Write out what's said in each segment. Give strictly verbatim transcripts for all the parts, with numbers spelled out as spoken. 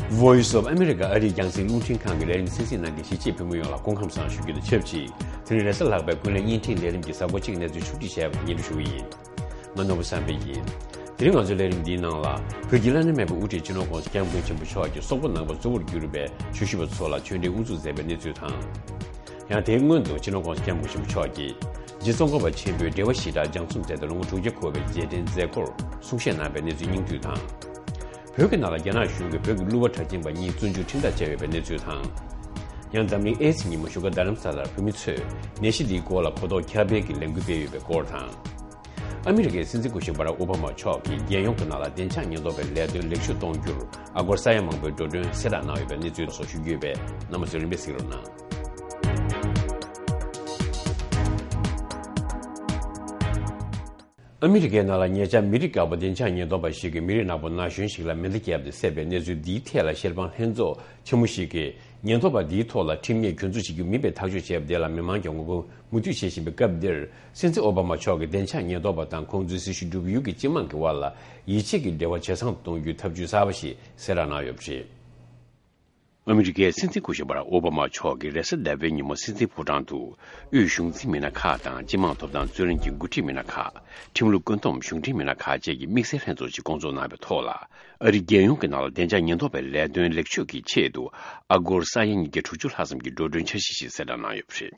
Voice of America ཨ་རིའི་རྒྱང་སྲིང་རླུང་འཕྲིན་ཁང་གི་ལས་རིམ་གསན་གཟིགས་གནང་མཁན་གཞིས་བྱེས་བོད་མི་ཡོངས་ལ་སྐུ་ཁམས་བཟང་ཞུ་རྒྱུ་དང་ཆབས་ཅིག་དེ་རིང་རེས་གཟའ་ལྷག་པའི་ཀུན་གླེང་བརྙན་འཕྲིན་ལས་རིམ་གྱི་གཟའ་འཁོར་གཅིག་གནས་ཚུལ་ཕྱོགས་སྒྲིག་བྱས་པ་སྙན་སྒྲོན་ཞུ་གི་ཡིན། ང་ནོར་བུ་བསམ་འཕེལ་ཡིན། དེ་རིང་ང་ཚོའི་ལས་རིམ་འདིའི་ནང་ལ། བོད་ཀྱི་བླ་ན་མེད་པའི་དབུ་ཁྲིད་སྤྱི་ནོར་༸གོང་ས་༸སྐྱབས་མགོན་ཆེན་པོ་མཆོག་གིས་སོག་པོ་ནང་པ་གཙོ་བོར་གྱུར་པའི་ཆོས་ཞུ་བ་ཚོ་ལ་ཆོས་འབྲེལ་དབུ་འཛུགས་མཛད་པའི་གནས་ཚུལ་དང་། ཡང་དེའི་སྔོན་དུ་སྤྱི་ནོར་༸གོང་ས་༸སྐྱབས་མགོན་ཆེན་པོ་མཆོག་གིས་རྗེ་ཙོང་ཁ་པ་ཆེན་པོའི་འགྲེལ་པ་ཞེ་དྲག་སྦྱང་རྩོམ་མཛད་དེ་ལོ་ངོ་དྲུག་བརྒྱ་འཁོར་བའི་རྗེས་དྲན་མཛད་སྒོར་གསུང་བཤད་གནང་བའི་གནས་ཚུལ་སྙིང་བསྡུས་དང་། བོད་ཀྱི་ནང་ལ་རྒྱ་ནག་གཞུང་གིས་བོད་ཀྱི་གླུ་བ་གྲགས་ཅན་པ་གཉིས་བཙོན་འཇུག་ཁྲིམས་ཐག་བཅད་ཡོད་པའི་གནས་ཚུལ་དང་། ཡང་འཛམ་གླིང་ཨེ་ཙི་ཉིན་མོ་བཞུགས་སྒར་རྡ་རམ་ས་ལར་བོད་མི་ཚོས་ནད་གཞི་འདིའི་སྐོར་ལ་གོ་རྟོགས་ཁྱབ་སྤེལ་གྱི་ལས་འགུལ་སྤེལ་ཡོད་པའི་སྐོར་དང་། ཨ་མི་རི་ཀའི་སྲིད་འཛིན་སྐུ་ཞབས་བྷ་རག་ཨོ་བྷ་མ་མཆོག་གིས་རྒྱལ་ཡོངས་ཀྱི་ནང་ལ་བདེ་འཇགས་ཉེན་རྟོག་པའི་ལས་དོན་ལེགས་བཅོས་གཏོང་རྒྱུར་ཨ་སྒོར་ས་ཡ་མང་པོའི་འགྲོ་གྲོན་གསལ་བསྒྲགས་གནང་ཡོད་པའི་གནས་ཚུལ་སོགས་ཞུ་རྒྱུ་ཡོད་པས། རྣམ་པ་ཚོས་རིམ་པས་གཟིགས་རོགས་གནང་། ཨ་མི་རི་ཀའི་ནང་ལ་ཉེ་ཆར་མི་རིགས་དཀར་པོ་བདེ་འཇགས་ཉེན་རྟོག་པ་ཞིག་གིས་མི་རིགས་ནག་པོ་ན་གཞོན་ཞིག་ལ་མེ་མདའ་བརྒྱབ་སྟེ་བསད་པའི་གནས་ཚུལ་འདིའི་ཐད་ལ་ཤེས་དཔང་ལྷན་ཚོགས་ཆེན་མོ་ཞིག་གིས། ཉེན་རྟོག་པ་འདིའི་ཐོག་ལ་ཁྲིམས་ཉེས་གྱོད་འཛུགས་བྱེད་རྒྱུ་མིན་པའི་ཐག་གཅོད་བྱས་པ་དེ་ལ་མི་མང་གིས་ངོ་རྒོལ་མུ་མཐུད་བྱེད་བཞིན་པའི་སྐབས་འདིར། སྲིད་འཛིན་ཨོ་བྷ་མ་མཆོག་གིས་བདེ་འཇགས་ཉེན་རྟོག་པ་དང་ཁོང་ཚོའི་སྲི་ཞུ་སྒྲུབ་ཡུལ་གྱི་སྤྱི་དམངས་ཀྱི་དབར་ལ་ཡིད་ཆེས་ཀྱི་འབྲེལ་བ་ཇེ་བཟང་དུ་གཏོང་རྒྱུའི་ཐབས་ཇུས་གསར་པ་ཞིག་གསལ་བསྒྲགས་གནང་ཡོད་པ་རེད། ཨ་མི་རི་ཀའི་སྲིད་འཛིན་སྐུ་ཞབས་བྷ་རག་ཨོ་བྷ་མ་མཆོག་གིས་རེས་གཟའ་ཟླ་བའི་ཉིན་མོ་སྲིད་འཛིན་ཕོ་བྲང་དུ། དབུས་གཞུང་འཛིན་མི་སྣ་ཁག་དང་སྤྱི་དམངས་ཐོབ་ཐང་རྩོད་ལེན་གྱི་འགོ་ཁྲིད་མི་སྣ་ཁག་ཁྲིམས་ལུགས་བཀོད་འདོམས་གཞུང་འབྲེལ་མི་སྣ་ཁག་བཅས་ཀྱི་དམིགས་བསལ་ལྷན་ཚོགས་ཤིག་བསྐོང་ཚོགས་གནང་བའི་ཐོག་ལ། ཨ་རིའི་རྒྱལ་ཡོངས་ཀྱི་ནང་ལ་བདེ་འཇགས་ཉེན་རྟོག་པའི་ལས་དོན་ལེགས་བཅོས་ཀྱི་ཆེད་དུ་ཨ་སྒོར་ས་ཡ་ཉིས་བརྒྱ་དྲུག་ཅུ་ལྷག་ཙམ་གྱི་འགྲོ་གྲོན་འཆར་གཞི་ཞིག་གསལ་བསྒྲགས་གནང་ཡོད་པ་རེད།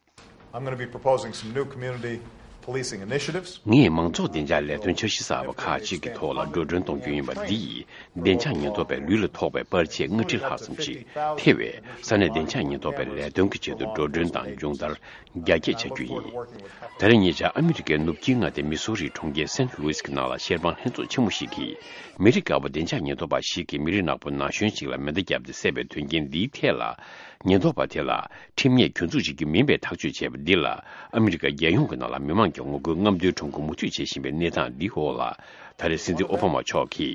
I'm going to be proposing some new community policing initiatives. ངས་མང་ཚོགས་བདེ་འཇགས་ལས་དོན་འཆར་གཞི་གསར་པ་ཁག་ཅིག་གི་ཐོག་ལ་འགྲོ་གྲོན་གཏོང་རྒྱུ་ཡིན་པ་འདི་ཡིས་བདེ་འཇགས་ཉེན་རྟོག་པའི་ལུས་ལ་ཐོགས་པའི་པར་ཆས་ལྔ་ཁྲི་ལྷག་ཙམ་ཞིག་ཐེ་བའི་ས་གནས་བདེ་འཇགས་ཉེན་རྟོག་པའི་ལས་དོན་གྱི་ཆེད་དུ་འགྲོ་གྲོན་དང་སྦྱོང་བརྡར་རྒྱ་སྐྱེད་བྱ་རྒྱུ་ཡིན། ད་རེས་ཉེ་ཆར་ཨ་མི་རི་ཀའི་ནུབ་དཀྱིལ་མངའ་སྡེ་མི་སོ་རིའི་གྲོང་ཁྱེར་སེན་ལུའིས་ཀྱི་ནང་ལ་ཤེས་དཔང་ལྷན་ཚོགས་ཆེན་མོ་ཞིག་གིས་མི་རིགས་དཀར་པོ་བདེ་འཇགས་ཉེན་རྟོག་པ་ཞིག་གིས་མི་རིགས་ནག་པོ་ན་གཞོན་ཞིག་ལ་མེ་མདའ་བརྒྱབ་སྟེ་བསད་པའི་དོན་རྐྱེན་འདིའི་ཐད་ལ། ཉེན་རྟོག་པ་དེ་ལ་ཁྲིམས་ཉེས་གྱོད་འཛུགས་བྱེད་རྒྱུ་མིན་པའི་ཐག་གཅོད་བྱས་པ་འདི་ལ་ཨ་མི་རི་ཀ་རྒྱལ་ཡོངས་ཀྱི་ནང་ལ་མི་མང་གི་ངོ་རྒོལ་རྔམ་སྟོན་ཁྲོམ་སྐོར་མུ་མཐུད་བྱེད་བཞིན་པའི་གནས་སྟངས་འདིའི་འོག་ལ། ད་རེས་སྲིད་འཛིན་ཨོ་བྷ་མ་མཆོག་གིས་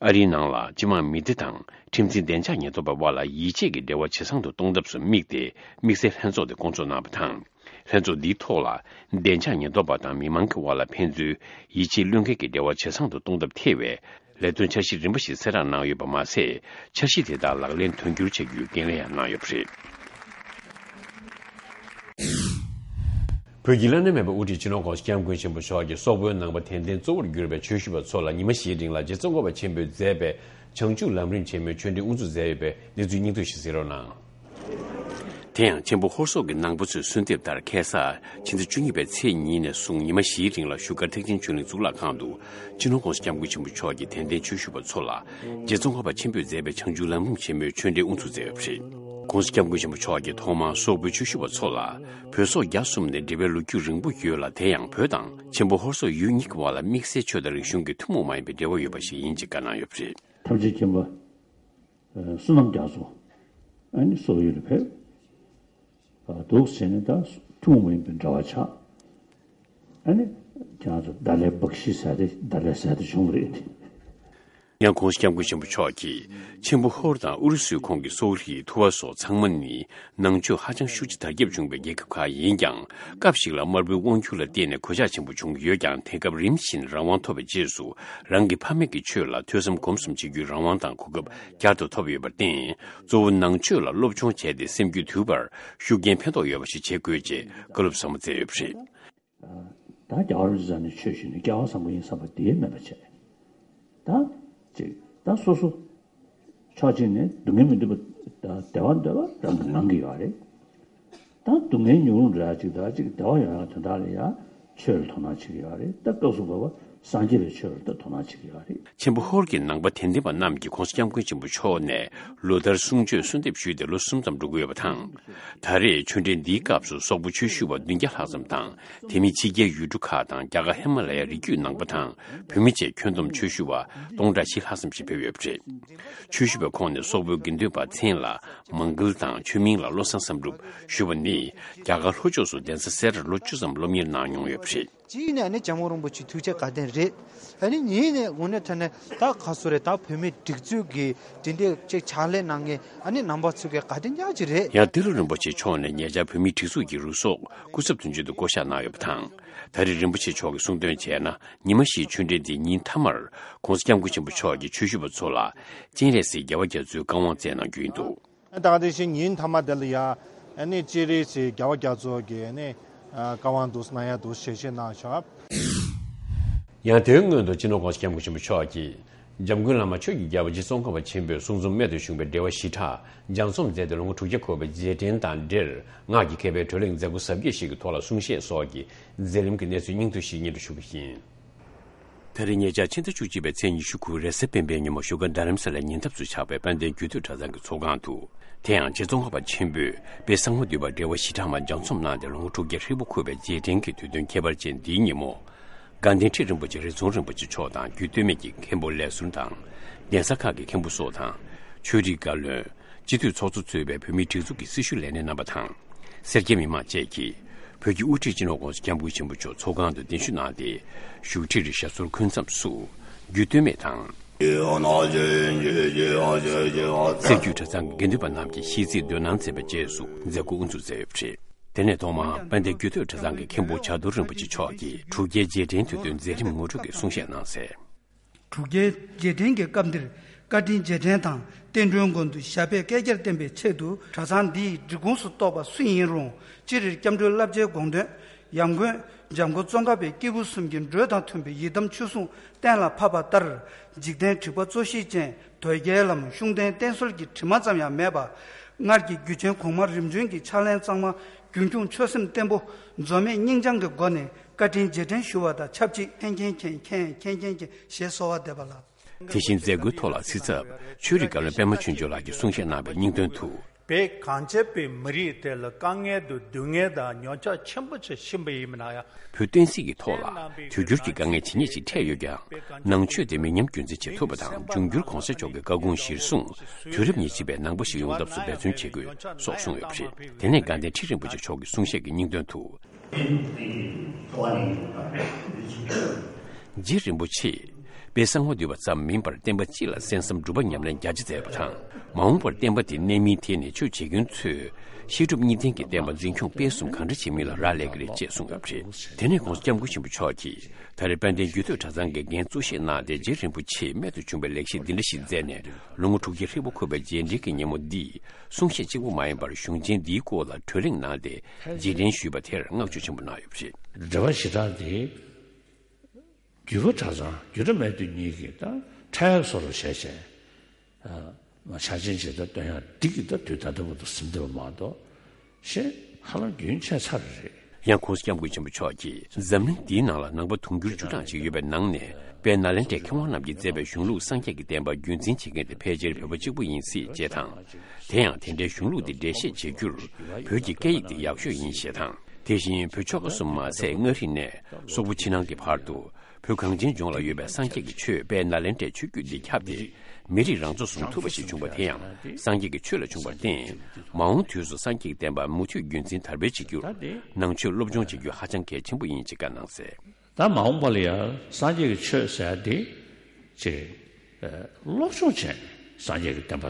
ཨ་རིའི་ནང་ལ་སྤྱི་དམངས་མི་སྡེ་དང་ཁྲིམས་འཛིན་བདེ་འཇགས་ཉེན་རྟོག་པའི་དབར་ལ་ཡིད་ཆེས་ཀྱི་འབྲེལ་བ་ཇེ་བཟང་དུ་གཏོང་ཐབས་སུ་དམིགས་ཏེ་དམིགས་བསལ་ལྷན་ཚོགས་དེ་བསྐོང་ཚོགས་གནང་བ་དང་། ལྷན་ཚོགས་འདིའི་ཐོག་ལ་བདེ་འཇགས་ཉེན་རྟོག་པ་དང་མི་མང་གི་དབར་ལ་ཕན་ཚུན་ཡིད་ཆེས་བློས་འགེལ་གྱི་འབྲེལ་བ་ཇེ་བཟང་དུ་གཏོང་ཐབས་ཐེ་བའི་ལས་དོན་འཆར་གཞི་རིམ་པ་ཞིག་གསལ་བསྒྲགས་གནང་ཡོད་པ་མ་ཟད། འཆར་གཞི་དེ་དག་ལག་ལེན་དོན་འཁྱོལ་བྱ་རྒྱུའི་འགན་ལེན་ཡང་གནང་ཡོད་པ་རེད། བོད་ཀྱི་བླ་ན་མེད་པའི་དབུ་ཁྲིད་སྤྱི་ནོར་༸གོང་ས་༸སྐྱབས་མགོན་ཆེན་པོ་མཆོག་གིས་སོག་པོའི་ནང་པ་དད་ལྡན་གཙོ་བོར་གྱུར་པའི་ཆོས་ཞུ་བ་ཚོ་ལ་ཉི་མ་བཞིའི་རིང་ལ་རྗེ་ཙོང་ཁ་པ་ཆེན་པོས་མཛད་པའི་བྱང་ཆུབ་ལམ་རིམ་ཆེན་མོའི་ཆོས་འབྲེལ་དབུ་འཛུགས་མཛད་ཡོད་པའི་གནས་ཚུལ་སྙིང་བསྡུས་ཤིག་གཟིགས་རོགས་གནང་། དེ་ཡང་ཆེན་པོ་ཧོར་སོག་གི་ནང་པ་ཚོས་གསོལ་འདེབས་ལྟར་ཁ་སང་ཕྱི་ཟླ་བཅུ་གཉིས་པའི་ཚེས་གཉིས་ནས་བཟུང་ཉི་མ་བཞིའི་རིང་ལ་བཞུགས་སྒར་ཐེག་ཆེན་ཆོས་གླིང་གཙུག་ལག་ཁང་དུ་སྤྱི་ནོར་༸གོང་ས་༸སྐྱབས་མགོན་ཆེན་པོ་མཆོག་གི་དད་ལྡན་ཆོས་ཞུ་བ་ཚོ་ལ་རྗེ་ཙོང་ཁ་པ་ཆེན་པོས་མཛད་པའི་བྱང་ཆུབ་ལམ་རིམ་ཆེན་མོའི་ཆོས་འབྲེལ་དབུ་འཛུགས་མཛད་ཡོད་པ་རེད། ༸གོང་ས་༸སྐྱབས་མགོན་ཆེན་པོ་མཆོག་གིས་ཐོག་མར་སོག་པོའི་ཆོས་ཞུ་བ་ཚོ་ལ་བོད་སོག་རྒྱ་གསུམ་ནས་འབྲེལ་བའི་ལོ་རྒྱུས་རིང་པོ་ཡོད་ལ། དེ་ཡང་བོད་དང་ཆེན་པོ་ཧོར་སོག་ཡུལ་གཉིས་ཀྱི་དབར་ལ་དམིགས་བསལ་ཆོས་དང་རིག་གཞུང་གི་ཐུན་མོང་མ་ཡིན་པའི་འབྲེལ་བ་ཡོད་པ་ཞིག་ཡིན་ཅེས་བཀའ་གནང་ཡོད་པ་རེད། ཐམས་ཅད་མཁྱེན་པ། བསོད་ནམས་རྒྱ་མཚོ། ཨ་ནི་སོག་ཡུལ་ལ་ཕེབས། འདུག་བྱས་ནས་ད་ཐུན་མོང་མ་ཡིན་པའི་འབྲེལ་བ་ཆགས། ཨ་ནི་ཁྱེད་རང་ཚོ་ད་ལའི་བག་ཤི་ཟེར་ཏེ་ད་ལའི་ཟེར་ཏེ་བྱུང་བ་རེད། ཡང་༸གོང་ས་༸སྐྱབས་མགོན་ཆེན་པོ་མཆོག་གིས་ཆེན་པོ་ཧོར་དང་ཨུ་རུ་སུའི་ཁོངས་ཀྱི་སོག་རིགས་ཐུ་བ་སོགས་ཚང་མ་ནི་ནང་ཆོས་ཧ་ཅང་ཤུགས་ཆེ་དར་ཁྱབ་བྱུང་བའི་རྒྱལ་ཁབ་ཁག་ཡིན་ཀྱང་། སྐབས་ཤིག་ལ་དམར་པོའི་དབང་སྒྱུར་ལ་བརྟེན་ནས་གོད་ཆག་ཆེན་པོ་བྱུང་གི་ཡོད་ཀྱང་། དེང་སྐབས་རིམ་བཞིན་རང་དབང་ཐོབ་པའི་རྗེས་སུ། རང་གི་ཕ་མེས་ཀྱི་ཆོས་ལ་ཐོས་བསམ་སྒོམ་གསུམ་བྱེད་རྒྱུའི་རང་དབང་དང་གོ་སྐབས་བསྐྱར་དུ་ཐོབ་ཡོད་པར་བརྟེན། གཙོ་བོ་ནང་ཆོས་ལ་སློབ་སྦྱོང་བྱས་ཏེ་སེམས་རྒྱུད་དུལ་བར་ཤུགས་རྐྱེན་ཕན་ཐོགས་ཡོད་པ་ཞིག་བྱེད་དགོས་ཅེས་བཀའ་སློབ་ཟབ་མོ་སྩལ་ཡོད་པ་རེད། ད་རྒྱལ་བ་རིན་པོ་ཆེ་ནས་ཆོས་ཞུས་ནས་སྐལ་བ་བཟང་པོ་ཡིན་བསམ་པ་དེ་མེད་པ་བྱས། ད་ཅིག་ད་སོ་སོ་ཕྱོགས་གཅིག་ནས་སྡུག་བསྔལ་མི་འདོད་པ་ད་བདེ་བ་འདོད་པ་རང་གི་ངང་གི་ཡོད་རེད། ད་སྡུག་བསྔལ་མྱོང་རུང་འདྲ་ཅིག་ད་ཅིག་བདེ་བ་ཡོང་ཡ་དོན་དག་ལ་ཡ་ཆོས་ལ་དོ་སྣང་བྱེད་ཀྱི་ཡོད་རེད། ད་སྐབས་སུ་བབ་པ་སངས་རྒྱས་པའི་ཆོས་ལ་ད་དོ་སྣང་བྱེད་ཀྱི་ཡོད་རེད། ཆེན་པོ་ཧོར་གྱི་ནང་པ་དད་ལྡན་པ་རྣམས་ཀྱིས་༸གོང་ས་༸སྐྱབས་མགོན་ཆེན་པོ་མཆོག་ནས་ལོ་ལྟར་གསུང་ཆོས་གསོལ་འདེབས་ཞུས་ཏེ་ལོ་གསུམ་ཙམ་འགྲོ་གི་ཡོད་པ་དང་། ད་རེས་ཆོས་འབྲེལ་འདིའི་སྐབས་སུ་སོག་པོ་ཆོས་ཞུ་བ་བདུན་བརྒྱ་ལྷག་ཙམ་དང་། དེ་མིན་ཕྱི་རྒྱལ་ཡུལ་གྲུ་ཁག་དང་རྒྱ་གར་ཧི་མ་ལ་ཡའི་རི་རྒྱུད་ནང་པ་དང་བོད་མི་བཅས་ཁྱོན་བསྡོམས་ཆོས་ཞུ་བ་སྟོང་ཕྲག་བཞི་ལྷག་ཙམ་ཞིག་ཕེབས་ཡོད་པ་རེད། ཆོས་ཞུ་བའི་ཁོངས་ནས་སོག་པོའི་དགེ་འདུན་པ་མཚན་ལ་མང་གལ་དང་ཆོས་མིང་ལ་བློ་བཟང་བསམ་གྲུབ་ཞུ་བ་ནི་རྒྱ་གར་ལྷོ་ཕྱོགས་སུ་གདན་ས་གསར་ལོ་བཅུ་ཙམ་སློབ་གཉེར་གནང་མྱོང་ཡོད་པ་རེད། གཅིག་ནས་ཨ་ནི་ཇོ་མོ་རིན་པོ་ཆེ་ཐུགས་རྗེ་དགའ་ལྡན་རེད། ཨ་ནི་གཉིས་ནས་དངོས་གནས་དྲང་གནས་ད་ག་སུ་རེད། ད་བོད་མིའི་སྒྲིག་འཛུགས་ཀྱི་དེ་འདྲའི་ཅིག་ཕྱག་ལས་གནང་མཁན་ཨ་ནི་རྣམ་པ་ཚོ་གི་དགའ་ལྡན་ཡག་ཅིག་རེད། ཡང་ཏི་ལོ་རིན་པོ་ཆེ་མཆོག་ནས་ཉེ་ཆར་བོད་མིའི་སྒྲིག་འཛུགས་ཀྱི་རུ་ཚོགས་སྐུ་ཚབ་དོན་གཅོད་དུ་བསྐོ་གཞག་གནང་ཡོད་པ་དང་། ད་རེས་རིན་པོ་ཆེ་མཆོག་གིས་གསུངས་དོན་བྱས་ན། ཉི་མ་བཞིའི་ཆོས་འབྲེལ་འདིའི་ཉིན་མཐའ་མར་༸གོང་ས་༸སྐྱབས་མགོན་ཆེན་པོ་མཆོག་གིས་ཆོས་ཞུ་བ་ཚོ་ལ་སྤྱན་རས་གཟིགས་རྒྱལ་བ་རྒྱ་མཚོའི་བཀའ་དབང་སྩལ་གནང་རྒྱུ་ཡིན་འདུག་ད་ག་དེ་བཞིན་ཉིན་མཐའ་མ་དེ་ལ་ཡང་ཨ་ནི་སྤྱན་རས་གཟིགས་རྒྱལ་བ་རྒྱ་མཚོ་གི་ཨ་ནི་བཀའ་དབང་འདུག་གནང་ཡ་འདུག་ཞལ་བཞེས་གནང་ཤག་ཡང་དེའི་སྔོན་དུ་སྤྱི་ནོར་༸གོང་ས་༸སྐྱབས་མགོན་ཆེན་པོ་མཆོག་གིས་འཇམ་མགོན་བླ་མ་ཆོས་ཀྱི་རྒྱལ་པོ་རྗེ་ཙོང་ཁ་པ་ཆེན་པོའི་གསུང་རྩོམ་རྨད་དུ་བྱུང་བའི་འགྲེལ་པ་བཞི་ཕྲག་ལྗགས་རྩོམ་མཛད་དེ་ལོ་ངོ་དྲུག་བརྒྱ་འཁོར་བའི་རྗེས་དྲན་དང་འབྲེལ། སྔགས་ཀྱི་མཁས་པའི་བགྲོ་གླེང་མཛད་སྒོ་གཟབ་རྒྱས་ཤིག་གི་ཐོག་ལ་གསུང་བཤད་སོགས་ཀྱི་མཛད་རིམ་གྱི་གནས་ཚུལ་སྙིང་བསྡུས་ཤིག་སྙན་སྒྲོན་ཞུ་གི་ཡིན། ད་རེས་ཉེ་ཆར་ཕྱི་ཟླ་བཅུ་གཅིག་པའི་ཚེས་ཉི་ཤུ་དགུ་རེས་གཟའ་སྤེན་པའི་ཉིན་མོ་བཞུགས་སྒར་རྡ་རམ་ས་ལའི་ཉེ་འདབས་སུ་ཆགས་པའི་དཔལ་ལྡན་རྒྱུད་སྟོད་གྲྭ་ཚང་གི་ཚོགས་ཁང་དུ། དེ་ཡང་རྗེ་ཙོང་ཁ་པ་ཆེན་པོས་དཔལ་གསང་བ་འདུས་པ་འགྲེལ་པ་བཞི་ཕྲག་མ་ལྗགས་རྩོམ་གནང་སྟེ་ལོ་ངོ་དྲུག་བརྒྱ་ཧྲིལ་པོ་འཁོར་བའི་རྗེས་དྲན་གྱི་དུས་སྟོན་ཁྱད་པར་ཅན་འདིའི་ཉིན་མོ། དགའ་ལྡན་ཁྲི་རིན་པོ་ཆེ་རི་ཛོང་རིན་པོ་ཆེ་མཆོག་དང་རྒྱུད་སྟོད་སྨད་ཀྱི་མཁན་པོ་ལས་ཟུར་དང་། གདན་ས་ཁག་གི་མཁན་པོ་སོགས་དང་། ཆོས་རིག་བཀའ་བློན། སྤྱི་འཐུས་ཚོགས་གཙོ་གཙོས་པའི་བོད་མིའི་སྒྲིག་འཛུགས་ཀྱི་སྲི་ཞུ་ལས་སྣེ་རྣམ་པ་དང་། སེར་སྐྱ་མི་མང་བཅས་ཀྱིས་བོད་ཀྱི་དབུ་ཁྲིད་སྤྱི་ནོར་༸གོང་ས་༸སྐྱབས་མགོན་ཆེན་པོ་མཆོག་ཚོགས་ཁང་དུ་གདན་ཞུ་གནང་སྟེ། བཞུགས་ཁྲིར་ཞབས་སོར་འཁོད་མཚམས་སུ་རྒྱུད་སྟོད་སྨད་དང་། གསེར་འགྱུར་གྲྭ་ཚང་གི་དགེ་འདུན་པ་རྣམས་ཀྱིས་ཤིས་ཚིག་འདོན་གནང་མཛད་པའི་རྗེས་སུ་མཛད་སྒོ་དབུ་འཛུགས་མཛད་ཡོད་པ་རེད། དེ་ནས་ཐོག་མར་དཔལ་ལྡན་རྒྱུད་སྟོད་གྲྭ་ཚང་གི་མཁན་པོ་བྱ་རྡོར་རིན་པོ་ཆེ་མཆོག་གིས་དྲུག་བརྒྱའི་རྗེས་དྲན་དུས་སྟོན་མཛད་རིམ་ངོ་སྤྲོད་ཀྱི་གསུང་བཤད་གནང་གསལ། དྲུག་བརྒྱའི་རྗེས་དྲན་གྱི་སྐབས་འདིར་བཀའ་དྲིན་རྗེས་དྲན་དང་རྟེན་འབྲེལ་མགོན་དུ་ཞབས་པད་བསྐལ་བརྒྱར་བརྟན་པའི་ཆེད་དུ། གྲྭ་ཚང་འདིའི་སྒྲིག་ཁོངས་སུ་གཏོགས་པ་སུ་ཡིན་རུང་། སྤྱིར་སྐྱབས་འགྲོའི་བསླབ་བྱའི་དགོངས་དོན། ཡབ་མགོན་འཇམ་མགོན་ཙོང་ཁ་པའི་སྐྱེས་བུ་གསུམ་གྱི་འགྲོས་དང་མཐུན་པའི་ཡི་དམ་ཆོས་སྲུང་གཏན་ལ་ཕབ་པ་ལྟར། འཇིག་རྟེན་དྲེགས་པ་གཙོ་ཤེས་ཅན། དོལ་རྒྱལ་ལམ་ཤུགས་ལྡན་བསྟེན་གསོལ་གྱི་དྲི་མ་ཙམ་ཡང་མེད་པ། སྔར་གྱི་རྒྱུ་ཆེན་གོང་མ་རིམ་བྱོན་གྱི་ཕྱག་ལེན་གཙང་མ། རྒྱུན་འཁྱོངས་ཆོད་སེམས་བརྟན་པོ། འཛོལ་མེད་སྙིང་བཅངས་ཀྱི་སྒོ་ནས་བཀའ་དྲིན་རྗེས་དྲན་ཞུ་བ་དང་ཆབས་ཅིག །མཁྱེན་མཁྱེན་མཁྱེན་མཁྱེན་མཁྱེན་མཁྱེན་མཁྱེན་ཞེས་གསོལ་བ་འདེབས་པ་ལགས། དེ་བཞིན་མཛད་སྒོའི་ཐོག་ལ་གཟིགས་ཚབ་ཆོས་རིག་བཀའ་བློན་པད་མ་ཆོས་འབྱོར་ལགས་ཀྱིས་གསུང་བཤད་གནང་བའི་སྙིང་དོན་དུ། བོད་གངས་ཅན་པའི་མི་རིགས་དེ་ལ་དཀའ་ངལ་དང་སྡུག་བསྔལ་དང་ཉམས་ཆག་ཆེན་པོ་ཞིག་ཕྱིན་པ་ཡིན་ན་ཡང་། བོད་བསྟན་སྲིད་ཀྱི་ཐོག་ལ་དུས་འགྱུར་གྱི་དཀའ་ངལ་ཇི་སྙེད་ཅིག་འཕྲད་ཡོད་ཀྱང་། ནང་ཆོས་དེ་མི་ཉམས་རྒྱུན་འཛིན་བྱེད་ཐུབ་པ་དང་། འབྱུང་འགྱུར་གོང་ས་མཆོག་གི་བཀའ་དགོངས་གཞིར་བཟུང་དུས་རབས་ཉེར་གཅིག་པའི་ནང་པ་ཞིག་ཡོང་ཐབས་སུ་འབད་བརྩོན་བྱེད་དགོས་སོགས་གསུངས་ཡོད་པ་རེད། དེ་ནས་དགའ་ལྡན་ཁྲི་རིན་པོ་ཆེ་མཆོག་གི་གསུང་བཤད་ཀྱི་སྙིང་དོན་དུ། རྗེ་རིན་པོ་ཆེས་དཔལ་གསང་བ་འདུས་པ་ཙམ་མིན་པར་བསྟན་པ་སྤྱི་ལ་གསན་བསམ་སྒྲུབ་པ་ཉམས་ལེན་རྒྱ་ཆེ་མཛད་པ་དང་། མ་འོངས་པར་བསྟན་པ་དེ་གནས་མིན་ཐད་ནས་ཆོས་བྱེད་མཁན་ཚོས་བཤད་སྒྲུབ་གཉིས་ལྡན་གྱི་བསྟན་པ་འཛིན་སྐྱོང་སྤེལ་གསུམ་གང་འདྲ་བྱེད་མིན་ལ་རག་ལས་ཀྱི་རེད་ཅེས་གསུངས་ཡོད་པ་རེད། དེ་ནས་གོང་ས་སྐྱབས་མགོན་ཆེན་པོ་མཆོག་གིས་ད་རེས་དཔལ་ལྡན་རྒྱུད་སྟོད་གྲྭ་ཚང་གི་འགན་གཙོ་བཞེས་གནང་སྟེ། རྗེ་རིན་པོ་ཆེས་རྨད་དུ་བྱུང་བའི་ལེགས་བཤད་འདི་འདྲ་ཞིག་མཛད་ནས། ལོ་ངོ་དྲུག་བརྒྱ་ཧྲིལ་པོ་འཁོར་བའི་རྗེས་དྲན་གྱི་ཉིན་མོ་འདིས་གསུང་བཤད་གཅིག་པུ་མ་ཡིན་པར་གཞུང་ཆེན་འདིའི་སྐོར་ལ་བགྲོ་གླེང་གནང་སྟེ་རྗེས་དྲན་ཞུས་པ་དེར་བསྔགས་བརྗོད་ཆེན་པོ་གནང་ཡོད་པ་རེད། འགྲེལ་པ་བཞི་ཕྲག་འདི་བརྒྱུད་པ་གྲྭ་ཚང་བརྒྱུད་གྲྭ་སྨད་དུ་གཉིས་ཀྱི་ད་ཕྲད་བཟོ་རུ་བྱས་བྱས། ཕྱག་ཆེན་ཇི་ལྟར་སྟོན་ཡང་འདི་གི་ད་དུས་ད་ལྟ་བར་དུ་ཟིན་བསྡད་པ་མ་གཏོགས། ཞེས་ཧ་ལམ་རྒྱུན་ཆད་ཚར་རེད། ཡང་གོང་ས་སྐྱབས་མགོན་ཆེན་པོ་མཆོག་གིས་འཛམ་གླིང་འདིའི་ནང་ལ་ནང་པ་དུང་ཕྱུར་བཅུ་གྲངས་ཅིག་ཡོད་པའི་ནང་ནས། དཔལ་ནཱ་ལེནྡྲའི་མཁས་དབང་རྣམས་ཀྱིས་མཛད་པའི་གཞུང་ལུགས་སངས་རྒྱས་ཀྱི་བསྟན་པ་རྒྱུན་འཛིན་བྱེད་མཁན་དེ་ཕལ་ཆེར་བོད་པ་གཅིག་པུ་ཡིན་སྲིད་ཅེས་དང་། དེ་ཡང་དེ་འདྲའི་གཞུང་ལུགས་དེ་འགྲེལ་བཤད་བྱེད་རྒྱུར་བོད་ཀྱི་སྐད་ཡིག་དེ་ཡག་ཤོས་ཡིན་ཞེས་དང་། དེ་བཞིན་བོད་ཆོལ་ཁ་གསུམ་མ་ཟད་མངའ་རིས་ནས་སོག་པོ་ཕྱི་ནང་གི་བར་དུ། བོད་གངས་ཅན་ལྗོངས་ལ་ཡོད་པའི་སངས་རྒྱས་ཀྱི་ཆོས་དཔལ་ནཱ་ལེནྡྲའི་ཆོས་བརྒྱུད་འདི་ཁྱབ་སྟེ། མི་རིགས་རང་ཚོགས་སུ་ཐུབ་པ་ཞིག་བྱུང་བ་དེ་ཡང་སངས་རྒྱས་ཀྱི་ཆོས་ལ་བྱུང་བར་བརྟེན། མ་འོངས་དུས་སུ་སངས་རྒྱས་ཀྱི་བསྟན་པ་མུ་མཐུད་རྒྱུན་འཛིན་དར་སྤེལ་བྱེད་རྒྱུར་ནང་ཆོས་སློབ་སྦྱོང་བྱེད་རྒྱུ་ཧ་ཅང་གལ་ཆེན་པོ་ཡིན་ཅེས་བཀའ་གནང་གསལ། ད་མ་འོངས་པ་ལ་ཡང་སངས་རྒྱས་ཀྱི་ཆོས་ཟེར་ཡ་འདི་ཅིག་སློབ་སྦྱོང་བྱས་ནས་སངས་རྒྱས་ཀྱི་བསྟན་པ།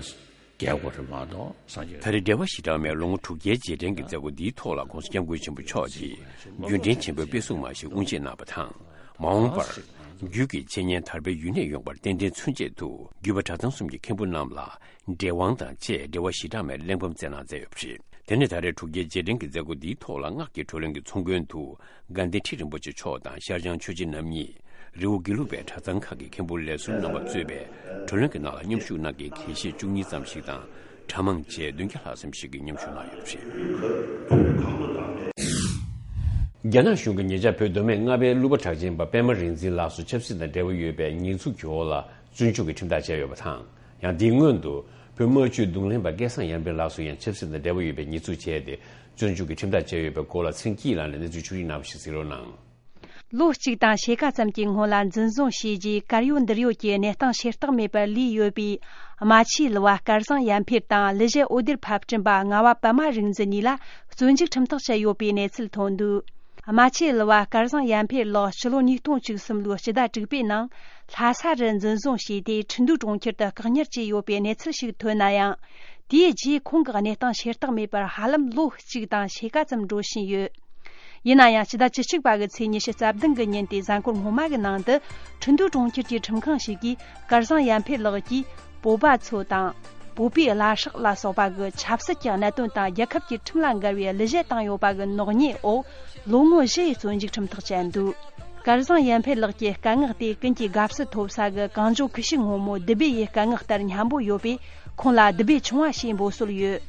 རྒྱལ་སྒོ་རེད་མ་གཏོགས་སངས་རྒྱས། ད་རེས་འགྲེལ་པ་བཞི་གྲངས་མའི་ལོ་ངོ་དྲུག་བརྒྱའི་རྗེས་དྲན་གྱི་མཛད་སྒོ་འདིའི་ཐོག་ལ་གོང་ས་སྐྱབས་མགོན་ཆེན་པོ་མཆོག་གིས་རྒྱུན་འབྲེལ་ཆེན་པོའི་དཔེ་གཟུགས་མ་ཞིག་དབུ་འབྱེད་གནང་བ་དང་། མ་འོངས་པར་རྒྱུད་ཀྱི་འཆད་ཉན་དར་སྤེལ་ཡུན་གནས་ཡོང་བར་རྟེན་འབྲེལ་མཚོན་ཆེད་དུ་བརྒྱུད་པ་གྲྭ་ཚང་གསུམ་གྱི་མཁན་པོ་རྣམས་ལ་འབྲེལ་དབང་དང་བཅས་འགྲེལ་པ་བཞི་གྲངས་མའི་གླེགས་བམ་བསྩལ་གནང་མཛད་ཡོད་པ་རེད། དེ་ནས་ད་རེས་དྲུག་བརྒྱའི་རྗེས་དྲན་གྱི་མཛད་སྒོ་འདིའི་ཐོག་ལ་སྔགས་ཀྱི་བགྲོ་གླེང་གི་ཚོགས་མགོན་དུ། དགའ་ལྡན་ཁྲི་རིན་པོ་ཆེ་མཆོག་དང་ཤར་བྱང་ཆོས་རྗེ་རྣམ་གཉིས། རི་བོ་དགེ་ལུགས་པའི་གྲྭ་ཚང་ཁག་གི་མཁན་པོ་ལས་ཟུར་རྣམ་པ་གཙོས་པའི་བགྲོ་གླེང་གི་ནང་ལ་མཉམ་ཞུགས་གནང་མཁན་དགེ་བཤེས་བཅུ་གཉིས་ཙམ་ཞིག་དང་། གྲྭ་མང་བཅས་བདུན་བརྒྱ་ལྷག་ཙམ་ཞིག་གིས་མཉམ་ཞུགས་གནང་ཡོད་པ་རེད། རྒྱ་ནག་གཞུང་གིས་ཉེ་ཆར་བོད་མདོ་སྨད་རྔ་པའི་གླུ་པ་གྲགས་ཅན་པ་པད་མ་རིག་འཛིན་ལགས་སུ་ཆབ་སྲིད་དང་འབྲེལ་བ་ཡོད་པའི་ཉེས་འཛུགས་ཀྱི་འོག་ལ་བཙོན་འཇུག་གི་ཁྲིམས་ཐག་བཅད་ཡོད་པ་དང་། ཡང་དེའི་སྔོན་དུ་བོད་དམར་གཅོད་རྡུང་ལེན་པ་སྐལ་བཟང་ཡར་འཕེལ་ལགས་སུ་ཡང་ཆབ་སྲིད་དང་འབྲེལ་བ་ཡོད་པའི་ཉེས་འཛུགས་བྱས་ཏེ། བཙོན་འཇུག་གི་ཁྲིམས་ཐག་བཅད་ཡོད་པའི་སྐོར་ལ་ཚེ་རིང་སྐྱིད་ལགས་ནས་གནས་ཚུལ་ཕྱོགས་སྒྲིག་གནང་བ་ཞིག་གཟིགས་རོགས་གནང་། ལོ་གཅིག་དང་ཕྱེད་ཀ་ཙམ་གྱི་སྔོན་ལ་འཛིན་བཟུང་བྱས་རྗེས་གར་ཡོད་འདིར་ཡོད་ཀྱི་གནས་སྟངས་བྱེ་བྲག་མེད་པར་ལུས་ཡོད་པའི་རྨ་ཆུའི་གླུ་བ་སྐལ་བཟང་ཡར་འཕེལ་དང་གླུ་གཞས་འོད་སྡེར་ཕབ་བསྐྲུན་པ་ལྔ་བ་པད་མ་རིག་འཛིན་གཉིས་ལ་བཙོན་འཇུག་ཁྲིམས་ཐག་བཅད་ཡོད་པའི་གནས་ཚུལ་ཐོན་འདུག་རྨ་ཆུའི་གླུ་བ་སྐལ་བཟང་ཡར་འཕེལ་ལགས་ཕྱི་ལོ་ཉིས་སྟོང་བཅུ་གསུམ་ལོའི་སྤྱི་ཟླ་དྲུག་པའི་ནང་ལྷ་ས་རུ་འཛིན་བཟུང་བྱས་ཏེ་ཁྲིན་ཏུའུ་གྲོང་ཁྱེར་དུ་བཀག་ཉར་བྱས་ཡོད་པའི་གནས་ཚུལ་ཞིག་ཐོན་ན་ཡང་། དེའི་རྗེས་ཁོང་གི་གནས་སྟངས་བྱེ་བྲག་མེད་པར་ཧ་ལམ་ལོ་གཅིག་དང་ཕྱེད་ཀ་ཙམ་འགྲོ་བཞིན་ཡོད། ཡིན་ན་ཡང་སྤྱི་ཟླ་བཅུ་གཅིག་པ་གི་ཚེས་ཉི་ཤུ་རྩ་བདུན་གི་ཉིན་དེའི་གཟའ་འཁོར་སྔོན་མ་གི་ནང་དུ་ཁྲིན་ཏུའུ་གྲོང་ཁྱེར་གྱི་ཁྲིམས་ཁང་ཞིག་གིས་སྐལ་བཟང་ཡར་འཕེལ་ལགས་ཀྱིས་བོད་པ་ཚོ་དང་། བོད་པའི་བླ་སྲོག་ལ་སོགས་པ་གི་ཆབ་སྲིད་ཀྱི་གནད་དོན་དང་རྒྱལ་ཁབ་ཀྱི་ཁྲིམས་ལ་འགལ་བའི་གླུ་གཞས་བཏང་ཡོད་པ་གི་ནག་ཉེས་འོག་ལོ་ངོ་བཞི་ཡི་བཙོན་འཇུག་ཁྲིམས་ཐག་བཅད་འདུག་སྐལ་བཟང་ཡར་འཕེལ་ལགས་ཀྱི་སྐད་ངག་དེ་ཀུན་གྱིས་དགའ་བསུ་ཐོབ་ས་གི་གངས་ལྗོངས་ཁུ་བྱུག་སྔོན་མོ་དིལ་བུ་ཡི་སྐད་ངག་ལྟར་སྙན་པོ་ཡོད་པས། ཁོང་ལ་དིལ་བུ་ཆུང་བ་ཞེས་འབོད་སྲོལ་ཡོད།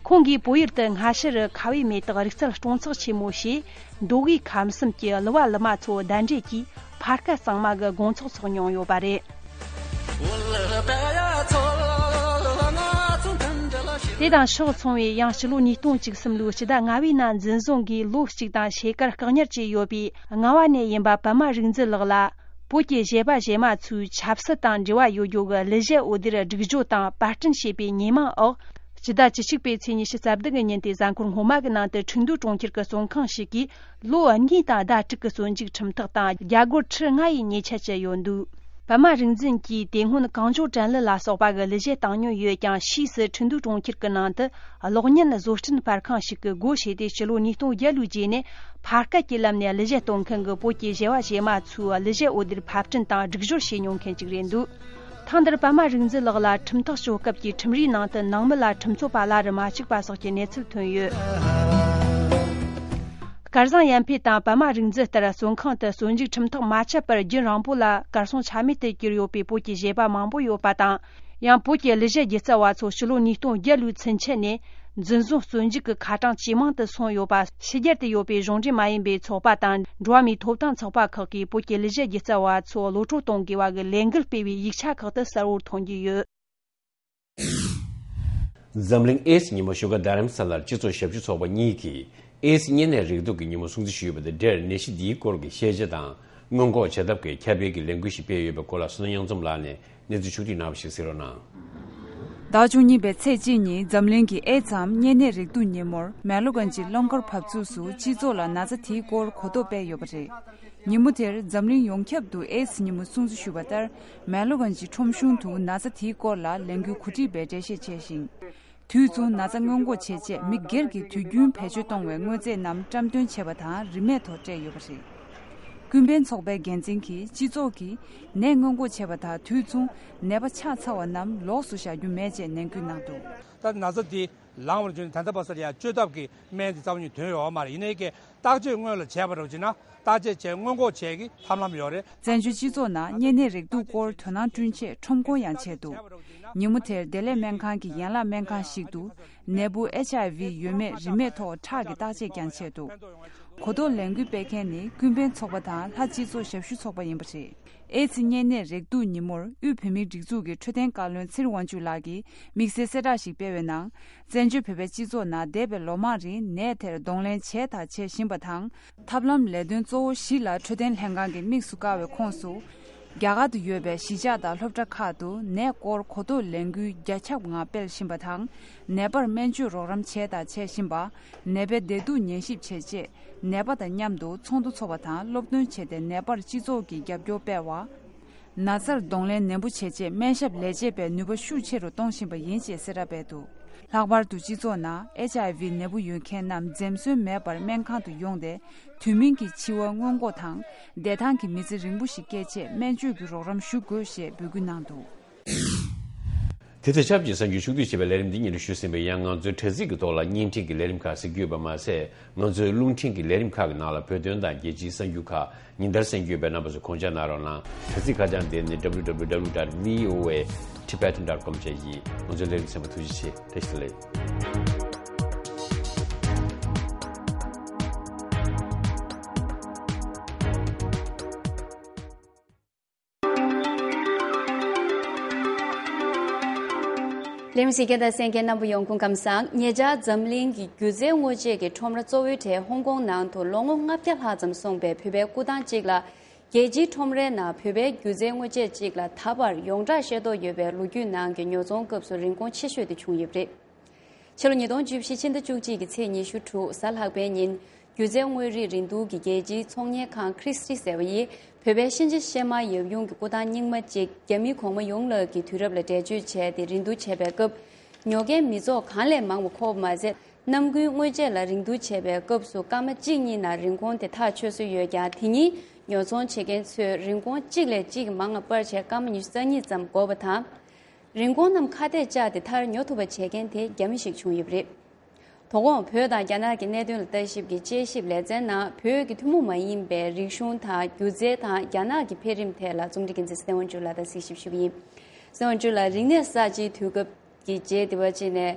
ཁོང་གིས་བོད་ཡུལ་དུ་སྔ་ཕྱི་རུ་ཁ་བའི་མེ་ཏོག་རིག་རྩལ་སྟོང་ཚོགས་ཆེན་མོ་ཞེས། མདོ་དབུས་ཁམས་གསུམ་གྱི་གླུ་བ་གླུ་མ་ཚོ་གདན་འདྲེན་གྱིས་ཕ་སྐད་གཙང་མ་གི་དགོང་ཚོགས་འཚོགས་མྱོང་ཡོད་པ་རེད། དེ་དང་ཕྱོགས་མཚུངས་པའི་ཡང་སྤྱི་ལོ་ཉིས་སྟོང་བཅུ་གསུམ་ལོའི་སྤྱི་ཟླ་ལྔ་པའི་ནང་འཛིན་བཟུང་གིས་ལོ་གཅིག་དང་ཕྱེད་ཀར་བཀག་ཉར་བྱས་ཡོད་པའི་རྔ་བ་ནས་ཡིན་པ་པདྨ་རིག་འཛིན་ལགས་ལ། བོད་ཀྱི་གཞས་པ་གཞས་མ་ཚོའི་ཆབ་སྲིད་དང་འབྲེལ་བ་ཡོད་རྒྱུ་གི་གླུ་གཞས་འོད་སྡེར་སྒྲིག་སྦྱོར་དང་པར་སྐྲུན་བྱས་པའི་ཉེས་མིང་འོག་སྤྱི་ཟླ་བཅུ་གཅིག་པའི་ཚེས་ཉི་ཤུ་རྩ་བདུན་གི་ཉིན་དེའི་གཟའ་འཁོར་སྔོན་མ་གི་ནང་དུ་ཁྲིན་ཏུའུ་གྲོང་ཁྱེར་གྱི་བཙོན་ཁང་ཞིག་གིས་ལོ་གཉིས་དང་ཟླ་དྲུག་གི་བཙོན་འཇུག་ཁྲིམས་ཐག་དང་རྒྱ་སྒོར་ཁྲི་ལྔ་ཡི་ཉེས་ཆད་བཅད་ཡོད་འདུག་པདྨ་རིག་འཛིན་གྱིས་དེ་སྔོན་གངས་ལྗོངས་དྲན་གླུ་ལ་སོགས་པ་གི་གླུ་གཞས་བཏང་མྱོང་ཡོད་ཀྱང་ཕྱིས་སུ་ཁྲིན་ཏུའུ་གྲོང་ཁྱེར་གྱི་ནང་དུ། གློག་བརྙན་བཟོ་སྐྲུན་པར་ཁང་ཞིག་གི་སྒོ་ཕྱེས་ཏེ་ཕྱི་ལོ་ཉིས་སྟོང་བརྒྱད་ལོའི་རྗེས་ནས་ཕ་སྐད་ཀྱི་ལམ་ནས་གླུ་གཞས་གཏོང་མཁན་གྱི་བོད་ཀྱི་གཞས་པ་གཞས་མ་ཚོའི་གླུ་གཞས་འོད་སྡེར་ཕབ་སྐྲུན་དང་སྒྲིག་སྦྱོར་བྱེད་མྱོང་མཁན་ཅིག་རེད་འདུག་ཐེངས་འདིར་པདྨ་རིག་འཛིན་ལགས་ལ་ཁྲིམས་ཐག་གཅོད་སྐབས་ཀྱི་ཁྲིམས་རའི་ནང་དུ་ནང་མི་ལ་ཁྲིམས་རྩོད་པ་སླར་མ་གཅིག་པ་སོགས་ཀྱི་གནས་ཚུལ་ཐོན་ཡོད། སྐལ་བཟང་ཡར་འཕེལ་དང་པདྨ་རིག་འཛིན་ལྟར་བཙོན་ཁང་དུ་བཙོན་འཇུག་ཁྲིམས་ཐག་མ་ཆད་པར་རྒྱུན་རིང་པོ་ལ་གར་སོང་ཆ་མེད་དུ་གྱུར་ཡོད་པའི་བོད་ཀྱི་གཞས་པ་མང་པོ་ཡོད་པ་དང་། ཡང་བོད་ཀྱི་གླུ་གཞས་སྒྱུ་རྩལ་བ་ཚོ་ཕྱི་ལོ་ཉིས་སྟོང་བརྒྱད་ལོའི་ཚུན་ཆད་ནས་འཛིན་བཟུང་བཙོན་འཇུག་གི་ཁ་གྲངས་ཇེ་མང་དུ་སོང་ཡོད་པ། ཕྱི་རྒྱལ་དུ་ཡོད་པའི་གཞུང་འབྲེལ་མ་ཡིན་པའི་ཚོགས་པ་དང་འགྲོ་བ་མིའི་ཐོབ་ཐང་ཚོགས་པ་ཁག་གིས་བོད་ཀྱི་གླུ་གཞས་སྒྱུ་རྩལ་བ་ཚོ་གློད་བཀྲོལ་གཏོང་དགོས་པ་གི་ལས་འགུལ་སྤེལ་བའི་ཡིག་ཆ་ཁག་ཏུ་གསལ་བོར་མཐོང་རྒྱུ་ཡོད། འཛམ་གླིང་ཨེ་ཙི་ཉིན་མོ་བཞུགས་སྒར་རྡ་རམ་ས་ལར་སྤྱི་ཚོགས་ཞབས་ཞུ་ཚོགས་པ་གཉིས་ཀྱིས་ཨེ་ཙི་གཉན་ནད་རེག་དུག་གི་ཉིན་མོ་སྲུང་བརྩི་ཞུས་པ་དང་འབྲེལ་ནད་གཞི་འདིའི་སྐོར་གྱི་ཤེས་བྱ་དང་སྔོན་འགོག་བྱ་ཐབས་ཀྱི་ཁྱབ་སྤེལ་གྱི་ལས་འགུལ་ཞིག་སྤེལ་ཡོད་པའི་སྐོར་ལ་བསོད་ནམས་དབྱངས་འཛོམས་ལགས་ནས་གནས་ཚུལ་ཕྱོགས་བསྒྲིགས་གནང་བ་ཞིག་གཟིགས་རོགས་གནང་། ཟླ་བཅུ་གཉིས་པའི་ཚེས་གཅིག་ཉིན་འཛམ་གླིང་གི་ཨེ་ཙམ་གཉན་ནད་རེག་དུག་ཉིན་མོར་མེ་ལོ་གན་ཇི་སློབ་འཁོར་བབས་ཚུགས་སུ་སྤྱི་ཚོགས་ལ་ན་ཚ་དེའི་སྐོར་གོ་རྟོགས་སྤེལ་ཡོད་པ་རེད། ཉིན་མོ་དེར་འཛམ་གླིང་ཡོངས་ཁྱབ་ཏུ་ཨེ་ཙི་ཉིན་མོ་སྲུང་བརྩི་ཞུས་པ་ལྟར། མེ་ལོ་གན་ཇི་ཁྲོམ་གཞུང་དུ་ན་ཚ་དེའི་སྐོར་ལ་ལས་འགུལ་གོ་སྒྲིག་པས་འགྲེལ་བཤད་བྱས་ཤིང་། དུས་མཚུངས་ན་ཚ་སྔོན་འགོག་བྱེད་ཆེད་མི་སྒེར་གྱིས་དུས་རྒྱུན་བེད་སྤྱོད་གཏོང་བའི་དངོས་རྫས་རྣམས་བཀྲམ་སྟོན་བྱས་པ་དང་རིན་མེད་ཐོག་སྤྲད་ཡོད་པ་རེད། ཀུན་ཕན་ཚོགས་པའི་འགན་འཛིན་གྱིས་སྤྱི་ཚོགས་ཀྱིས་ནད་སྔོན་འགོག་བྱས་པ་དང་དུས་མཚུངས་ནད་པ་ཆགས་ཚར་བ་རྣམས་ལོགས་སུ་བཞག་རྒྱུ་མེད་ཅེས་ནན་སྐུལ་གནང་འདུག་ད་ན་ཚ་འདི་ལངས་པར་བརྒྱུད་ནས་ད་ལྟ་བར་སར་ཡང་བཅོས་ཐབས་ཀྱི་སྨན་འདི་རྩ་བ་ཉིད་ཐོན་ཡོད་མ་རེད། ཡིན་ནའི་ཀྱི་བརྟག་དཔྱད་སྔོན་ལ་བྱས་པ་རེད་ཅེ་ན། བརྟག་དཔྱད་བྱས་སྔོན་འགོག་བྱས་ཀྱི་ཐབས་ལམ་ཡོད་རེད། བཙན་བྱོལ་སྤྱི་ཚོགས་ནང་གཉན་ནད་རེག་དུག་སྐོར་དོ་སྣང་བསྐྲུན་ཆེད་ཁྲོམ་སྐོར་ཡང་བྱས་འདུག་ཉིན་མོ་དེར་བདེ་ལེགས་སྨན་ཁང་གི་ཡན་ལག་སྨན་ཁང་ཞིག་ཏུ་ནད་འབུ་ཨེཆ་ཨའི་ཝི་ཡོད་མེད་རིན་མེད་ཐོག་ཁྲག་གི་བརྟག་དཔྱད་ཀྱང་བྱས་འདུག་གོ་རྟོགས་ལས་འགུལ་སྤེལ་མཁན་ནི་ཀུན་ཕན་ཚོགས་པ་དང་ལྷ་སྤྱི་ཚོགས་ཞབས་ཞུ་ཚོགས་པ་ཡིན་པ་རེད། ཨེ་ཙི་གཉན་ནད་རེག་དུག་ཉིན་མོར་དབུས་བོད་མིའི་སྒྲིག་འཛུགས་ཀྱི་འཕྲོད་བསྟེན་བཀའ་བློན་ཚེ་རིང་དབང་ཕྱུག་ལགས་ཀྱིས་དམིགས་བསལ་གསལ་བསྒྲགས་ཤིག་སྤེལ་བའི་ནང་། བཙན་བྱོལ་བོད་པའི་སྤྱི་ཚོགས་ནང་འདས་པའི་ལོ་མང་རིང་ནད་དེར་གདོང་ལེན་བྱས་དང་བྱེད་བཞིན་པ་དང་། ཐབས་ལམ་ལས་དོན་གཙོ་བོ་བཞི་ལ་འཕྲོད་བསྟེན་ལྷན་ཁང་གིས་དམིགས་སུ་བཀར་བའི་ཁོངས་སུ། རྒྱ་གར་དུ་ཡོད་པའི་གཞིས་ཆགས་དང་སློབ་གྲྭ་ཁག་ཏུ་ནད་སྐོར་གོ་རྟོགས་ལས་འགུལ་རྒྱ་ཁྱབ་ངང་སྤེལ་བཞིན་པ་དང་། ནད་པར་སྨན་བཅོས་རོགས་རམ་བྱས་དང་བྱེད་བཞིན་པ། ནད་པའི་བདེ་སྡུག་ཉན་ཞིབ་བྱེད་ཆེད། ནད་པ་དང་མཉམ་དུ་ཚོགས་འདུ་འཚོགས་པ་དང་སློབ་སྟོན་བྱས་ཏེ་ནད་པར་སྤྱི་ཚོགས་ཀྱི་རྒྱབ་སྐྱོར་སྤེལ་བ། ན་ཚར་གདོང་ལེན་ནན་པོ་བྱེད་ཆེད་སྨན་ཞབས་ལས་བྱེད་པའི་ནུས་པ་ཤུགས་ཆེ་རུ་གཏོང་བཞིན་པ་ཡིན་ཞེས་གསལ་བསྒྲགས་སྤེལ་འདུག་ལྷག་པར་དུ་སྤྱི་ཚོགས་ནང་ཨེཆ་ཨའི་ཝི་ནད་འབུ་ཡོད་མཁན་རྣམས་འཛེམ་ཟོན་མེད་པར་སྨན་ཁང་དུ་ཡོང་སྟེ། དུས་མིན་གྱི་འཆི་བ་སྔོན་འགོག་དང་། བདེ་ཐང་གི་མི་ཚེ་རིང་པོ་ཞིག་སྐྱེལ་ཆེད་སྨན་བཅོས་ཀྱི་རོགས་རམ་ཞུ་དགོས་ཞེས་འབོད་སྐུལ་གནང་འདུག་དེ་ཚེ་ཆབ་ཀྱི་གསར་འགྱུར་ཕྱོགས་བསྡུས་བྱས་པའི་ལས་རིམ་འདི་སྙན་སྒྲོན་ཞུས་ཟིན་པས། ཡང་ང་ཚོའི་དྲ་ཚིགས་ཀྱི་ཐོག་ལ་བརྙན་འཕྲིན་གྱི་ལས་རིམ་ཁག་གཟིགས་རྒྱུ་ཡོད་པ་མ་ཟད། ང་ཚོའི་རླུང་འཕྲིན་གྱི་ལས་རིམ་ཁག་གི་ནང་ལ་བོད་དོན་དང་རྒྱལ་སྤྱིའི་གསར་འགྱུར་ཁག་ཉིན་ལྟར་གསན་རྒྱུ་ཡོད་པས་རྣམ་པ་ཚོས་དགོངས་འཇགས་གནང་རོགས་གནང་། དྲ་ཚིགས་ཁ་བྱང་དེ་ནི་W W W dot V O A Tibetan dot com བཅས་ཡིན། ང་ཚོའི་ལས་རིམ་གསན་པར་ཐུགས་རྗེ་ཆེ། བཀྲ་ཤིས་བདེ་ལེགས། ལས་རིམ་གཟིགས་མཁན་དང་གསན་མཁན་རྣམ་པ་ཡོངས་སྐུ་ཁམས་བཟང་། ཉེ་ཆར་འཛམ་གླིང་གི་སྒྱུ་རྩལ་དངོས་ཆས་ཀྱི་ཁྲོམ་ར་གཙོ་བོའི་གྲས་ཧོང་ཀོང་ནང་དུ་ལོ་ངོ་ལྔ་བརྒྱ་ལྷག་ཙམ་སོང་པའི་བོད་པའི་སྐུ་ཐང་གཅིག་ལ། རྒྱལ་སྤྱིའི་ཁྲོམ་རའི་ནང་བོད་པའི་སྒྱུ་རྩལ་དངོས་ཆས་གཅིག་ལ་ད་བར་ཡོངས་གྲགས་ཤེས་རྟོགས་ཡོད་པའི་ལོ་རྒྱུས་ནང་གི་ཉོ་ཚོང་སྐབས་སུ་རིན་གོང་ཆེ་ཤོས་དེ་བྱུང་ཡོད་པ་རེད། ཕྱི་ལོ་ཉིས་སྟོང་བཅུ་བཞི་ཕྱི་ཟླ་བཅུ་གཅིག་གི་ཚེས་ཉི་ཤུ་དྲུག་གཟའ་ལྷག་པའི་ཉིན། སྒྱུ་རྩལ་དངོས་རིགས་རིན་བསྡུར་གྱི་རྒྱལ་སྤྱིའི་ཚོང་གཉེར་ཁང་ཁྲི་སི་ཊི་ཟེར་བ་ཡིས་བོད་པའི་གཤིན་རྗེ་གཤེད་མ་ཡབ་ཡུམ་གྱི་སྐུ་ཐང་རྙིང་མ་གཅིག་རྒྱ་མིའི་གོང་མ་ཡོངས་ལགས་ཀྱི་དུས་རབས་ལ་འགྲེལ་བརྗོད་བྱས་ཏེ་རིན་བསྡུར་བྱས་པའི་སྐབས། ཉོ་མཁན་མི་ཚོགས་གང་ལས་མང་བ་འཁོར་བ་མ་ཟད། གནམ་དགུན་སྔོན་ཆད་ལ་རིན་བསྡུར་བྱས་པའི་སྐབས་སུ་སྐར་མ་གཅིག་གཉིས་ནང་རིན་གོང་དེ་ཐག་ཆོད་སྲོལ་ཡོད་ཀྱང་། དེ་ཉིན་ཉོ་ཚོང་བྱེད་མཁན་ཚོས་རིན་གོང་གཅིག་ལས་གཅིག་མང་བ་སྤར་བྱས་སྐར་མ་ཉི་ཤུ་རྩ་གཉིས་ཙམ་འགོར་བ་དང་། རིན་གོང་རྣམས་ཁ་གཏད་བཅག་སྟེ་མཐར་ཉོ་ཐུབ་པ་བྱེད་མཁན་དེ་རྒྱ་མི་ཞིག་བྱུང་ཡོད་པ་རེད། དོ་དགོང་བོད་དང་རྒྱ་ནག་གི་གནད་དོན་ལ་ལྟ་ཞིབ་ཀྱི་དཔྱད་ཞིབ་ལེ་ཚན་ནང་བོད་ཀྱི་ཐུན་མོང་མ་ཡིན་པའི་རིག་གཞུང་དང་སྒྱུ་རྩལ་དང་རྒྱ་ནག་གི་འཕེལ་རིམ་ཐད་ལ་རྩོམ་སྒྲིག་འགན་འཛིན་སྲིད་དབང་ཕྱུག་ལགས་དང་གཟིགས་ཞིབ་ཞུ་གི་ཡིན། སྲིད་དབང་ཕྱུག་ལགས། རིག་གནས་གསར་བརྗེའི་དུས་སྐབས་ཀྱི་རྗེས་དེ་བ་ཅིག་ནས།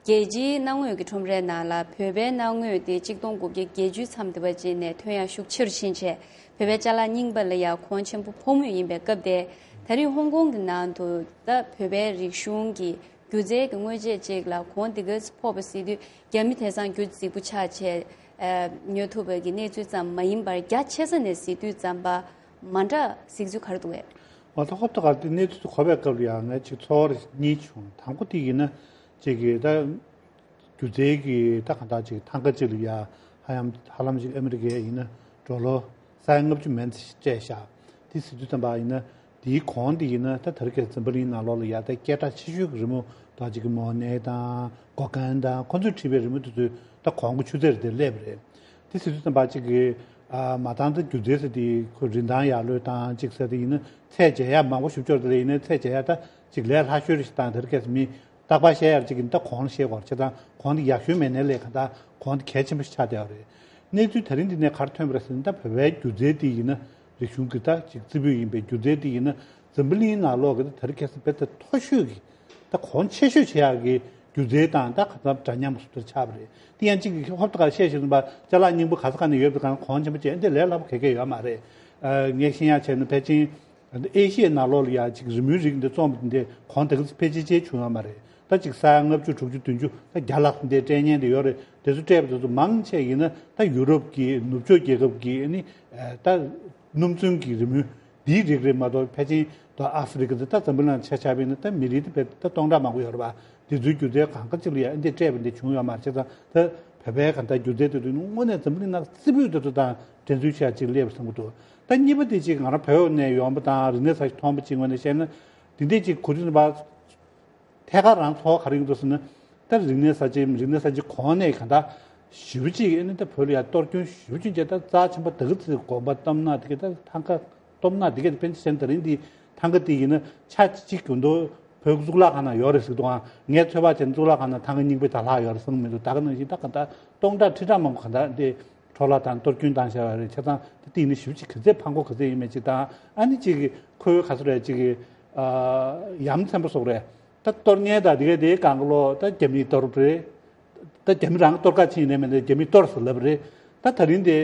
རྒྱལ་སྤྱིའི་གནའ་དངོས་ཀྱི་ཁྲོམ་རའི་ནང་ལ་བོད་པའི་གནའ་དངོས་དེ་གཅིག་སྟོང་དགུ་བརྒྱ་བརྒྱད་ཅུའི་མཚམས་དེ་བ་ཅིག་ནས་ཐོན་ཡག་ཤུགས་ཆེ་རུ་ཕྱིན་བྱས། བོད་པའི་ཅ་ལག་རྙིང་པ་ལ་ཡང་གོང་ཆེན་པོ་ཕོག་མུས་ཡིན་པའི་སྐབས་དེ། ད་རེས་ཧོང་ཀོང་གི་ནང་དུ་ད་བོད་པའི་རིག་གཞུང་གི་སྒྱུ་རྩལ་གྱི་དངོས་ཆས་ཅིག་ལ་གོང་དེ་ག་ཚོད་ཕོག་པ་གཟིགས་དུས། རྒྱ་མི་དེང་སང་རྒྱུ་རྫིག་པོ་ཆགས་བྱས་ཨ། ཉོ་ཐུབ་པ་གི་གནས་ཚུལ་ཙམ་མ་ཡིན་པར། རྒྱ་ཆེ་ས་ནས་གཟིགས་དུས་ཙམ་པ་མ་འདྲ་གཟིགས་ཚུལ་ག་རེ་འདུག་གས། འོ་ད་ཧོབ་ཏེ་ག་དེ་གནས་ཚུལ་དེ་གོ་བའི་སྐབས་ལ་ཡང་ངས་ཅིག་ཚོར་བ་གཉིས་བྱུང་། དང་པོ་དེ་ཡིན་ན་ཅིག་གི་ད་སྒྱུ་རྩལ་གྱི་ད་གང་ལྟར་ཅིག་ཐང་ག་ཅིག་ལ་ཡ་ཧ་ཡང་ཧ་ལམ་ཅིག་ཨ་མི་རི་ཀའི་ཡིན་ན་ཌོ་ལར་ས་ཡ་ལྔ་བཅུ་མན་ཙམ་སྤྲད་བཞག་དེ་ཟེར་དུས་ཙམ་པ་ཡིན་ན། དེའི་གོང་དེ་ཡིན་ན་ད་དེ་རིང་ཁ་སང་འཛམ་བུ་གླིང་ནང་ལོགས་ལ་ཡ་ད་སྐད་གྲགས་ཆེ་ཤོས་ཀྱི་རི་མོ་ད་ཅིག་གི་མོ་ནེ་དང་གོ་གན་དང་ཁོ་ཚོས་བྲིས་པའི་རི་མོ་དེ་ཚོའི་ད་གོང་གི་ཆུ་ཚད་དེ་སླེབས་པ་རེད། དེ་ཟེར་དུས་ཙམ་པ་ཅིག་གི་ཨ། མ་མཐའ་ད་སྒྱུ་རྩལ་ཟེར་དེ་ཁོ་རིན་ཐང་ཡག་ལོས་དང་ཅིག་ཟེར་དེ་ཡིན་ན་ཚད་འཇལ་ཡག་མང་པོ་ཞིག་ཅོག་དེ་ལ་ཡིན་ན་ཚད་འཇལ་ཡག་ད་ཅིག་ལས་སླ་ཤོས་རེད་ཞིག་དང་། དེ་རིང་ཁ་སང་མི་རྟག་པར་བཤད་ཡག་ཅིག་ཡིན་ད་གོང་ལ་བཤད་དགོས་རེད། བྱས་ཙང་གོང་དེ་ཡག་ཤོས་མེད་ནའི་ལས་གང་ལྟར་གོང་དེ་གལ་ཆེན་པོ་ཞིག་ཆགས་བསྡད་ཡོད་རེད། གནས་ཚུལ་ད་རིང་འདི་ནས་ག་རེ་ཐོན་པ་རེད་ཟེར་ན། ད་བོད་པའི་སྒྱུ་རྩལ་དེ་ཡིན་ན་རིག་གཞུང་གི་ད་ཅིག་རྩེ་ཕུད་ཡིན་པའི་སྒྱུ་རྩལ་དེ་ཡིན་ན་འཛམ་བུ་གླིང་ནང་ལོགས་ཀྱི་ད་རིང་ཁ་སང་དཔེ་ད་མཐོ་ཤོས་ཀྱི་ད་གོང་ཆེ་ཤོས་བྱེད་ཡག་གི་སྒྱུ་རྩལ་དང་ད་ག་ཚོད་འདྲ་མཉམ་པོ་ཞིག་ཆགས་པ་རེད། དེ་ཡང་གཅིག་གིས་ཧོབ་ཏེ་ག་བཤད་བཞིན་པ་ཅ་ལག་རྙིང་པ་ག་ས་ག་ནས་ཡོད་པའི་གང་གོང་ཆེན་པོ་བྱས་འདི་ལས་སླ་པོ་ག་གེ་ཡོད་མ་རེད། ཨ། ངས་ཤེས་ཡག་བྱས་ན་ཕལ་ཆེར་ཨེ་ཤི་ཡའི་ནང་ལོགས་ལ་ཡ་ཅིག་རི་མོའི་རིགས་འདི་རྩོམ་འདི་གོང་དེ་ག་ཚོད་ཕལ་ཆེར་ཅིག་བྱུང་ཡོད་མ་རེད། ད་ཅིག་ས་ཡ་ལྔ་བཅུ་དྲུག་ཅུ་བདུན་ཅུ་ད་བརྒྱ་ལྷག་འདི་སྤྲད་མཁན་འདི་ཡོད་རེད། དེ་ཚོ་སྤྲད་པ་དེ་ཚོ་མང་ཆེ་ཡིན་ན་ད་ཡུ་རོབ་ཀྱི་ནུབ་ཕྱོགས་རྒྱལ་ཁབ་ཀྱི་ཨ་ནི་ད་སྣུམ་ཚོན་གྱི་རི་མོ་འདིའི་རིགས་རེད་མ་གཏོགས། ཕལ་ཆེར་ད་ཨ་ཧྥེ་རི་ཀ་འདི་ད་འཛམ་བུ་གླིང་ལ་ཆ་བཞག་པ་ཡིན་ན་ད་མི་རིགས་དེ་བས་ད་སྟོང་ཕྲག་མང་པོ་ཡོད་རེད་པ། དེ་ཚོའི་སྒྱུ་རྩལ་གང་ག་ཅིག་ལ་ཡ་ཨ་འདི་སྤྲད་པ་འདི་བྱུང་ཡོད་མ་རེད། བྱས་ཙང་ད་བོད་པའི་གང་ལྟར་སྒྱུ་རྩལ་དེ་ཚོ་དངོས་གནས་འཛམ་བུ་གླིང་ནང་རྩེ་ཕུད་དེ་ཚོ་དང་འགྲན་རྩོད་བྱེད་ཡག་ཅིག་སླེབས་བསམ་གྱི་འདུག་ད་གཉིས་པ་དེ་ཅིག་ང་རང་བོད་ནས་ཡོང་པ་དང་རིག་གནས་གསར་ཞིག་མཐོང་པ་ཅིག་ངོས་ནས་བཤད་ན། འདི་འདྲས་ཅིག་གོ་དུས་ཙམ་པ་ཐད་ཀར་རང་ཚོར་བ་ག་རེ་ཡོང་འདུག་ཟེར་ན། ད་རིག་གནས་གསར་བརྗེ་རིག་གནས་གསར་བརྗེ་གོང་ནས་གང་ལྟར་ཞེ་པོ་ཅིག་ཨ་ནི་ད་བོད་ལ་ཡ་གཏོར་སྐྱོན་ཞེ་པོ་ཅིག་བྱས། ད་རྩ་ཆེན་པོ་དེ་ག་ཚོད་དགོན་པ་སྟོབས་ན་དེ་ག་ད་ཐང་ག་སྟོབས་ན་དེ་ག་དཔེར་ན་ཆ་བཞག་ན་ད་རིང་འདི་ཐང་ག་དེ་ཡིན་ན་ཆ་གཅིག་གྱོན་དོ་བོད་གཙུག་ལག་ཁང་ནང་ཡོད་རེད་ཟེར་འདུག་ཨང་། ངས་ཚོད་དཔག་བྱས་ན་གཙུག་ལག་ཁང་ནང་ཐང་ག་རྙིང་པ་དང་ལྷག་ཡོད་རེད་བསམ་གྱི་མི་འདུག་ད་ག་ནང་བཞིན་ད་ག་ད་སྟོང་ཕྲག་ཁྲི་ཕྲག་མང་པོ་ག་ད་འདི་འཕྲོ་བརླག་དང་གཏོར་སྐྱོན་བཏང་བཞག་ཡོད་རེད། བྱས་ཙང་ད་དེ་ཡིན་ན་ཞེ་པོ་ཅིག་ག་ཚད་ཕངས་སྐོར་ག་ཚད་ཡིན་མེད་ཅིག་དང་། ཨ་ནི་ཅིག་གི་ཁོའི་ག་ཚོད་རེད་ཅིག་གི་ཨ་ཡ་མཚན་པོ་སོགས་རེད། ད་གཏོར་མཁན་དང་དེ་ག་དེའི་སྒང་ག་ལོག་ད་རྒྱ་མིས་གཏོར་རེད། ད་རྒྱ་མི་རང་གཏོར་ག་ཕྱིན་ནས་མེད་ན་རྒྱ་མིས་གཏོར་ཟེར་ལབ་རེད། ད་ད་རིང་དེ་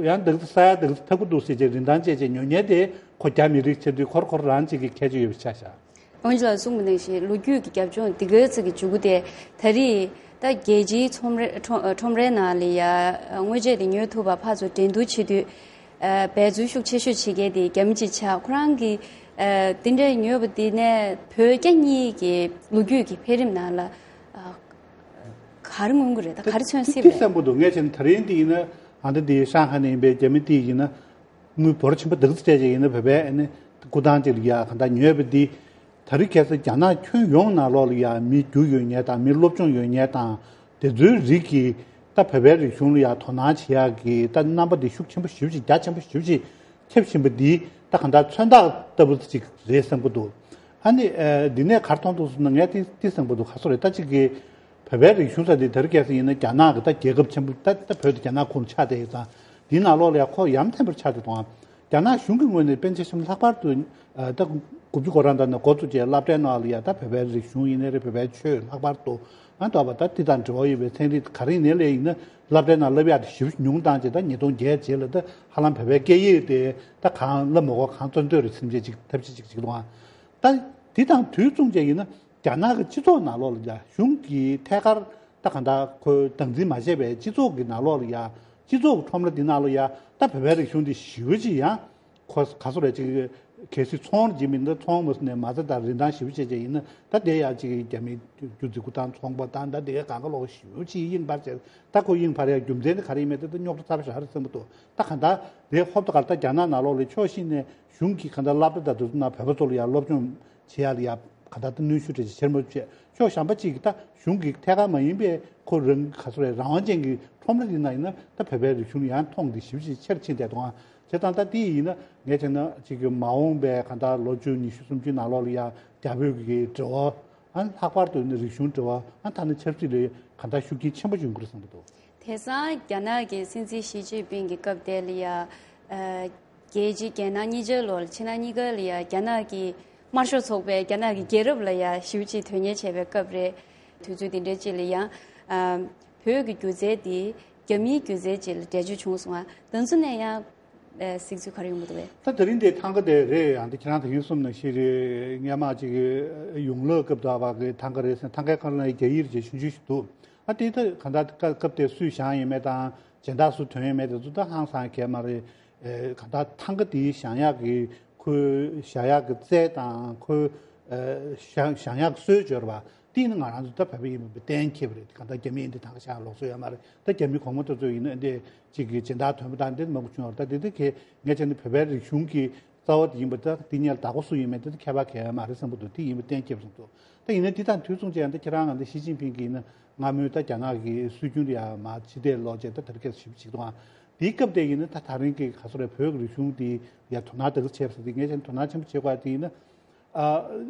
ཡང་འདི་ས་ཡ་འདི་ཐབས་ཀྱི་འདུག་ཟེར་བྱས་རིན་ཐང་བཅད་བྱས་ཉོ་མཁན་དེ་ཁོ་རྒྱ་མི་རིགས་ཆགས་དུས་ཁོར་ཁོ་རང་གཅིག་གི་ཁྱད་ཆོས་ཡོད་པ་ཆགས་བཞག་དབང་ཕྱུག་ལགས་གསུངས་པ་ནང་བཞིན་ལོ་རྒྱུས་ཀྱི་རྒྱབ་ལྗོངས་འདི་གའི་ཚིག་གི་མཇུག་གུ་དེ། ད་རེས་ད་རྒྱལ་སྤྱིའི་ཁྲོམ་རའི་ཁྲོམ་ཁྲོམ་རའི་ནང་ལ་ཡ་དངོས་ཆས་དེ་ཉོ་ཐུབ་པ་ཕར་ཚུར་འགྲན་བསྡུར་བྱེད་དུས། ཨ། འབད་རྩོལ་ཤུགས་ཆེ་ཤོས་བྱེད་མཁན་དེ་རྒྱ་མི་གཅིག་ཆགས། ཁོ་རང་གིས་ཨ་དེ་འདྲ་ཉོས་པ་དེ་ནས་བོད་རྒྱ་གཉིས་ཀྱི་ལོ་རྒྱུས་ཀྱི་འཕེལ་རིམ་ནང་ལ་ཨ་ག་རེ་མངོན་གྱི་རེད། ད་ག་རེ་མཚོན་སྲིད་པ་རེད། དེ་བསམ་པ་འདུག་ངས་བྱས་ན་ད་རིང་དེ་ཡིན་ན་ཨ་ད་དེ་ཧྲང་ཧའེ་ནས་ཡིན་པའི་རྒྱ་མི་དེ་ཡིན་ན། དངུལ་འབོར་ཆེན་པོ་འདི་ག་ཚོད་སྤྲད་ཅིག་ཡིན་ན་བོད་པའི་ཨ་ནི་སྐུ་ཐང་ཅིག་ལ་ཡ་གང་ལྟར་ཉོས་པ་འདི། ད་རེས་ཁ་སང་རྒྱ་ནག་ཁྱོན་ཡོངས་ནང་ལོགས་ལ་ཡ་མི་རྒྱུ་ཡོད་མཁན་དང་མི་སློབ་སྦྱོང་ཡོད་མཁན་དང་དེ་ཚོའི་རིགས་ཀྱིས་ད་བོད་པའི་རིག་གཞུང་ལ་ཡ་དོ་སྣང་བྱེད་ཡག་གི་ད་རྣམ་པ་འདི་ཤུགས་ཆེན་པོ་ཞེ་པོ་ཅིག་རྒྱ་ཆེན་པོ་ཞེ་པོ་ཅིག་ཁྱབ་བཞིན་པ་འདི་ད་གང་ལྟར་མཚོན་རྟགས་ལྟ་བུ་ཅིག་རེད་བསམ་གྱི་འདུག་ཨ་ནི་ཨ་འདི་ནས་ག་རེ་མཐོང་འདུག་ཟེར་ན་ངས་དེ་དེ་བསམ་གྱི་འདུག་ག་ཚོད་རེད། ད་ཅིག་གི་བོད་པའི་རིག་གཞུང་ཟེར་དེ་ད་རེས་ཁ་སང་ཡིན་ན་རྒྱ་ནག་གི་ད་རྒྱལ་ཁབ་ཆེན་པོ་ད་ད་བོད་དེ་རྒྱ་ནག་ཁོངས་ཆགས་བསྡད་ཡོད་ཙང་། འདིའི་ནང་ལོགས་ལ་ཡ་ཁོ་ཡ་མཚན་པོ་ཆགས་བསྡད་འདུག་ཨང་། རྒྱ་ནག་གཞུང་གི་ངོས་ནས་དཔེར་ན་ཆ་བཞག་ན་ལྷག་པར་དུ་ཨ་ད་དགུ་བཅུ་གོ་གྲངས་ད་ནས་འགོ་བཙུགས་བྱས་སློབ་གྲྭའི་ནང་ལ་ཡ་ད་བོད་པའི་རིག་གཞུང་ཡིན་ནའི་རེད། བོད་པའི་ཆོས། ལྷག་པར་དུ་ཨ་འདྲ་བ་ད་དེ་དང་འབྲེལ་བ་ཡོད་པའི་ཚན་རིག་ག་རེ་ཡིན་ནའི་ལས་ཡིན་ན་སློབ་གྲྭའི་ནང་བསླབ་ཡག་དེ་ཞེ་པོ་ཉུང་བཏང་བྱས། ད་ཉིས་སྟོང་བརྒྱད་རྗེས་ལ་ད་ཧ་ལམ་བོད་པའི་སྐད་ཡིག་དེ་ད་གང་བསླབ་མ་དགོས། གང་བཙོན་འདོད་རེད་བསམ་བྱས་ཅིག་ཐབས་ཤེས་ཅིག་བྱེད་ཀྱི་འདུག་ཨང་། ད་དེ་དང་དུས་མཚུངས་བྱས་ཡིན་ན། རྒྱ་ནག་གི་སྤྱི་ཚོགས་ནང་ལོགས་ལ་ཡ་གཞུང་གིས་ཐད་ཀར་ད་གང་ལྟར་ཁོས་སྟངས་འཛིན་མ་བྱས་པའི་སྤྱི་ཚོགས་ཀྱི་ནང་ལོགས་ལ་ཡ་སྤྱི་ཚོགས་ཀྱི་ཁྲོམ་ར་འདི་ནང་ལ་ཡ་ད་བོད་པའི་རིག་གཞུང་འདི་ཞེ་པོ་ཅིག་ཡང་ཁོ་ག་ཚོད་རེད་ཅིག་གལ་སྲིད་ཚོང་རྒྱག་མིན་ད་ཚོང་མ་ཟིན་ནས་མ་རྩ་དང་རིན་ཐང་ཞེ་པོ་ཅིག་བྱས་ཡིན་ན་ད་དེ་ཡ་ཅིག་རྒྱ་མི་རྒྱུ་རྫིག་པོ་དང་ཚོང་པ་དང་ད་དེ་ག་གང་ག་ལོག་ཞེ་པོ་ཅིག་དབྱིངས་འཕར་བྱས། ད་ཁོ་དབྱིངས་འཕར་ཡ་རྒྱུ་མཚན་དེ་ག་རེ་ཡིན་མིན་དེ་ད་རྙོག་དྲ་ཚ་པོ་ཞིག་རེད་བསམ་གྱི་འདུག་ད་གང་ལྟར་དེ་ཧོབ་ཏེ་ག་ལྟར་རྒྱ་ནག་ནང་ལོགས་ལ་ཕྱོགས་གཞན་ནས་གཞུང་གིས་གང་ལྟར་སློབ་གྲྭ་དང་དེ་ཚོ་ནང་བོད་པ་ཚོ་ལ་ཡ་སློབ་སྦྱོང་བྱེད་ཡ་ལ་ཡ་ ག་ད་ལྟ་གནོན་ཤུགས་འདྲ་ཅིག་ཆེར་མོ་བྱས། ཕྱོགས་གཞན་པ་ཅིག་གིས་ད་གཞུང་གི་ཐད་ཀར་མ་ཡིན་པའི་ཁོ་རང་ག་ཚོད་རེད། རང་དབང་ཅན་གྱི་ཁྲོམ་ར་དེ་ན་ཡིན་ན་ད་བོད་པའི་རིག་གཞུང་ཡང་མཐོང་དེ་ཞིབ་ཅིག་ཆེར་ཕྱིན་བསྡད་འདུག་ཨ། བྱས་ཙང་ད་དེ་ཡིན་ན་ངས་བྱས་ན་ཅིག་གི་མ་འོངས་པའི་ག་ད་ལོ་བཅུ་ཉི་ཤུ་སུམ་ཅུ་ནང་ལོགས་ལ་ཡང་རྒྱ་བོད་ཀྱི་འབྲེལ་བ། ཨ་ལྷག་པར་དུ་ནི་རིག་གཞུང་འབྲེལ་བ། ཨ་ད་ནི་ཆབ་སྲིད་ལ་གང་ལྟར་ཤུགས་རྐྱེན་ཆེན་པོ་འབྱུང་གི་རེད་བསམ་གྱི་འདུག་དེང་སང་རྒྱ་ནག་གི་སྲིད་འཛིན་ཞི་ཅིན་ཕིང་གི་སྐབས་དེ་ལ་ཡ། ཨ། རྒྱལ་སྤྱིའི་རྒྱལ་ནང་གཉིས་ཆར་ལོར་ཕྱི་ནང་གཉིས་ཀ་ལ་ཡ་རྒྱ་ནག་གི་དམར་ཤོག་ཚོགས་པས་རྒྱ་ནག་གི་རྒྱལ་རབས་ལ་ཡ་ཞེ་པོ་ཅིག་དོན་གཉེར་བྱས་པའི་སྐབས་རེད། དུས་ཚོད་དེ་འདྲའི་ཅིག་ལ་ཡང་། ཨ། བོད་ཀྱི་སྒྱུ་རྩལ་དེ་རྒྱ་མིའི་སྒྱུ་རྩལ་ཅིག་ལ་འགྲེལ་བརྗོད་བྱུང་སོང་ང་། དེ་ཚོ་ནས་ཡང་། ཨ། གཟིགས་ཚུལ་ག་རེ་ཡོང་གི་འདུག་བས། ད་དེ་རིང་དེ་ཐང་ག་དེ་རེད། ཡང་དེ་ཁྱེད་རང་ད་གིན་གསུངས་ནང་བཞིན་རེད། སྔོན་མ་ཅིག་ཡོང་ལོ་སྐབས་དུ་བ་གི་ཐང་ག་རེད་ཟེར། ཐང་གའི་ཁ་ལ་ཡང་རྒྱ་ཡིག་རེ་ཆུང་ཆུང་ཞིག་འདུག་ཨ་དེ་ད་གང་ལྟར་སྐབས་དེ་སུས་བཞེངས་ཡོད་མེད་དང་། སྦྱིན་བདག་སུ་ཐོན་ཡོད་མེད་དེ་ཚོ་ད་ཧང་སང་གས་མ་རེད། ཨེ། གང་ལྟར་ཐང་ག་དེའི་བཞེངས་ཡག་གི་ཁོའི་བཞག་ཡག་གི་རྩལ་དང་ཁོའི། ཨེ། བཞེངས་བཞེངས་ཡག་གི་སྲོལ་འབྱོར་བ་དེ་ནི་ང་རང་ཚོ་ད་བོད་པ་ཡིན་པ་གཏན་འཁེལ་བ་རེད། གང་ལྟར་རྒྱ་མི་ཡིན་དེ་ཐང་ག་བཞེངས་ལུགས་སྲོལ་ཡོད་མ་རེད། ད་རྒྱ་མི་གོང་མ་དེ་ཚོ་ཡིན་ན་འདི་གཅིག་གི་སྦྱིན་བདག་ཐོན་པ་དང་འདི་མང་པོ་བྱུང་བ་རེད། ད་དེ་དེ་གས་ངས་བྱས་ན་བོད་པའི་རིག་གཞུང་གི་རྩ་བ་དེ་ཡིན་པ་ད་དེ་གཉེར་བདག་པོ་སུ་ཡིན་མིན་དེ་ད་ཁྱད་པར་གང་ཡང་མ་རེད་བསམ་གྱི་འདུག་དེ་ཡིན་པ་གཏན་འཁེལ་བསམ་འདུག་ད་ཡིན་ན་དེ་དང་དུས་མཚུངས་བྱས་ན་ད་ཁྱེད་རང་ང་ད་ཞི་ཅིན་ཕིང་གིས་ཡིན་ན་སྔ་མོའི་ད་རྒྱ་ནག་གི་སྲོལ་རྒྱུན་དེ་ཡང་མ་ཕྱི་བལྟས་ལོག་བྱས་ད་དེ་རིང་ཁ་སང་ཞིབ་ཅིག་འདུག་ཨང་། དེའི་སྐབས་དེ་ཡིན་ན་ད་དེ་རིང་གི་ག་ཚོད་རེད། བོད་ཀྱི་རིག་གཞུང་དེ་ཡང་དོ་སྣང་དེ་ག་བྱས་པ་དེ་ངས་བྱས་ན་དོ་སྣང་ཆེན་པོ་བྱེད་དགོས་དེ་ཡིན་ན། ཨ།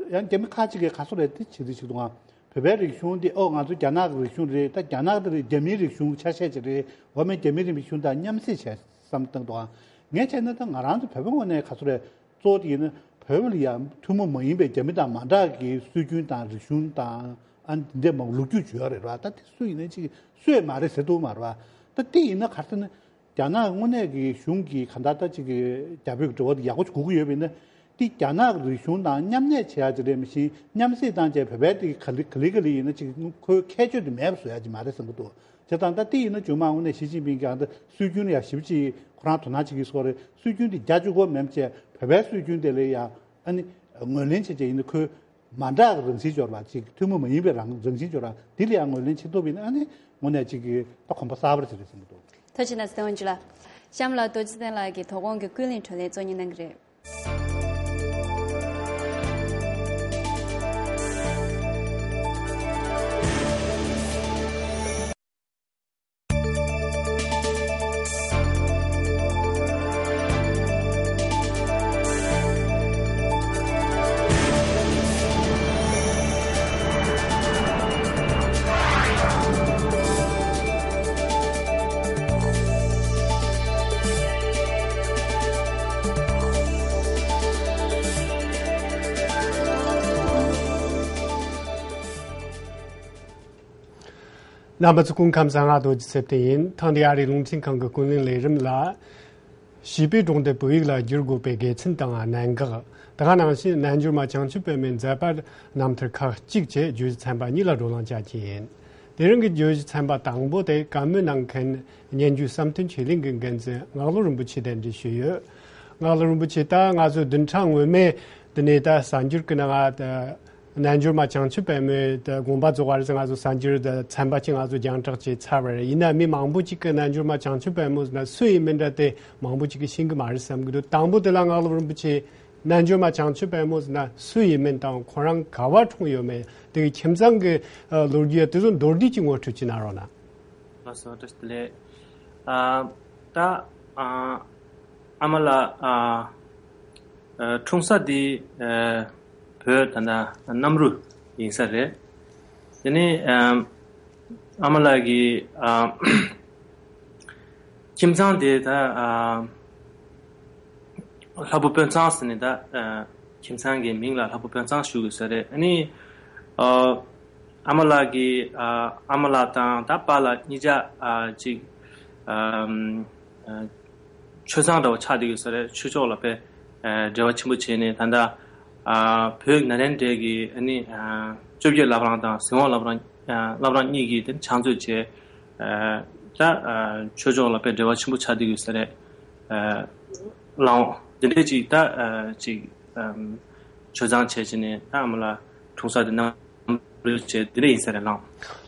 ཡང་རྒྱ་མི་ཁག་ཅིག་གིས་ག་ཚོད་རེད་དེ་བྱེད་དུ་ཆུག་འདུག་ཨང་། བོད་པའི་རིག་གཞུང་འདི་ཨོ་ང་ཚོ་རྒྱ་ནག་གི་རིག་གཞུང་རེད། ད་རྒྱ་ནག་འདི་རེད། རྒྱ་མིའི་རིག་གཞུང་ཆ་ཤས་ཅིག་རེད། འོ་མའི་རྒྱ་མིའི་རིག་གཞུང་དང་མཉམ་བསྲེས་བྱས་བསམ་བཏང་འདུག་ཨང་། ངས་བྱས་ན་ད་ང་རང་ཚོ་བོད་པའི་ངོས་ནས་ག་ཚོད་རེད། གཙོ་བོ་དེ་ཡིན་ན་བོད་པ་ལ་ཡང་ཐུན་མོང་མ་ཡིན་པའི་རྒྱ་མི་དང་མ་འདྲ་གི་སྲོལ་རྒྱུན་དང་རིག་གཞུང་དང་ཨ་འདི་འདྲ་མང་པོ་ལོ་རྒྱུས་ཅིག་ཡོད་རེད་བ། ད་དེ་སུ་ཡིན་ན་ཅིག་སུ་ཡང་མ་རེད་ཟེར་ཐུབ་མ་རེད་བ། ད་དེ་ཡིན་ན་ག་རེ་ཟེར་ན། རྒྱ་ནག་དངོས་གནས་ཀྱི་གཞུང་གིས་གང་ལྟར་ད་ཅིག་གི་རྒྱ་བོད་ཀྱི་འབྲེལ་བ་དེ་ཡག་པོ་ཞིག་དགོས་ཀྱི་ཡོད་པ་ཡིན་ན། དེ་རྒྱ་ནག་རིག་གཞུང་དང་མཉམ་གནས་བྱེད་ཡག་ཅིག་རེད། མི་ཤེས། མཉམ་བསྲེས་བཏང་བྱས་བོད་པའི་དེ་ག་ལེ་ག་ལེ་ག་ལེ་ཡིན་ན་ཅིག་ཁོའི་ཁྱད་ཆོས་དེ་མེད་པ་བཟོ་ཡག་ཅིག་མ་རེད་བསམ་གྱི་འདུག་བྱས་ཙང་ད་དེ་ཡིན་ན་རྗེས་མ་དངོས་གནས་ཞི་ཅིན་ཕིང་གིས་ཨ་ད་སྲོལ་རྒྱུན་ལ་ཡང་ཞིབ་ཅིག་ཁོ་རང་དོ་སྣང་བྱེད་ཀྱི་སྐོར་རེད། སྲོལ་རྒྱུན་དེ་རྒྱ་གཅིག་པོ་མིན་པ་བྱས་བོད་པའི་སྲོལ་རྒྱུན་དེ་ལ་ཡང་ཨ་ནི་ངོས་ལེན་བྱས་བྱས་ཡིན་ན་ཁོའི་མ་འདྲ་བའི་རང་བཞིན་འབྱོར་བ་ཅིག་ཐུན་མོང་མ་ཡིན་པའི་རང་རང་བཞིན་འབྱོར་བ་དེ་ལ་ཡང་ངོས་ལེན་བྱེད་ཐུབ་པ་ཡིན་ན་ཨ་ནི་དངོས་གནས་ཅིག་གི་ད་གོམ་པ་གསར་པ་ཅིག་རེད་བསམ་གྱི་འདུག་ཐུགས་རྗེ་གནང་སྲིད་དབང་ཕྱུག་ལགས། གཤམ་ལ་རྡོ་རྗེ་བཙན་ལགས་ཀྱིས་དོ་དགོང་གི་ཀུན་གླེང་གྲོས་གླེང་གཙོ་གཉེར་གནང་གི་རེད། རྣམ་པ་ཚོ་སྐུ་ཁམས་བཟང་། ང་རྡོ་རྗེ་ཚེ་བརྟན་ཡིན། ཐེངས་འདིའི་ཨ་རིའི་རླུང་འཕྲིན་ཁང་གི་ཀུན་གླེང་ལས་རིམ་ལ། བྱིས་པའི་སྒྲུང་དེ་བོད་ཡིག་ལ་བསྒྱུར་དགོས་པའི་དགེ་མཚན་དང་གནད་འགག་དེ་ག་ནང་བཞིན་རྣལ་འབྱོར་མ་བྱང་ཆུབ་པད་མོའི་མཛད་པ་རྣམ་ཐར་ཁག་གཅིག་བཅས་བརྗོད་གཞི་ཚན་པ་གཉིས་ལ་བགྲོ་གླེང་བྱ་རྒྱུ་ཡིན། དེ་རིང་གི་བརྗོད་གཞི་ཚན་པ་དང་པོ་དེ་བཀའ་མོལ་གནང་མཁན་སྙན་བརྒྱུད་བསམ་གཏན་ཆོས་གླིང་གི་འགན་འཛིན་ངག་དབང་རིན་པོ་ཆེ་གདན་འདྲེན་ཞུས་ཡོད། ངག་དབང་རིན་པོ་ཆེ་ད་ང་ཚོ་བདུན་ཕྲག་སྔོན་མའི་དེ་ནས་ད་གསར་འགྱུར་གྱི་ནང་ང་རྣལ་འབྱོར་མ་བྱང་ཆུབ་པད་མོའི་དགོངས་པ་རྫོགས་པ་རེད་ཟེར་ང་ཚོ་གསར་འགྱུར་དང་ཚན་པ་གཅིག་ང་ཚོ་རྒྱང་བསྒྲགས་བྱས་ཚར་བ་རེད། ཡིན་ན་མི་མང་པོ་གཅིག་གིས་རྣལ་འབྱོར་མ་བྱང་ཆུབ་པད་མོ་ཟེར་ན་སུ་ཡིན་མིན་འདྲ་དེ་མང་པོ་གཅིག་གིས་ཤེས་ཀྱི་མ་རེད་བསམ་གྱི་འདུག་དང་པོ་དེ་ལ་ངག་དབང་རིན་པོ་ཆེ་རྣལ་འབྱོར་མ་བྱང་ཆུབ་པད་མོ་ཟེར་ན་སུ་ཡིན་མིན་དང་ཁོ་རང་ག་བར་འཁྲུངས་ཡོད་མེད་དེ་གི་ཁྱིམ་ཚང་གི་ལོ་རྒྱུས་དེ་ཚོ་མདོར་བསྡུས་ཀྱིས་ངོ་སྤྲོད་ཅིག་གནང་རོགས་གནང་། ལགས་སོ། བཀྲ་ཤིས་བདེ་ལེགས། ཨ། ད། ཨ། ཨ་མ་ལགས། ཨ། ཨ། འཁྲུངས་ས་འདི། ཨ། བོད་ད་ལྟ་གནམ་རུ་ཡིན་ས་རེད། དེ་ནས། ཨ། ཨ་མ་ལགས་ཀྱི། ཨ། ཁྱིམ་ཚང་དེ་ད། ཨ། ལྷ་བུ་དཔོན་ཚང་ཟེར་ནས་ད། ཨ། ཁྱིམ་ཚང་གི་མིང་ལ་ལྷ་བུ་དཔོན་ཚང་ཞུ་དགོས་ས་རེད། ཨ་ནི། ཨ། ཨ་མ་ལགས་ཀྱི། ཨ། ཨ་མ་ལགས་དང་ད་པཱ་ལགས་གཉིས་ཆ། ཨ། ཅིག་ཨ། ཨ། ཆོས་ཚང་འདྲ་བོ་ཆགས་བསྡད་ཡོད་ས་རེད། ཆོས་ཕྱོགས་ལ་དཔེ། ཨ། འབྲེལ་བ་ཆེན་པོ་བྱས་ནས་ད་ལྟ། ཨ། བོད་ནཱ་ལེནྡྲའི་གི་ཨ་ནི། ཨ། བཅོ་བརྒྱད་བླ་བྲང་དང་ཟིན་དབང་བླ་བྲང་། ཨ། བླ་བྲང་གཉིས་ཀྱི་དེ་ཕྱག་མཛོད་བྱས། ཨ། ད། ཨ། ཆོས་ཕྱོགས་ལ་དཔེ་འབྲེལ་བ་ཆེན་པོ་ཆགས་བསྡད་ཡོད་ས་རེད། ཨ། ལགས་འོང་། འདི་འདྲའི་ཅིག་ད། ཨ། ཅིག་ཨམ། ཆོས་ཚང་བྱས་བྱས་ནས་ད་ཨ་མ་ལགས་འཁྲུངས་ས་དེ་གནམ་ བྱས་དེ་འདྲ་ཡིན་ས་རེད་ལགས།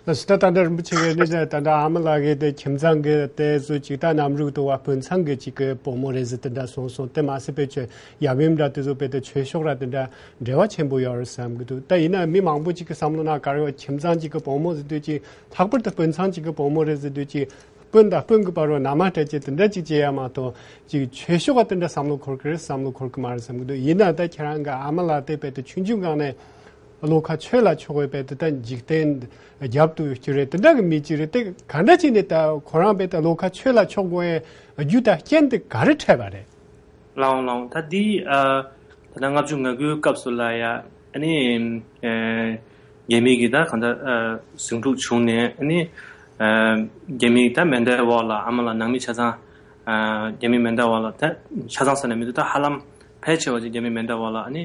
ལགས་སོ། ད་ད་ལྟ་རིན་པོ་ཆེ་གིས་ནི་ད་ལྟ་ཨ་མ་ལགས་ཀྱིས་དེ་ཁྱིམ་ཚང་གི་དེ་ཚོ་ཅིག་ད་ནམ་རུག་ཏུ་བ་སྤུན་ཚང་གི་ཅིག་གི་བུ་མོ་རེད་ཟེར་དེ་འདྲ་གསུངས་སོང་། དེ་མ་ཟད་པའི་ཆོས་ཡབ་ཡུམ་འདྲ་དེ་ཚོ་དཔེ་དེ་ཆོས་ཕྱོགས་ར་དེ་འདྲ་འབྲེལ་བ་ཆེན་པོ་ཡོད་རེད་བསམ་གི་འདུག། ད་ཡིན་ན་མི་མང་པོ་ཅིག་གི་བསམ་བློ་ནང་ག་རེ་ཡོད། ཁྱིམ་ཚང་ཅིག་གི་བུ་མོ་ཟེར་དུས་ཅིག་ལྷག་པར་དུ་སྤུན་ཚང་ཅིག་གི་བུ་མོ་རེད་ཟེར་དུས་ཅིག་སྤུན་དང་སྤུན་གྱི་བར་བ་ན་མ་སྤྲད་ཅེས་དེ་འདྲ་ཅིག་བྱེད་ཡ་མ་གཏོགས་ཅིག་ཆོས་ཕྱོགས་ག་དེ་འདྲ་བསམ་བློ་འཁོར་གི་རེད་བསམ་བློ་འཁོར་གི་མ་རེད་བསམ་གི་འདུག། ཡིན་ན་ད་ཁྱེད་རང་གི་ཨ་མ་ལགས་དེ་དཔེ་དེ་ཆུང་ཆུང་སྒང་ནས་བློ་ཁ་ཆོས་ལ་ཕྱོགས་པའི་དཔེ་དེ་ད་འཇིག་རྟེན་རྒྱབ་ཏུ་སྐྱུར་རེད། དེ་འདྲ་གི་མི་ཅིག་རེད། དེ་ག་འདྲ་ཅིག་ནས་ད་ཁོ་རང་དཔེ་ད་བློ་ཁ་ཆོས་ལ་ཕྱོགས་དགོས་ཡའི་རྒྱུ་དང་རྐྱེན་དེ་ག་རེ་འཕྲད་པ་རེད། ལགས་འོང་ལགས་འོང་། ད་འདི་ཨ་ད་ལྟ་ལྔ་བཅུ་ང་དགུའི་སྐབས་སུ་ལ་ཡ་ཨ་ནི་ཨ་རྒྱ་མི་གི་ད་གང་ལྟར་ཨ་ཟིང་འཁྲུག་བྱུང་ནས་ཨ་ནི་ཨ་རྒྱ་མི་ད་མེ་མདའི་འོག་ལ་ཨ་མ་ལགས་ནང་མི་ཆ་ཚང་ཨ་རྒྱ་མི་མེ་མདའི་འོག་ལ་ད་ཆ་ཚང་ཟེར་ན་མི་འདུག། ད་ཧ་ལམ་ཕལ་ཆེ་བ་ཅིག་རྒྱ་མི་མེ་མདའི་འོག་ལ་ཨ་ནི་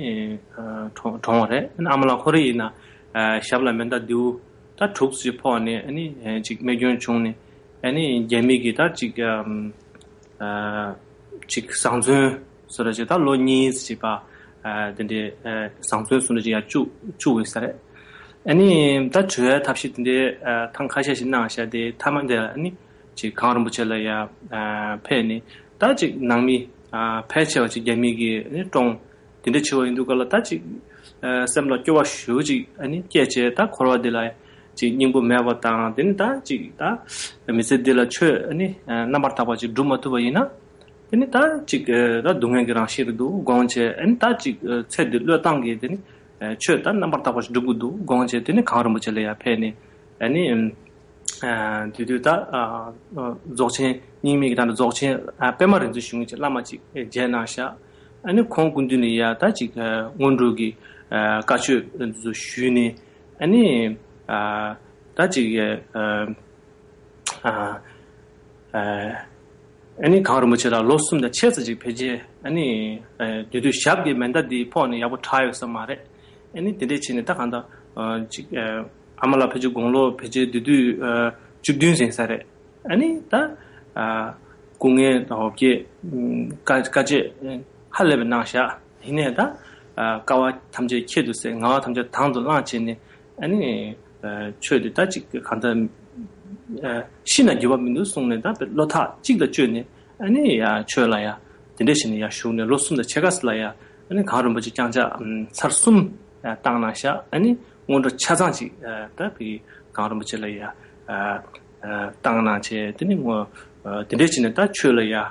ཨ་གྲོངས་གྲོངས་པ་རེད། ཨ་ནི་ཨ་མ་ལགས་ཁོ་རང་ཡིན་ན་ཨ་ཞབས་ལ་མེ་མདའ་མདེའུ་ད་དྲུག་ཅིག་ཕོག་ནས་ཨ་ནི་ཨ་ཅིག་རྨས་སྐྱོན་བྱུང་ནས་ཨ་ནི་རྒྱ་མི་གི་ད་ཅིག་ཨ། ཨ་ཅིག་བཟང་བཙོན་སོ་ར་ཅིག་ད་ལོ་གཉིས་ཅིག་པ་ཨ་དེ་འདྲའི་ཨ་བཟང་བཙོན་སོ་ར་ཅིག་ཡར་བཅུག་བཅུག་ཡོད་ས་རེད། ཨ་ནི་ད་བྲོས་ཡ་ཐབས་ཤེས་དེ་འདྲའི་ཨ་ཐེངས་ཁ་ཤས་ཤིག་གནང་བཞག་དེ་མཐའ་མ་དེ་ལ་ཨ་ནི་ཅིག་གངས་རིན་པོ་ཆེ་ལ་ཡ་ཨ་ཕེབས་ནས་ད་ཅིག་ནང་མི་ཨ་ཕལ་ཆེ་བ་ཅིག་རྒྱ་མི་གིས་ཨ་ནི་བཀྲོངས། དེ་འདྲ་བྱས་པ་ཡིན་དུས་ག་ལ་ད་ཅིག་ཨ་སེམས་ལ་སྐྱོ་བ་ཞེ་པོ་ཅིག་ཨ་ནི་སྐྱེས་བྱས། ད་འཁོར་བ་འདི་ལ་ཅིག་སྙིང་པོ་མེད་པ་དང་། དེ་ནི་ད་ཅིག་ད་མི་ཚེ་འདི་ལ་ཆོས་ཨ་ནི་ཨ་རྣམ་པར་དག་པ་ཅིག་སྒྲུབ་མ་ཐུབ་པ་ཡིན་ན། དེ་ནི་ད་ཅིག་ཨ་ད་སྡུག་བསྔལ་གྱི་རང་བཞིན་རེད་འདུག་དགོངས་བྱས། ཨ་ནི་ད་ཅིག་ཨ་ཚེ་འདི་བློས་བཏང་གིས་དེ་ནི་ཨ་ཆོས་ད་རྣམ་པར་དག་པ་ཞིག་སྒྲུབ་དགོས་འདུག་དགོངས་བྱས། དེ་ནི་གངས་རིན་པོ་ཆེ་ལ་ཡར་ཕེབས་ནས་ཨ་ནི་ཨ་དེ་དུས་ད་ཨ་ཨ་རྫོགས་ཆེན་རྙིང་མའི་གི་ད་ནི་རྫོགས་ཆེན་ཨ་པད་མ་རིག་འཛིན་ཞུ་མཁན་གྱི་བླ་མ་ཅིག་ཨ་མཇལ་གནང་ཤག། ཨ་ནི་ཁོང་སྐུ་མདུན་ནས་ཡ་ད་ཅིག་ཨ་སྔོན་འགྲོ་གི་ཨ་བཀའ་ཆོས་འདི་ཚོ་ཞུས་ནས། ཨ་ནི་ཨ་ད་ཅིག་ཨ་ཨ་ཨ་ཨ་ནི་གངས་རིན་པོ་ཆེ་ལ་ལོ་གསུམ་དང་ཕྱེད་ཙམ་ཅིག་ཕལ་ཆེར་ཨ་ནི་ཨ་དེ་དུས་ཞབས་ཀྱི་མེ་མདའ་འདི་ཕོག་ནས་ཡག་པོ་དྲག་ཡོད་ས་མ་རེད། ཨ་ནི་དེ་འདྲས་བྱས་ནས་ད་གང་ལྟར་ཨ་ཅིག་ཨ་ཨ་མ་ལགས་ཕལ་ཆེར་དགུང་ལོ་ཕལ་ཆེར་དེ་དུས་ཨ་བཅུ་བདུན་ཟིན་ས་རེད། ཨ་ནི་ད་ཨ་སྐུ་ངལ་དང་འོ་བརྒྱལ་དཀའ་དཀའ་སྤྱད་ཧ་ལས་པའི་གནང་བཞག། ཡིན་ནའི་ད་ཨ་དཀའ་བ་ཐམས་ཅད་ཁྱད་དུ་བསད། ངལ་བ་ཐམས་ཅད་དང་དུ་བླངས་བྱས་ནས། ཨ་ནི་ཨ་ཆོས་དེ་ད་ཅིག་གང་ལྟར་ཨ་ཤི་ན་འགྱུར་བ་མི་འདུག་གསུངས་ནས། ད་བློ་ཐག་གཅིག་ལ་བཅོལ་ནས། ཨ་ནི་ཡ་ཆོས་ལ་ཡ་དེ་འདྲས་བྱས་ནས་ཡར་ཞུགས་ནས་ལོ་གསུམ་དང་ཕྱེད་ཀ་ཙམ་ལ་ཡ་ཨ་ནི་གངས་རིན་པོ་ཆེ་བརྐྱངས་ཕྱག་ཨམ་ཚར་གསུམ་ཨ་བཏང་གནང་ཤག། ཨ་ནི་སྔོན་འགྲོ་ཆ་ཚང་ཅིག་ཨ་ད་བི་གངས་རིན་པོ་ཆེ་ལ་ཡ་ཨ་ཨ་བཏང་གནང་བྱས། དེ་ནི་ངོ་ཨ་དེ་འདྲས་བྱས་ནས་ད་ཆོས་ལ་ཡ་ཨ་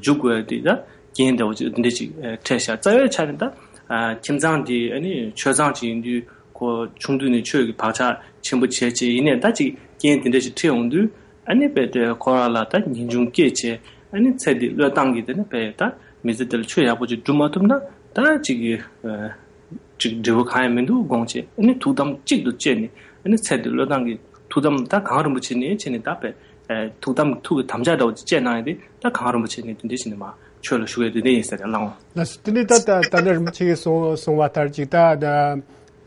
འཇུག་དགོས་དེ་ད་རྐྱེན་འདྲ་བོ་ཅིག་དེ་འདྲས་ཅིག་ཨ་འཕྲད་ཤག། རྩ་བའི་ཆ་ནས་ད་ཨ་ཁྱིམ་ཚང་དེ་ཨ་ནི་ཆོས་ཚང་ཅིག་ཡིན་དུས། ཁོ་ཆུང་དུས་ནས་ཆོས་ཀྱི་བག་ཆགས་ཆེན་པོ་བྱས་བྱས། ཡིན་ནའི་ད་ཅིག་རྐྱེན་དེ་འདྲ་ཞིག་འཕྲད་ཡོང་དུས། ཨ་ནི་དཔེ་དེ་ཁོ་རང་ལ་ད་ངེས་འབྱུང་སྐྱེས་བྱས། ཨ་ནི་ཚེ་འདི་བློས་བཏང་གིས་དེ་ནི་དཔེ་ད་མི་ཚེ་འདི་ལ་ཆོས་ཡག་པོ་ཅིག་སྒྲུབ་མ་ཐུབ་ན་ད་ཅིག་གི་ཨ་ཅིག་འབྲས་བུ་གང་ཡང་མི་འདུག་དགོངས་བྱས། ཨ་ནི་ཐུགས་དམ་གཅིག་ཏུ་བཅས་ནས། ཨ་ནི་ཚེ་འདི་བློས་བཏང་གིས་ཐུགས་དམ་ད་གངས་རིན་པོ་ཆེ་ནས་བྱས་ནས་ད་དཔེ་ཨ་ཐུགས་དམ་ཐུགས་ཀྱི་དམ་བཅའ་འདྲ་བོ་ཅིག་བཅས་གནང་ཡོད་དེ། ད་གངས་རིན་པོ་ཆེ་ནས་དེ་འདྲ་བྱས་ནས་མར་ཆོས་ལ་ཞུགས་ཡོད་དེ་འདྲ་ཡིན་ཟེར་ཡ་ལགས་འོང་། ལགས་སོ། དེ་ནས་ད་ད་ད་ནི་རིན་པོ་ཆེ་གིས་གསུང་གསུང་བ་ལྟར་ཅིག་ད་ད།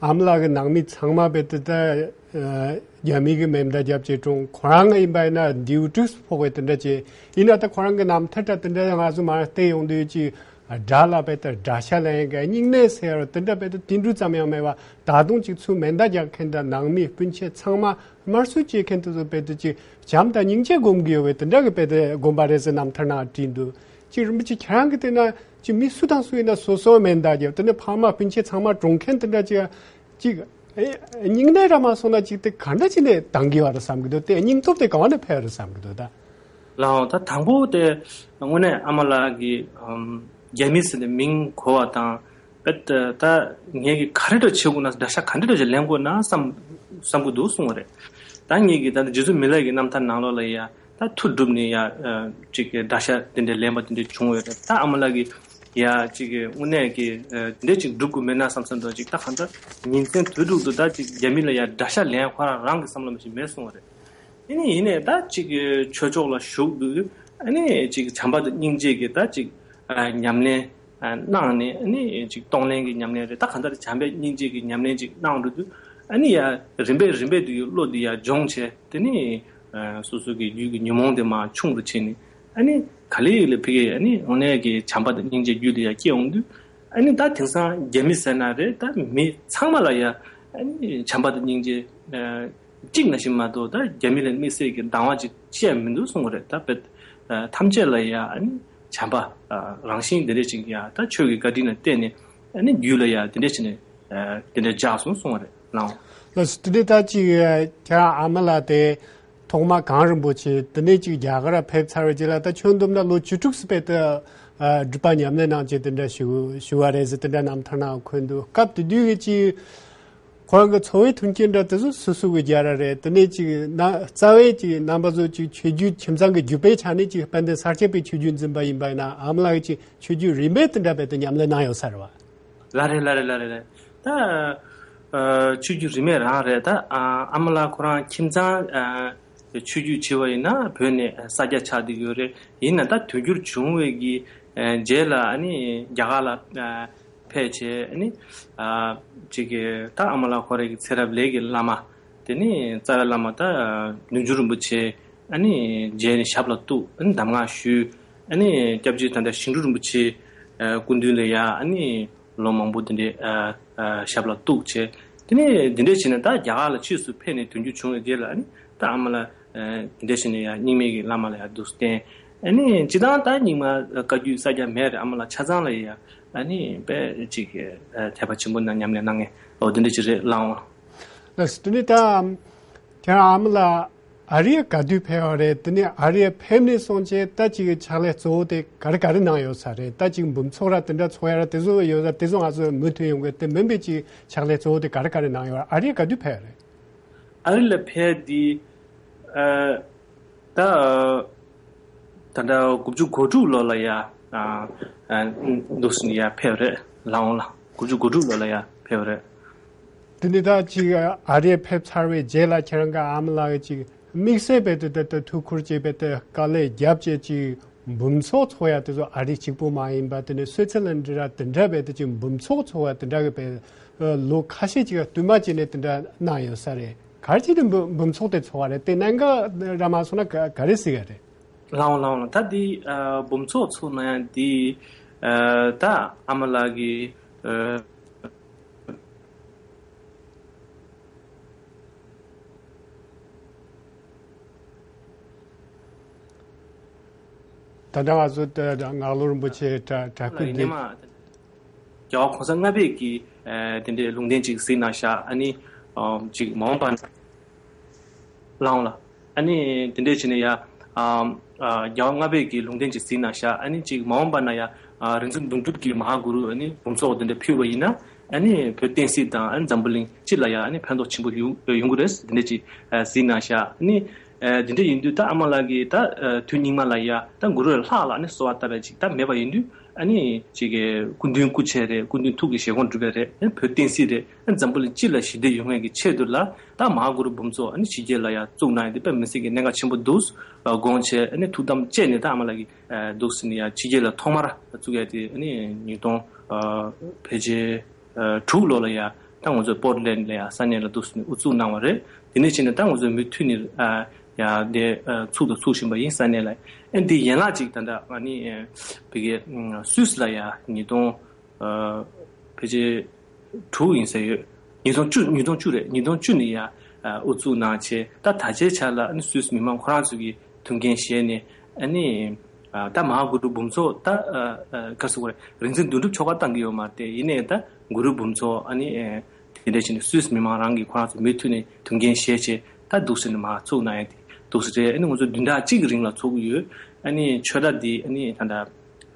ཨ་མ་ལགས་ཀྱི་ནང་མི་ཚང་མ་དཔེ་དེ་ད་ཨ་རྒྱ་མི་གི་མེ་མདའ་བརྒྱབ་བྱས་བཀྲོངས། ཁོ་རང་ཡིན་པ་ཡིན་ན་མདེའུ་དྲུག་ཕོག་པའི་དེ་འདྲ་བྱས། ཡིན་ན་ད་ཁོ་རང་གི་རྣམ་ཐར་འདྲ་དེ་འདྲ་ང་ཚོ་མར་བལྟས་ཡོང་དུས་ཅིག་དགྲ་ལ་དཔེ་དེ་དགྲ་ཤ་ལེན་མཁན། སྙིང་ནད་སེལ་བ་དེ་འདྲ་དཔེ་དེ་དེ་འདྲ་ཙམ་ཡང་མེད་པ། ད་དུང་ཅིག་ཚུར་མེ་མདའ་རྒྱག་མཁན་དང་ནང་མི་སྤུན་མཆེད་ཚང་མ་དམར་གསོད་བྱེད་མཁན་དེ་ཚོ་དཔེ་དེ་ཅིག་བྱམས་དང་སྙིང་རྗེ་སྒོམ་གྱི་ཡོད་པའི་དེ་འདྲ་གི་དཔེ་དེ་དགོན་པ་རེད་ཟེར་རྣམ་ཐར་ནང་བྲིས་འདུག། ཅིག་རིན་པོ་ཆེ་ཁྱེད་རང་གིས་བལྟས་ན། ཅིག་མི་སུ་དང་སུ་ཡིན་ན་སོ་སོའི་མེ་མདའ་རྒྱབ། དེ་ནས་ཕ་མ་སྤུན་མཆེད་ཚང་མ་བཀྲོངས་མཁན་དེ་འདྲ་ཅིག་ཅིག་ཨེ་སྙིང་ནད་ར་མ་སོང་ན་ཅིག་དེ་ག་འདྲ་ཅིག་ནས་འདང་གི་ཡོད་རེད་བསམ་གི་འདུག། དེ་སྙིང་སྟོབས་དེ་ག་བ་ནས་འཕེལ་རེད་བསམ་གི་འདུག་ད། ལགས་འོང་། ད་དང་པོ་དེ་དངོས་གནས་ཨ་མ་ལགས་ཀྱིས་ཨམ་རྒྱ་མི་ཟེར་ནས་མིང་གོ་བ་དང་། དཔེ་ད་ད་ངས་ཀྱིས་ག་རེ་འདྲ་བྱེད་དགོས་ན། དགྲ་ཤ་ག་འདྲ་འདྲ་ཅིག་ལེན་དགོས་ན་བསམ་བསམ་གི་འདུག་གསུངས་པ་རེད། ད་ངས་ཀྱིས་ད་ནི་རྗེ་བཙུན་མི་ལ་གི་རྣམ་ཐར་ནང་ལོགས་ལ་ཡ། ད་མཐུ་བསྒྲུབས་ནས་ཡ་ཨ་ཅིག་གི་དགྲ་ཤ་དེ་འདྲ་ལེན་པ་དེ་འདྲ་བྱུང་ཡོད་རེད། ད་ཨ་མ་ལགས་ཀྱིས་ཡ་ཅིག་གི་དངོས་གནས་ཀྱི་ཨ་དེ་འདྲ་ཅིག་སྒྲུབ་དགོས་མེད་ན་བསམ་བསམ་འདྲ་ཅིག། ད་གང་ལྟར་ཉིན་མཚན་དུས་དྲུག་ཏུ་ད་ཅིག་རྒྱ་མི་ལ་ཡ་དགྲ་ཤ་ལེན་ཁོ་རང་རང་གི་བསམ་བློ་མི་ཞིག་མེད་གསུངས་པ་རེད། དེ་ནས་ཡིན་ནས་ད་ཅིག་གི་ཆོས་ཕྱོགས་ལ་ཞུགས་དུས། ཨ་ནི་ཅིག་བྱམས་པ་དང་སྙིང་རྗེ་གི་ད་ཅིག་ཨ་ཉམས་ལེན་ཨ་གནང་ནས། ཨ་ནི་ཅིག་གཏོང་ལེན་གྱི་ཉམས་ལེན་རེད། ད་གང་ལྟར་བྱམས་པའི་སྙིང་རྗེ་གི་ཉམས་ལེན་ཅིག་གནང་འགྲོ་དུས། ཨ་ནི་ཡ་རིམ་པས་རིམ་པས་དུ་ཡི་བློ་འདི་ཡ་སྦྱོང་བྱས། དེ་ནི་ཨ་སོ་སོ་གི་རྒྱུད་ཀྱི་ཉོན་མོངས་དེ་མར་ཆུང་དུ་ཕྱིན་ནས། ཨ་ནི་ག་ལེ་ལེ་ཕ་གི་ཨ་ནི་དངོས་གནས་ཀྱི་བྱམས་པ་དང་སྙིང་རྗེ་རྒྱུད་ལ་ཡ་སྐྱེ་འོང་དུས། ཨ་ནི་ད་དེང་སང་རྒྱ་མི་ཟེར་ན་རེད། ད་མི་ཚང་མ་ལ་ཡ་ ཨ་ནི་བྱམས་པ་དང་སྙིང་རྗེ། ཨ་གཅིག་ནང་བཞིན་མ་གཏོགས་ད་རྒྱ་མི་ལ་དམིགས་བསལ་གྱི་སྡང་བ་ཅིག་བཤད་མི་འདུག་གསུང་གི་རེད། ད་དཔེ་ཨ་ཐམས་ཅད་ལ་ཡ་ཨ་ནི་བྱམས་པ་ཨ་རང་བཞིན་དེ་འདྲ་ཅིག་ཡ་ད་ཆོས་ཀྱི་བཀའ་དྲིན་ལ་བརྟེན་ནས་ཨ་ནི་རྒྱུད་ལ་ཡ་དེ་འདྲ་བྱས་ནས་ཨ་དེ་འདྲ་འཇགས་སོང་གསུང་བ་རེད་ལགས། ལགས་སོ། དེ་འདྲ་ད་ཅིག་ཁྱེད་རང་ཨ་མ་ལགས་དེ་ཐོག་མ་གངས་རིན་པོ་ཆེ་དེ་ནས་ཅིག་རྒྱ་གར་ཕེབས་ཚར་བའི་རྗེས་ལ་ད་ཁྱོན་བསྡོམས་ན་ལོ་བཅུ་དྲུག་ཙམ་དཔེ་ད་ཨ་སྒྲུབ་པ་ཉམས་ལེན་གནང་བྱས་དེ་འདྲ་ཞུ་ཞུ་བ་རེད་ཟེར་དེ་འདྲ་རྣམ་ཐར་ནང་འཁོད་འདུག་སྐབས་དེ་དུས་ཀྱི་ཅིག་ཁོ་རང་གི་འཚོ་བའི་མཐུན་རྐྱེན་འདྲ་དེ་ཚོ་སོ་སོ་གི་རྒྱལ་ར་རེད། དེ་ནས་ཅིག་ན་རྩ་བའི་ཅིག་རྣམ་པ་ཚོ་ཅིག་ཆོས་བརྒྱུད་ཁྱིམ་ཚང་གི་བརྒྱུད་པའི་ཆ་ནས་ཅིག་དཔལ་ལྡན་ས་སྐྱ་པའི་ཆོས་བརྒྱུད་འཛིན་པ་ཡིན་པ་ཡིན་ན་ཨ་མ་ལགས་ཀྱི་ཅིག་ཆོས་བརྒྱུད་རིས་མེད་དེ་འདྲ་བས་དེ་ཉམས་ལེན་གནང་ཡོད་ས་རེད་བ། ལ་རེད་ལ་རེད་ལ་རེད་ལ། ད་ཨ་ཆོས་བརྒྱུད་རིས་མེད་རང་རེད། ད་ཨ་ཨ་མ་ལགས་ཁོ་རང་ཁྱིམ་ཚང་ཨ་ཆོས་བརྒྱུད་བྱས་པ་ཡིན་ན་བོད་ནས་ས་སྐྱ་ཆགས་བསྡད་ཡོད་རེད། ཡིན་ན་ད་དུས་འགྱུར་བྱུང་བའི་གི་ཨ་རྗེས་ལ་ཨ་ནི་རྒྱ་གར་ལ་ཨ་ཕེབས་བྱས་ཨ་ནི་ཨ་ཅིག་གི་ད་ཨ་མ་ལགས་ཁོ་རང་གི་ཚེ་རབས་ལས་ཀྱི་བླ་མ་དེ་ནི་རྩ་བའི་བླ་མ་ད་བདུད་འཇོམས་རིན་པོ་ཆེ་ཨ་ནི་མཇལ་ནས་ཞབས་ལ་གཏུགས། ཨ་ནི་གདམས་ངག་ཞུས། ཨ་ནི་སྐྱབས་རྗེ་ད་ལྟ་ཞིང་འབྲོག་རིན་པོ་ཆེ་ཨ་སྐུ་མདུན་ལ་ཡ་ཨ་ནི་ལོ་མང་པོ་དེ་འདྲའི་ཨ་ཨ་ཞབས་ལ་གཏུགས་བྱས། དེ་ནས་དེ་འདྲ་བྱས་ནས་ད་རྒྱ་གར་ལ་ཕྱིས་སུ་ཕེབས་ནས་དུས་འགྱུར་བྱུང་བའི་རྗེས་ལ་ཨ་ནི་ད་ཨ་མ་ལགས་ཨ་དེ་འདྲ་བྱས་ནས་ཡ་རྙིང་མའི་གི་བླ་མ་ལ་ཡ་འདུག་སེ་བསྟེན། ཨ་ནི་སྤྱིར་བཏང་ད་རྙིང་མ་བཀའ་བརྒྱུད་ས་སྐྱ་མེད་རེད། ཨ་མ་ལགས་ཆ་ཚང་ལ་ཡ་ཨ་ནི་དཔེ་ཅིག་ཨ་དད་པ་ཆེན་པོ་ནང་ཉམས་ལེན་གནང་མཁན་འོ་དེ་འདྲ་ཅིག་རེད་ལགས། ལགས་སོ། དེ་ནས་ད་ཁྱེད་རང་ཨ་མ་ལགས་ཨ་རིར་ག་དུས་ཕེབས་པ་རེད། དེ་ནས་ཨ་རིར་ཕེབས་ནས་སོང་རྗེས་ད་ཅིག་ཕྱག་ལས་གཙོ་བོ་དེ་ག་རེ་ག་རེ་གནང་ཡོད་ས་རེད། ད་ཅིག་འབུམ་ཚོགས་ར་དེ་འདྲ་ཚོགས་ཡ་ར་དེ་ཚོ་ཡོད་ས་དེ་ཚོ་ང་ཚོ་མུ་མཐུད་ཡོང་གི། དེ་མིན་པའི་ཅིག་ཕྱག་ལས་གཙོ་བོ་དེ་ག་རེ་ག་རེ་གནང་ཡོད། ཨ་རིར་ག་དུས་ཕེབས་པ་རེད། ཨ་རི་ལ་ཕེབས་དེ་ཨ་ད་ད་ལྟ་དགུ་བཅུ་གོ་དྲུག་ལོ་ལ་ཡ་ཨ་ཨ་འདུག་སེ་ཡ་ཕེབས་རེད་ལགས། འོང་ལ་དགུ་བཅུ་གོ་དྲུག་ལོ་ལ་ཡ་ཕེབས་རེད། དེ་ནས་ད་ཅིག་ཨ་རིར་ཕེབས་ཚར་བའི་རྗེས་ལ་ཁྱེད་རང་གི་ཨ་མ་ལགས་ཀྱིས་ཅིག་དམིགས་བསལ་བས་དེ་ད་ད་ཐུགས་ཁུར་བྱས་པའི་དེ་དཀའ་ལས་བརྒྱབ་བྱས་ཅིག་འབུམ་ཚོགས་ཚོགས་ཡ་དེ་ཚོ་ཨ་རི་གཅིག་པུ་མ་ཡིན་པ་དེ་ནས་སུའི་ཙི་ལན་འདྲ་དེ་འདྲ་བས་དེ་ཅིག་འབུམ་ཚོགས་ཚོགས་ཡ་དེ་འདྲ་གི་བས་ལོ་ཁ་ཤས་ཅིག་བསྟུད་མ་བྱས་ནས་དེ་འདྲ་གནང་ཡོད་ས་རེད། ག་རེ་བྱས་ཏེ་འབུམ་འབུམ་ཚོགས་དེ་ཚོགས་པ་རེད། དེ་གནད་འགག་ར་མ་སོང་ན་ག་ག་རེ་ཟེར་ག་རེད། ལགས་འོང་ལགས་འོང་ལགས། ད་འདི་ཨ་འབུམ་ཚོགས་ཚོགས་གནང་ཡ་འདི་ཨ་ད་ཨ་མ་ལགས་ཀྱི་ཨ་ད་ལྟ་ང་ཚོ་ད་ད་ངག་ལོ་རིན་པོ་ཆེ་གྲྭ་གྲྭ་སྐུ་ལགས་ཡིན་ནས་འདི་མ། རྒྱལ་བ་གོང་ས་ལྔ་པས་ཀྱི་ཨ་དེ་འདྲའི་ལུང་བསྟན་ཅིག་གཟིགས་གནང་ཤག་ཨ་ནི་ཨ་ཅིག་མ་འོངས་པ་ན། ལགས་འོང་ལགས། ཨ་ནི་དེ་འདྲའི་བྱས་ནས་ཡ་ཨ་ཨ་རྒྱལ་བ་ལྔ་པས་ཀྱི་ལུང་བསྟན་ཅིག་གཟིགས་གནང་ཤག་ཨ་ནི་ཅིག་མ་འོངས་པ་ན་ཡ་ཨ་རིག་འཛིན་དོན་གྲུབ་ཀྱིས་མ་ཧཱ་གུ་རུ་ཨ་ནི་འབུམ་ཚོགས་དེ་འདྲ་ཕུལ་བ་ཡིན་ན་ཨ་ནི་བོད་བསྟན་སྲིད་དང་ཨ་ནི་འཛམ་བུ་གླིང་སྤྱི་ལ་ཡ་ཨ་ནི་ཕན་ཐོགས་ཆེན་པོ་ཡོང་ཡོང་གི་རེད། དེ་འདྲ་ཅིག་ཨ་གཟིགས་གནང་ཤག་ཨ་ནི་ཨ་དེ་འདྲ་ཡིན་དུས་ད་ཨ་མ་ལགས་ཀྱིས་ད་ཨ་དུས་སྙིགས་མ་ལ་ཡ་ད་གུ་རུ་ལྷག་ལ་ཨ་ནི་གསོལ་བ་བཏབ་པ་ཅིག་ད་མེད་པ་ཡིན་དུས། ཨ་ནི་ཅིག་གི་སྐུ་མདུན་སྐུ་ཆས་རེད། སྐུ་མདུན་ཐུགས་ཀྱི་བཞེད་དགོངས་སྒྲུབ་པ་རེད། ཨ་ནི་བོད་བསྟན་སྲིད་རེད། ཨ་ནི་འཛམ་བུ་གླིང་སྤྱི་ལ་ཞི་བདེ་ཡོང་ཡས་ཀྱི་ཆེད་དུ་ལ་ད་མ་ཧཱ་གུ་རུ་འབུམ་ཚོགས་ཨ་ནི་ཕྱི་རྒྱལ་ལ་ཡང་བཙུགས་གནང་ཡས་དེ་དཔེ་མི་སྲིད་ཀྱི་གནད་འགག་ཆེན་པོ་འདུག་དགོངས་བྱས། ཨ་ནི་ཐུགས་དམ་བཅས་ནས་ད་ཨ་མ་ལགས་ཀྱིས་འདུག་སེ་ནས་ཡང་ཕྱི་རྒྱལ་ལ་ཐོག་མར་བཙུགས་ཡས་དེ་ཨ་ནི་ཉིས་སྟོང་ཕལ་ཆེར་དྲུག་ལོ་ལ་ཡང་ད་ང་ཚོ་པོར་ལེན་ལ་ཡང་ས་གནས་ལ་འདུག་སེ་ནས་དབུ་བཙུགས་གནང་བ་རེད། དེ་ནས་བྱས་ནས་ད་ང་ཚོ་མུ་མཐུད་ནས་ཡང་དེ་ཚུགས་དང་ཚུགས་བཞིན་པ་ཡིན། ས་གནས་ལ་ཨ་ནི་དེ་ཡན་ལག་ཅིག་ད་ལྟ་ཨ་ནི་བི་གའི་སུད་སི་ལ་ཡང་ཉིས་སྟོང་ཕལ་ཆེར་དྲུག་ཡིན་ས་ཡོད། ཉིས་སྟོང་བཅུ། ཉིས་སྟོང་བཅུ་རེད། ཉིས་སྟོང་བཅུ་ནས་ཡང་དབུ་བཙུགས་གནང་བྱས། ད་ད་ཆའི་ཆ་ལ་ཨ་ནི་སུད་སི་མི་མང་ཁོ་རང་ཚོ་གི་ཐུགས་འགན་བཞེས་ནས་ཨ་ནི་ད་མ་ཧཱ་གུ་རུ་འབུམ་ཚོགས་ད་ག་རེ་ཟེར་དགོས་རེད། རིག་འཛིན་དོན་གྲུབ་མཆོག་ག་བཏང་གི་ཡོད་མ་རེད། དེ་ཡིན་ནའི་ད་གུ་རུ་འབུམ་ཚོགས་ཨ་ནི་དེ་འདྲ་བྱས་ནས་སུད་སི་མི་མང་རང་གིས་ཁོ་རང་ཚོ་མུ་མཐུད་ནས་ཐུགས་འགན་བཞེས་བྱས་ད་འདུག་སེ་ནས་མར་ཚུགས་གནང་ཡ་དེ་འདུག་སེ་རེད། ཨ་ནི་ང་ཚོ་བདུན་ཕྲག་གཅིག་གི་རིང་ལ་ཚོགས་ཀྱི་ཡོད། ཨ་ནི་ཆོས་གྲྭ་འདི་ཨ་ནི་ད་ལྟ་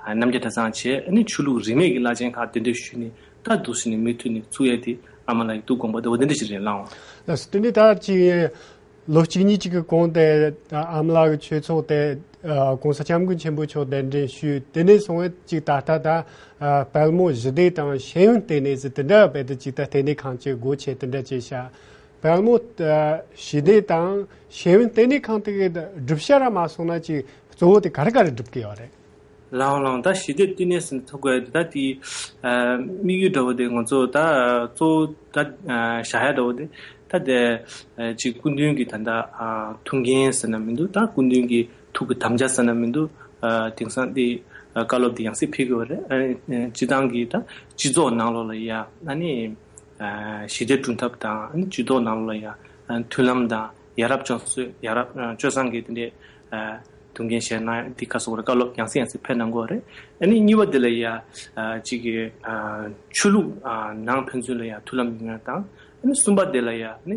རྣམ་རྒྱལ་གྲྭ་ཚང་བྱས། ཨ་ནི་ཆོས་ལུགས་རིས་མེད་ཀྱི་བླ་ཆེན་ཁག་གདན་འདྲེན་ཞུས་ནས་ད་འདུག་སེ་ནས་མུ་མཐུད་ནས་ཚུགས་ཡ་དེ་ཨ་མ་ལགས་ཀྱི་ཐུགས་དགོངས་པ་དེ་འོ་དེ་འདྲ་ཞིག་རེད་ལགས། ལགས་སོ། དེ་ནས་ད་ཅིག་ལོ་གཅིག་གཉིས་ཅིག་གི་གོང་དེ་ཨ་མ་ལགས་ཀྱི་ཆོས་ཚོགས་དེ་༸གོང་ས་༸སྐྱབས་མགོན་ཆེན་པོ་མཆོག་གདན་འདྲེན་ཞུས། དེ་ནས་བཟུང་བས་ཅིག་ད་ལྟ་ད་དཔལ་མོ་ཞི་བདེ་དང་ཤེས་ཡོན་ལྟེ་གནས་ཟེར་དེ་འདྲ་བས་དེ་ཅིག་ད་ལྟེ་གནས་ཁང་ཅིག་སྒོ་ཕྱེ་དེ་འདྲ་བྱས་ཤག་དཔལ་མོ་ཞི་བདེ་དང་ཤེས་ཡོན་ལྟེ་གནས་ཁང་དེ་གི་སྒྲུབ་བྱ་ར་མ་སོང་ན་ཅིག་གཙོ་བོ་དེ་ག་རེ་ག་རེ་སྒྲུབ་ཀྱི་ཡོད་རེད། ལགས་འོང་ལགས་འོང་། ད་ཞི་བདེ་ལྟེ་གནས་ཟེར་ན་ཐུག་གི་ཡོད་དེ་ད་དེ་དམིགས་ཡུལ་འདྲ་བོ་དེ་ང་ཚོ་ད་གཙོ་བོ་ད་བཞག་ཡ་འདྲ་བོ་དེ་ད་དེ་ཅིག་སྐུ་མདུན་གྱི་ད་ད་ཐུགས་འགན་ཟེར་ན་མི་འདུག་ད་སྐུ་མདུན་གྱི་ཐུགས་ཀྱི་དམ་བཅའ་ཟེར་ན་མི་འདུག་དེང་སང་དེ་བཀའ་སློབ་དེ་ཡང་སེ་ཕེབས་ཀྱི་ཡོད་རེད། སྤྱི་བཏང་གི་ད་སྤྱི་ཚོགས་ནང་ལོགས་ལ་ཡ་ཨ་ནི། ཞི་བདེ་བསྐྲུན་ཐབས་དང་ཨ་ནི་ཇུས་གཏོགས་ནང་ལ་ཡང་མཐུན་ལམ་དང་ཡ་རབས་བྱུང་ཚུལ་ཡ་རབས་སྤྱོད་བཟང་གི་དེ་འདྲའི་ཐུགས་འགན་བཞེས་གནང་འདི་ག་སོགས་རེ་བཀའ་སློབ་ཡང་སེ་ཡང་སེ་ཕེབས་གནང་གི་ཡོད་རེད། ཨ་ནི་གཉིས་པ་དེ་ལ་ཡང་ཅིག་གི་ཆོས་ལུགས་ནང་ཕན་ཚུན་ལ་ཡང་མཐུན་ལམ་ཡོང་ཡ་དང་ཨ་ནི་གསུམ་པ་དེ་ལ་ཡང་ཨ་ནི་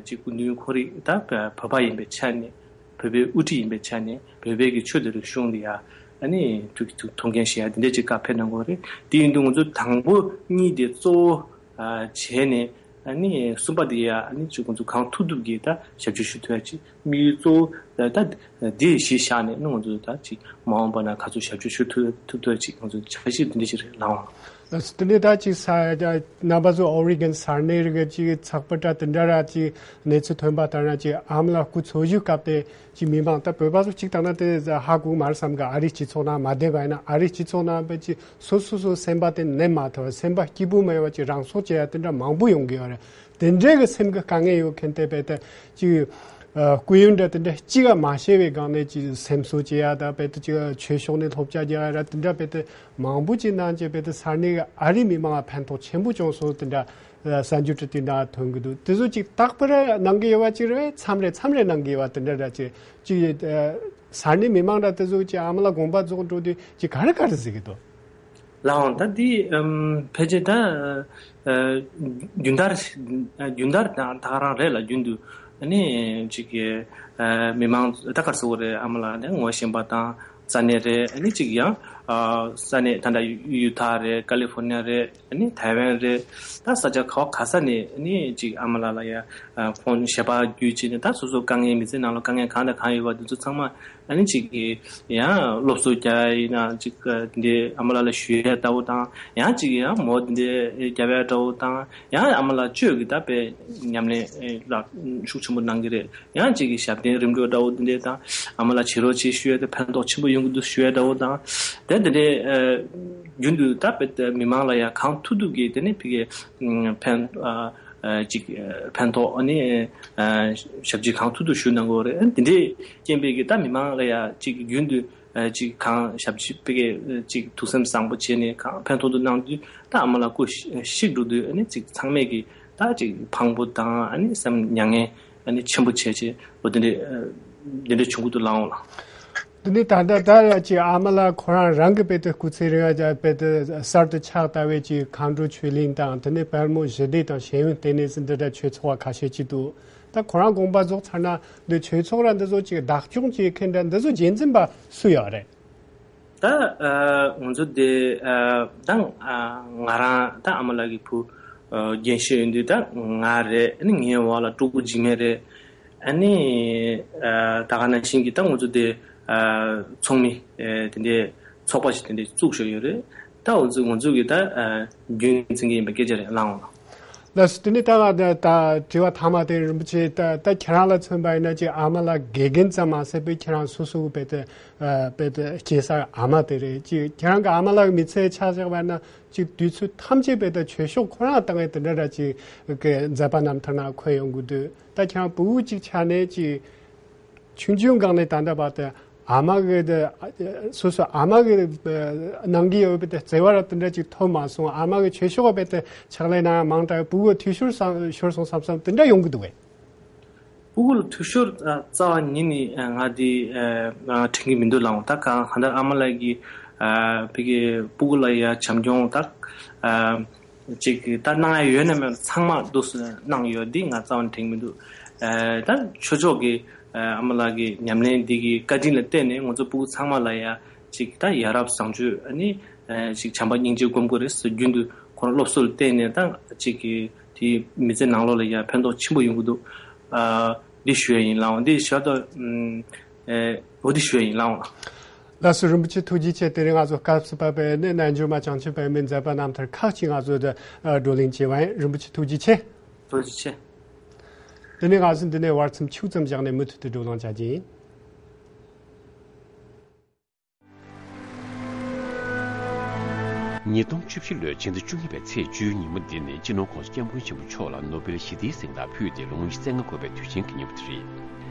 ཅིག་སྐུ་མདུན་ཁོ་རང་ད་བོད་པ་ཡིན་པའི་ཆ་ནས་བོད་པའི་དབུ་ཁྲིད་ཡིན་པའི་ཆ་ནས་བོད་པའི་གི་ཆོས་དང་རིག་གཞུང་དེ་ཡང་ཨ་ནི་ཐུགས་ཐུགས་ཐུགས་འགན་བཞེས་ཡ་དེ་འདྲ་ཅིག་བཀའ་ཕེབས་གནང་གི་ཡོད་རེད། དེ་ཡིན་དུས་ང་ཚོ་དང་པོ་གཉིས་དེ་གཙོ་བོ་བྱས་ནས་ཨ་ནི་གསུམ་པ་དེ་ཡང་ཨ་ནི་ཅིག་ང་ཚོ་གང་ཐུབ་ཐུབ་ཀྱིས་ད་ཞབས་ཕྱི་ཞུ་ཐུབ་ཡ་ཅིག་དམིགས་ཡུལ་གཙོ་བོ་ད་དེ་གཞི་བཞག་ནས་ཨ་ནི་ང་ཚོ་ད་ཅིག་མ་འོངས་པ་ན་ག་ཚོད་ཞབས་ཕྱི་ཞུ་ཐུབ་ཐུབ་ཐུབ་ཡ་ཅིག་ང་ཚོ་འཆར་གཞི་དེ་འདྲ་ཞིག་རེད་ལགས། དེ་ནས་ད་ཅིག་ས་རྣམ་པ་ཚོ་ཨོ་རི་གན་ས་གནས་རིགས་ཅིག་ཚགས་པར་འདྲ་དེ་འདྲ་ར་ཅིག་གནས་ཚུལ་ཐོན་པ་ལྟར་ན་ཅིག་ཨ་མ་ལགས་སྐུ་འཚོ་བཞུགས་སྐབས་དེ་ཅིག་མི་མང་ད་བོད་པ་ཚོ་གཅིག་བཏང་ན་དེ་ཧ་གོ་མ་རེད་བསམ་གི། ཨ་རིའི་སྤྱི་ཚོགས་ནང་མ་བསྡད་པ་ཡིན་ན་ཨ་རིའི་སྤྱི་ཚོགས་ནང་བས་ཅིག་སོ་སོ་སོ་སེམས་པ་དེ་ནས་མ་ཐོ་སེམས་པ་སྐྱིད་པོ་མེད་པ་ཅིག་རང་སྲོག་བཅད་ཡ་དེ་འདྲ་མང་པོ་ཡོང་གི་ཡོད་རེད། དེ་འདྲའི་གི་སེམས་ཀྱི་དཀའ་ངལ་ཡོད་མཁན་དེ་བས་ད་ཅིག་སྐུ་ཡོན་འདྲ་དེ་འདྲ་གཅིག་ག་མ་བཤད་པའི་སྒང་ནས་ཅིག་སེམས་གསོ་བྱེད་ཡ་ད་བས་ད་ཅིག་ཆོས་ཕྱོགས་ནས་སློབ་སྦྱོང་རྒྱག་ཡ་ར་དེ་འདྲ་བས་ད་མང་པོ་ཅིག་གནང་བྱས་བས་ད་ས་གནས་ཀྱི་ཨ་རིའི་མི་མང་ལ་ཕན་ཐོགས་ཆེན་པོ་བྱུང་སོང་དེ་འདྲ་གསར་འགྱུར་དེ་དེ་འདྲ་ཐོན་གི་འདུག་དེ་ཚོ་ཅིག་རྟག་པར་གནང་གི་ཡོད་པ་ཅིག་རེད། མཚམས་རེ་མཚམས་རེ་གནང་གི་ཡོད་པ་དེ་འདྲ་ར་ཅིག་ཅིག་ས་གནས་མི་མང་འདྲ་དེ་ཚོ་ཅིག་ཨ་མ་ལགས་དགོངས་པ་རྫོགས་འགྲོ་དུས་ཅིག་ག་རེ་ག་རེ་ཟེར་གི་འདུག་ལགས་འོང་། ད་འདི་ཨམ་ཕལ་ཆེར་ད་ཨ་རྒྱུན་ལྟར་རྒྱུན་ལྟར་དང་ད་ག་རང་རེད་ལ། རྒྱུན་དུ་ཨ་ནི་ཅིག་གི་ཨ་མི་མང་ད་གར་སོ་རེད། ཨ་མ་ལགས་ནས་ངོ་ཤེས་པ་དང་ས་གནས་རེད། ཨ་ནི་ཅིག་ཡང་ཨ་ས་གནས་ད་ལྟ་ཡུ་ཐ་རེད། ཀ་ལི་ཧྥོར་ནི་ཡ་རེད། ཨ་ནི་ཐའེ་ཝན་རེད། ད་ས་ཆ་ག་བ་ག་ས་ནས་ཨ་ནི་ཅིག་ཨ་མ་ལགས་ལ་ཡ་ཨ་ཁོང་ཞལ་པར་བརྒྱུད་བྱས་ནས་ད་སོ་སོ་དཀའ་ངལ་མི་ཚེ་ནང་ལ་དཀའ་ངལ་གང་དང་གང་ཡོད་པ་འདི་ཚོ་ཚང་མ་ཨ་ནི་ཅིག་གི་ཡང་སློབ་གསོ་རྒྱག་ཡ་ཡིན་ན་ཅིག་འདི་ཨ་མ་ལགས་ལ་ཞུ་ཡ་འདྲ་བོ་དང་། ཡང་ཅིག་ཡང་མོ་འདི་རྒྱབ་ཡ་འདྲ་བོ་དང་། ཡང་ཨ་མ་ལགས་གཅོད་ཀྱི་ད་དཔེ་ཉམས་ལེན་ལ་ཤུགས་ཆེན་པོ་གནང་གི་རེད། ཡང་ཅིག་གི་ཞབས་བརྟན་རིམ་གྲོ་འདྲ་བོ་འདི་འདྲ་དང་། ཨ་མ་ལགས་བྱེད་རོགས་བྱེད་ཞུ་ཡ་དེ་ཕན་ཐོགས་ཆེན་པོ་ཡོང་གི་འདུག་ཞུ་ཡ་འདྲ་བོ་དང་། དེ་འདི་འདྲའི་རྒྱུན་དུ་ད་དཔེ་མི་མང་ལ་ཡང་གང་ཐུབ་ཐུབ་ཀྱིས་དེ་ནས་ཕ་གི་ཕན་ཅིག་ཕན་ཐོགས་ཨ་ནི་ཞབས་ཕྱི་གང་ཐུབ་ཐུབ་ཞུ་གནང་གི་ཡོད་རེད། འདི་འདྲའི་རྐྱེན་པས་ཀྱི་ད་མི་མང་ལ་ཡང་ཅིག་རྒྱུན་དུ་ཅིག་གང་ཞབས་ཕྱི་ཕ་གི་ཅིག་ཐུགས་སེམས་བཟང་པོ་བྱས་ནས་གང་ཕན་ཐོགས་ཐུབ་གནང་དུས་ད་ཨ་མ་ལགས་སྐུ་གཤེགས་འགྲོ་དུས་ཨ་ནི་ཅིག་ཚང་མས་ཀྱི་ད་ཅིག་ཕངས་པོ་དང་ཨ་ནི་སེམས་མྱ་ངན་ཨ་ནི་ཆེན་པོ་བྱས་བྱས་འོ་དེ་འདྲའི་དེ་འདྲའི་བྱུང་གི་འདུག་ལགས་འོང་ལགས། འདི་ནི་ད་ལྟ་ད་ཅིག་ཨ་མ་ལགས་ཁོ་རང་རང་གི་དཔེ་དེ་སྐུ་ཚེ་རིང་བ་དཔེ་དེ་གསར་དུ་ཕྱག་བཏབ་པའི་ཅིག་མཁའ་འགྲོ་ཆོས་གླིང་དང་དེ་ནས་དཔལ་མོ་ཞི་བདེ་དང་ཤེས་ཡོན་ལྟེ་གནས་ཟེར་འདི་འདྲ་ཆོས་ཚོགས་པ་ཁ་ཤས་ཅིག་འདུག་ད་ཁོ་རང་དགོངས་པ་རྫོགས་ཚར་ན་འདི་ཆོས་ཚོགས་ར་འདི་ཚོ་ཅིག་བདག་སྐྱོང་བྱེད་མཁན་འདྲ་འདི་ཚོ་རྒྱུན་འཛིན་པ་སུ་ཡོད་རེད། ད་ཨ་ང་ཚོ་དེ་ཨ་ད་ཨ་ང་རང་ད་ཨ་མ་ལགས་ཀྱི་བུ་ཨ་རྒན་ཤོས་ཡིན་དུས་ད་ང་རེད། ཨ་ནི་ངའི་འོག་ལ་སྤྲུལ་སྐུ་འཇིགས་མེད་རེད། ཨ་ནི་ཨ་ད་ག་ནང་བཞིན་གྱི་ད་ང་ཚོ་དེ་ཨ་ཚོགས་མི་ཨ་དེ་འདྲའི་ཚོགས་པ་ཞིག་དེ་འདྲའི་བཙུགས་བཞག་ཡོད་རེད། ད་འོ་ཚོ་ང་ཚོ་གི་ད་ཨ་རྒྱུན་འཛིན་གྱི་ཡིན་པའི་སྐད་ཆ་རེད་ལགས་འོང་། ལགས་སོ། དེ་ནས་ད་ང་ད་ད་དྲི་བ་མཐའ་མ་དེ་རིན་པོ་ཆེ་ད་ད་ཁྱེད་རང་ལ་མཚོན་པ་ཡིན་ན་ཅིག་ཨ་མ་ལགས་དགེ་རྒན་ཙམ་མ་ཟད་པའི་ཁྱེད་རང་སོ་སོ་གི་དཔེ་དེ་ཨ་དཔེ་དེ་སྐྱེས་ས་ཨ་མ་དེ་རེད། ཅིག་ཁྱེད་རང་གི་ཨ་མ་ལགས་མི་ཚེ་ཆ་བཞག་པ་ན་ཅིག་དུས་ཚོད་ཐམས་ཅད་དཔེ་དེ་ཆོས་ཕྱོགས་ཁོ་རང་བཏང་བའི་དེ་འདྲ་འདྲ་ཅིག་གི་མཛད་པ་རྣམ་ཐར་ནང་འཁོད་ཡོང་གི་འདུག་ད་ཁྱེད་རང་ཕྲུ་གུ་ཅིག་ཆགས་ནས་ཅིག་ཆུང་ཆུང་སྒང་ནས་ད་ལྟ་བར་དུ་ཨ་མ་གི་དེ་སོ་སོ་ཨ་མ་གི་གནང་གི་ཡོད་པའི་དེ་བརྩེ་བ་ར་དེ་འདྲ་ཅིག་ཐོབ་མ་སོང་། ཨ་མ་གི་ཆོས་ཕྱོགས་པའི་དེ་ཕྱག་ལས་གནང་མང་དྲགས་ཕྲུ་གུ་འཐུས་ཤོར་སོང་ཤོར་སོང་བསམ་བསམ་དེ་འདྲ་ཡོང་གི་འདུག་གས། ཕྲུ་གུ་ལ་འཐུས་ཤོར་རྩ་བ་ཉིད་ནས་ང་དེ་དྲན་གྱི་མི་འདུག་ལགས་འོང་། ད་གང་གང་ལྟར་ཨ་མ་ལགས་ཀྱིས་ཕ་གི་ཕྲུ་གུ་ལ་ཡ་བྱམས་སྐྱོང་ད་ཅིག་ད་གནང་ཡ་ཡོད་ན་མེད་ན་ཚང་མ་འདུག་སེ་གནང་ཡོད་འདི་ང་རྩ་བ་ནས་དྲན་གྱི་མི་འདུག་ད་ཆོས་ཕྱོགས་ཀྱི་ཨ་མ་ལགས་ཀྱི་ཉམས་ལེན་འདི་གི་བཀའ་དྲིན་ལ་བརྟེན་ནས་ང་ཚོ་ཕྲུ་གུ་ཚང་མ་ལ་ཡ་ཅིག་ད་ཡ་རབས་བཟང་སྤྱོད་ཨ་ནི་ཅིག་བྱམས་པ་སྙིང་རྗེ་སྒོམ་དགོས་རེད་ཟེར་རྒྱུན་དུ་ཁོ་རང་སློབ་གསོ་ལ་བརྟེན་ནས་ད་ཅིག་གི་དེའི་མི་ཚེ་ནང་ལོགས་ལ་ཡ་ཕན་ཐོགས་ཆེན་པོ་ཡོང་གི་འདུག་འདི་ཞུ་ཡ་ཡིན་ལགས་འོང་། འདི་ཞུ་ཡ་ད་འོ་འདི་ཞུ་ཡ་ཡིན་ལགས་འོང་། ལགས་སོ། རིན་པོ་ཆེ་ཐུགས་རྗེ་ཆེ། དེ་རིང་ང་ཚོ་སྐབས་སུ་བབས་པའི་ནི་རྣལ་འབྱོར་མ་བྱང་ཆུབ་པད་མོའི་མཛད་པ་རྣམ་ཐར་ཁག་ཅིག་ང་ཚོ་དང་བགྲོ་གླེང་བྱས་པ་ཡིན། རིན་པོ་ཆེ་ཐུགས་རྗེ་ཆེ། ཐུགས་རྗེ་ཆེ། དེ་ནས་ང་ཚོ་འདི་ནས་བར་མཚམས་ཆུང་ཙམ་བཞག་ནས་མུ་མཐུད་དུ་བགྲོ་གླེང་བྱ་རྒྱུ་ཡིན། ཉིས་སྟོང་བཅུ་བཞི་ལོའི་ཕྱི་ཟླ་བཅུ་གཉིས་པའི་ཚེས་བཅུའི་ཉིན་མོ་འདི་ནི་སྤྱི་ནོར་༸གོང་ས་༸སྐྱབས་མགོན་ཆེན་པོ་མཆོག་ལ་ནོ་བེལ་ཞི་བདེའི་གཟེངས་རྟགས་ཕུལ་ཏེ་ལོ་ངོ་ཉི་ཤུ་རྩ་ལྔ་འཁོར་བའི་དུས་ཆེན་གྱི་ཉིན་མོ་དེ་རེད།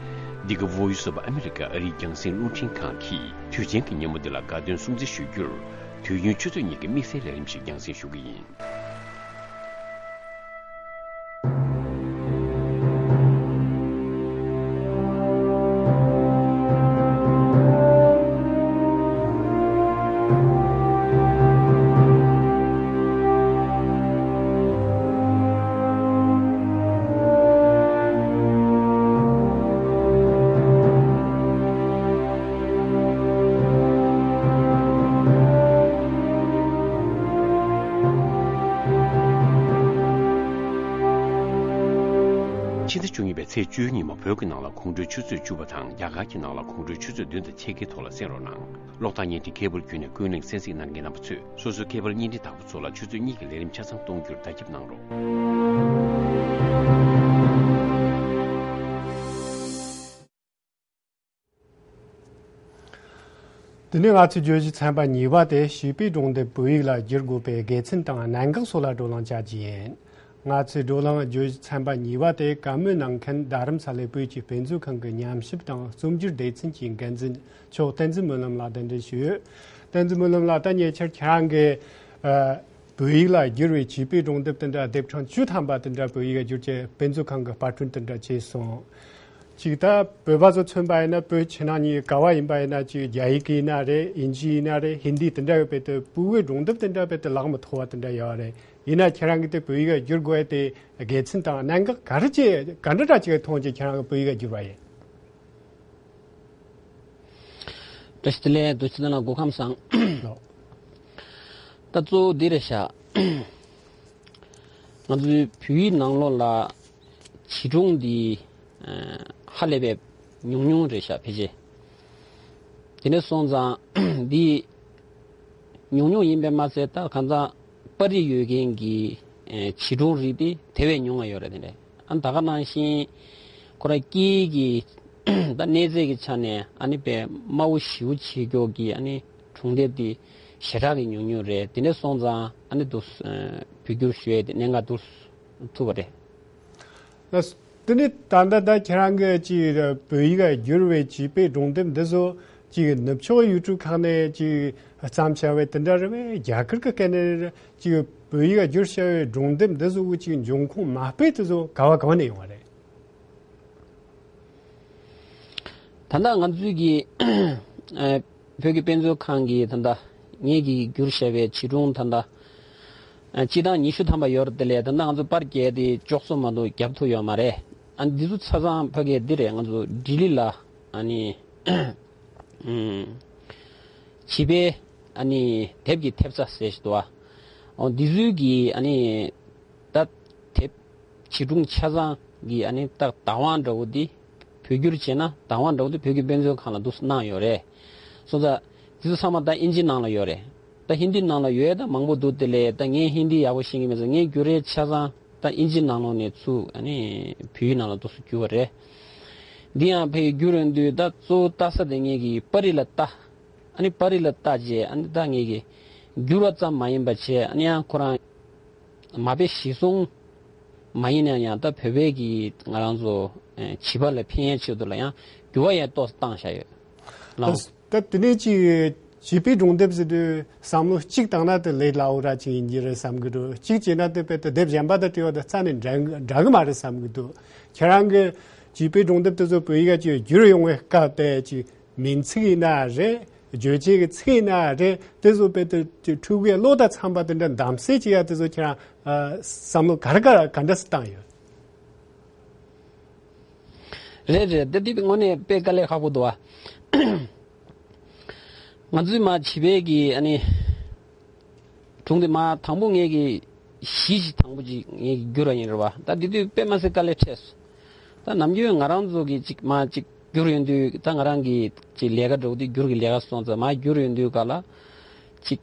འདི་ག་Voice of America ཨ་རིའི་རྒྱང་སྲིང་རླུང་འཕྲིན་ཁང་གིས་དུས་ཆེན་གྱི་ཉིན་མོ་འདི་ལ་དགའ་སྟོན་སྲུང་བརྩི་ཞུ་རྒྱུར། དུས་ཡུན་ཆུ་ཚོད་གཉིས་ཀྱི་དམིགས་བསལ་ལས་རིམ་ཞིག་རྒྱང་སྲིང་ཞུ་གི་ཡིན། ཕྱི་ཟླ་བཅུ་གཉིས་པའི་ཚེས་བཅུ་གཉིས་མ་བོད་ཀྱི་ནང་ལ་དགོང་དྲོའི་ཆུ་ཚོད་བཅུ་པ་དང་རྒྱ་གར་གྱི་ནང་ལ་དགོང་དྲོའི་ཆུ་ཚོད་བདུན་དང་ཕྱེད་ཀའི་ཐོག་ལ་གསན་རོགས་གནང་། གློག་བརྡ་བརྙན་འཕྲིན་ཁེ་བལ་བརྒྱུད་ནས་ཀུན་གླེང་གསན་གཟིགས་གནང་མཁན་རྣམ་པ་ཚོས་སོ་སོའི་ཁེ་བལ་བརྙན་འཕྲིན་བདག་པོ་ཚོ་ལ་ཆུ་ཚོད་གཉིས་ཀྱི་ལས་རིམ་ཆ་ཚང་གཏོང་རྒྱུར་བརྡ་ཁྱབ་གནང་རོགས། དེ་ནས་ང་ཚོའི་བརྗོད་གཞི་ཚན་པ་གཉིས་པ་དེ་བྱིས་པའི་སྒྲུང་དེབ་བོད་ཡིག་ལ་བསྒྱུར་དགོས་པའི་དགེ་མཚན་དང་གནད་འགག་སོགས་ལ་བགྲོ་གླེང་བྱ་རྒྱུ་ཡིན། ང་ཚོའི་བགྲོ་གླེང་བརྗོད་གཞི་ཚན་པ་གཉིས་པ་དེ་བཀའ་མོལ་གནང་མཁན་རྡ་རམ་ས་ལའི་བོད་ཀྱི་དཔེ་མཛོད་ཁང་གི་ཉམས་ཞིབ་དང་རྩོམ་སྒྱུར་སྡེ་ཚན་གྱི་འགན་འཛིན་མཆོག་བསྟན་འཛིན་སྨོན་ལམ་ལགས་གདན་འདྲེན་ཞུས་ཡོད། བསྟན་འཛིན་སྨོན་ལམ་ལགས། ད་ཉེ་ཆར་ཁྱེད་རང་གིས་ཨ་བོད་ཡིག་ལ་བསྒྱུར་བའི་བྱིས་པའི་སྒྲུང་དེབ་དེ་འདྲ་དེབ་གྲངས་བཅུ་ཐམ་པ་དེ་འདྲ་བོད་ཡིག་ལ་བསྒྱུར་བྱས་དཔེ་མཛོད་ཁང་གི་པར་སྐྲུན་དེ་འདྲ་བྱས་སོང་། ཅིག་ད་བོད་པ་ཚོ་མཚོན་པ་ཡིན་ན་བོད་ཕྱི་ནང་གཉིས་ག་བ་ཡིན་པ་ཡིན་ན་ཅིག་རྒྱ་ཡིག་ཡིན་ན་རེད། དབྱིན་ཇི་ཡིན་ན་རེད། ཧིན་དི་དེ་འདྲ་ཡོད་པའི་དེ་ཕྲུ་གུའི་སྒྲུང་དེབ་དེ་འདྲ་བས་དེ་ལག་མི་ཐོགས་པ་དེ་འདྲ་ཡོད་རེད། ཡིན་ན་ཁྱེད་རང་གིས་དེ་བོད་ཡིག་ལ་བསྒྱུར་དགོས་ཡ་དེ་དགེ་མཚན་དང་གནད་འགག་ག་རེ་ཅིག་ག་འདྲ་འདྲ་ཅིག་མཐོང་ཅིག་ཁྱེད་རང་གིས་བོད་ཡིག་ལ་བསྒྱུར་བ་ཡིན། བཀྲ་ཤིས་བདེ་ལེགས། རྡོ་རྗེ་ལགས་སྐུ་ཁམས་བཟང་། ལགས། ད་གཙོ་བོ་འདི་རེད་ཤག་ང་ཚོའི་བོད་ཡིག་ནང་ལོགས་ལ་བྱིས་སྒྲུང་འདི་ཨ་ཧ་ལས་པའི་ཉུང་ཉུང་རེད་ཤག་ཕལ་ཆེར། དེ་འདྲ་སོང་ཙང་འདི་ཉུང་ཉུང་ཡིན་པས་མ་ཚད་ད་གང་ལྟར་པར་རིས་ཡོད་མཁན་གྱི་ཨ་བྱིས་སྒྲུང་རིགས་དེ་དེ་བས་ཉུང་བ་ཡོད་རེད། དེ་འདྲ་ཨ་ད་ག་ནང་བཞིན་ཁོ་རང་སྐད་ཡིག་གི་ད་གནས་ཚད་ཀྱི་ཆ་ནས་ཨ་ནི་དཔེ་དམའ་བོ་ཞེ་པོ་བྱེད་ཀྱོག་གི་ཨ་ནི་སྒྲུང་དེབ་དེ་ཞེ་དྲག་གི་ཉུང་ཉུང་རེད། དེ་འདྲ་སོང་ཙང་ཨ་ནི་འདུག་བོད་བསྒྱུར་ཞུ་ཡས་དེ་གནད་འགག་འདུག་ཐུག་པ་རེད། ལགས། དེ་ནི་ད་ལྟ་ད་ཁྱེད་རང་གིས་ཅིག་བོད་ཡིག་ལ་བསྒྱུར་བའི་བྱིས་པའི་སྒྲུང་དེབ་འདི་ཚོ་ཅིག་ནུབ་ཕྱོགས་ཡུལ་གྲུ་ཁག་ནས་ཅིག་བརྩམས་བྱ་བའི་དེ་འདྲ་རེད་པས། རྒྱ་གར་གྱི་སྐད་ནས་ཅིག་བོད་ཡིག་ལ་བསྒྱུར་བྱ་བའི་སྒྲུང་དེབ་འདི་ཚོ་གི་ཅིག་འབྱུང་ཁུངས་མ་དཔེ་དེ་ཚོ་ག་བ་ག་བ་ནས་ཡོང་བ་རེད། ད་ལྟ་ང་ཚོའི་གི་ཨ་བོད་ཀྱི་དཔེ་མཛོད་ཁང་གིས་ད་ལྟ་ངེད་ཀྱིས་བསྒྱུར་བཞག་པའི་བྱིས་སྒྲུང་ད་ལྟ་ཨ་སྤྱི་བཏང་ཉི་ཤུ་ཐམ་པ་ཡོད་རེད། དེ་ལས་ད་ལྟ་ང་ཚོ་པར་རྒྱག་དེ་ལྕོགས་ཚོད་མ་གཏོགས་བརྒྱབ་ཐུབ་ཡོད་མ་རེད། ཨ་འདི་ཚོ་ཆ་ཚང་ཕ་གིའི་འདི་རེད། ང་ཚོ་ལྡི་ལི་ལ་ཨ་ནི་ཨུམ་བྱིས་པའི་ཨ་ནི་དེབ་ཀྱི་ཐེབས་རྩ་ཟེར་ཞིག་འདུག་ཨ། འོ་འདི་ཚོའི་གི་ཨ་ནི་ད་དེབ་བྱིས་སྒྲུང་ཆ་ཚང་གི་ཨ་ནི་ད་བདག་དབང་འདྲ་བོ་འདི་བོད་བསྒྱུར་བྱས་ན་བདག་དབང་འདྲ་བོ་འདི་བོད་ཀྱི་དཔེ་མཛོད་ཁང་ལ་འདུག་གནང་ཡོད་རེད། སོང་ཙང་འདི་ཚོ་ཚང་མ་ད་ཨིན་ཇི་ནང་ལ་ཡོད་རེད། ད་ཧིན་དི་ནང་ལ་ཡོད་ད་མང་པོ་འདུག་དེ་ལས་ད་ངས་ཧིན་དི་ཡག་པོ་ཤེས་ཀྱི་མེད་ཙང་ངས་བསྒྱུར་རེས་ཆ་ཚང་ད་ཨིན་ཇི་ནང་ལོགས་ནས་ཚུར་ཨ་ནི་བོད་ཡིག་ནང་ལ་འདུག་སེ་བསྒྱུར་བ་རེད། འདི་ཡང་ཕ་གིར་བསྒྱུར་ཡོང་དུས་ད་གཙོ་བོ་ལྟ་ས་དེ་ངེད་ཀྱིས་པར་རིས་ལ་ལྟ། ཨ་ནི་པར་རིས་ལ་ལྟ་རྗེས་ཨ་ནི་ད་ངེད་ཀྱིས་བསྒྱུར་བ་ཙམ་མ་ཡིན་པ་བྱས་ཨ་ནི་ཡང་ཁོ་རང་མ་དཔེ་གཞིར་བཟུང་མ་ཡིན་ན་ཡང་ད་བོད་པའི་གི་ང་རང་ཚོ་ཨེ་བྱིས་པ་ལ་ཕན་ཡས་ཆེད་དུ་ལ་ཡང་འགྱུར་བ་ཡང་ཏོག་ཙམ་བཏང་བཞག་ཡོད་ལགས། ད་དེ་ནས་ཅིག་བྱིས་པའི་སྒྲུང་དེབ་ཟེར་དུས་བསམ་བློ་གཅིག་བཏང་ན་དེ་ལས་སླ་བོ་ར་ཅིག་ཡིན་གྱི་རེད་བསམ་གྱི་འདུག་གཅིག་བྱས་ན་དེ་དཔེ་དེ་དེབ་གཞན་པ་དང་བྲལ་བ་དང་རྩ་ནས་འདྲ་འདྲ་གི་མ་རེད་བསམ་གྱི་འདུག་ཁྱེད་རང་གིས་བྱིས་པའི་སྒྲུང་དེབ་དེ་ཚོ་བོད་ཡིག་ལ་ཅིག་བསྒྱུར་ཡོང་བའི་སྐབས་དེ་ཅིག་མིང་ཚིག་ཡིན་ན་རེད། བརྗོད་བྱེད་ཀྱི་ཚིག་ཡིན་ན་རེད། དེ་ཚོ་དཔེ་དེ་ཕྲུ་གུའི་བློ་དང་འཚམ་པ་དེ་འདྲ་གདམ་གསེས་བྱེད་ཡ་དེ་ཚོ་ཁྱེད་རང་ཨ་བསམ་བློ་ག་རེ་ག་ག་འདྲ་སེ་བཏང་ཡོད། རེད་རེད། དེ་དེ་དངོས་གནས་དཔེ་དཀའ་ལས་ཁག་པོ་འདུག་ཨ། ང་ཚོའི་མ་བྱིས་པའི་གི་ཨ་ནི་སྒྲུང་དེ་མ་དང་པོ་ངེད་ཀྱི་གཞི་ཞིག་དང་པོ་ཅིག་ངེད་ཀྱི་བསྒྱུར་བ་ཡིན་རེད་བ། ད་དེ་དུས་དཔེ་མ་སྲིད་དཀའ་ལས་འཕྲད་སོང་། ད་ནམ་རྒྱུན་ང་རང་ཚོ་གི་ཅིག་མ་ཅིག་བསྒྱུར་ཡོང་དུས་ད་ང་རང་གི་ཅིག་ལས་ཀ་འགྲོ་དུས་བསྒྱུར་གི་ལས་ཀ་སོང་ཙང་མ་བསྒྱུར་ཡོང་དུས་ག་ལ་ཅིག་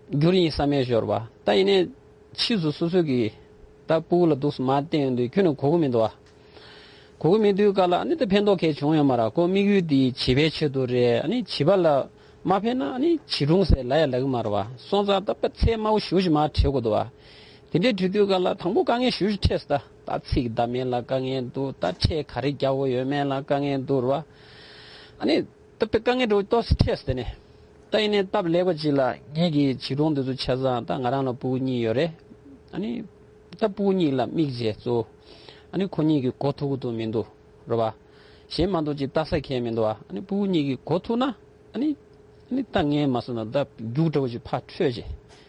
བསྒྱུར་ཡིན་བསམ་ཡས་ཤོར་བ། ད་ཡིན་ནའི་ཕྱིས་སུ་སོ་སོ་གི་ད་སྤུ་གུ་ལ་འདུག་སེ་མ་བསྟན་ཡོང་དུས་ཁྱོན་ནས་གོ་གི་མི་འདུག་བ། གོ་གི་མེད་དུས་ག་ལ་ཨ་ནི་ད་ཕན་ཐོགས་གལ་བྱུང་ཡོད་མ་རེད། ཁོ་དམིགས་ཡུལ་འདི་བྱིས་པའི་ཆེད་དུ་རེད། ཨ་ནི་བྱིས་པ་ལ་མ་ཕན་ན་ཨ་ནི་བྱིས་སྒྲུང་ཟེར་ལབ་ཡ་ལབ་གི་མ་རེད་བ། སོང་ཙང་ད་དཔེ་ཚད་དམའ་བོ་ཞེ་པོ་ཞིག་མར་བྲིས་དགོས་འདུག་བ། དེ་འདྲའི་བྲིས་དུས་ག་ལ་དང་པོ་དཀའ་ངལ་ཞེ་པོ་ཞིག་འཕྲད་སོང་། ད་ད་ཚིག་བདམས་ཡས་ལ་དཀའ་ངལ་འདུག་ད་ཕྲད་ག་རེ་རྒྱག་དགོས་ཡོད་མེད་ལ་དཀའ་ངལ་འདུག་རེད་བ། ཨ་ནི་ད་དཔེ་དཀའ་ངལ་འདྲ་བོ་ཏོག་ཙམ་འཕྲད་སོང་། དེ་ནས་ད་ཡིན་ནའི་སྟབས་ལེགས་པ་ཅིག་ལ་ངེད་ཀྱི་བྱིས་སྒྲུང་འདི་ཚོ་ཆ་ཚང་ད་ང་རང་ལ་སྤུ་གུ་གཉིས་ཡོད་རེད། ཨ་ནི་ད་སྤུ་གུ་གཉིས་ལ་དམིགས་བྱས་གཙོ་བོ་ཨ་ནི་ཁོ་གཉིས་ཀྱིས་གོ་ཐུབ་ཀྱི་འདུག་མི་འདུག་རེད་བ། གཞན་མ་གཏོགས་ཅིག་ལྟ་ས་གང་ཡང་མི་འདུག་བ། ཨ་ནི་སྤུ་གུ་གཉིས་ཀྱིས་གོ་ཐུབ་ན་ཨ་ནི་ཨ་ནི་ད་ངས་མ་བསམ་ན་ད་རྒྱུགས་འདྲ་བོ་ཅིག་ཕར་འཕྲོད་བྱས།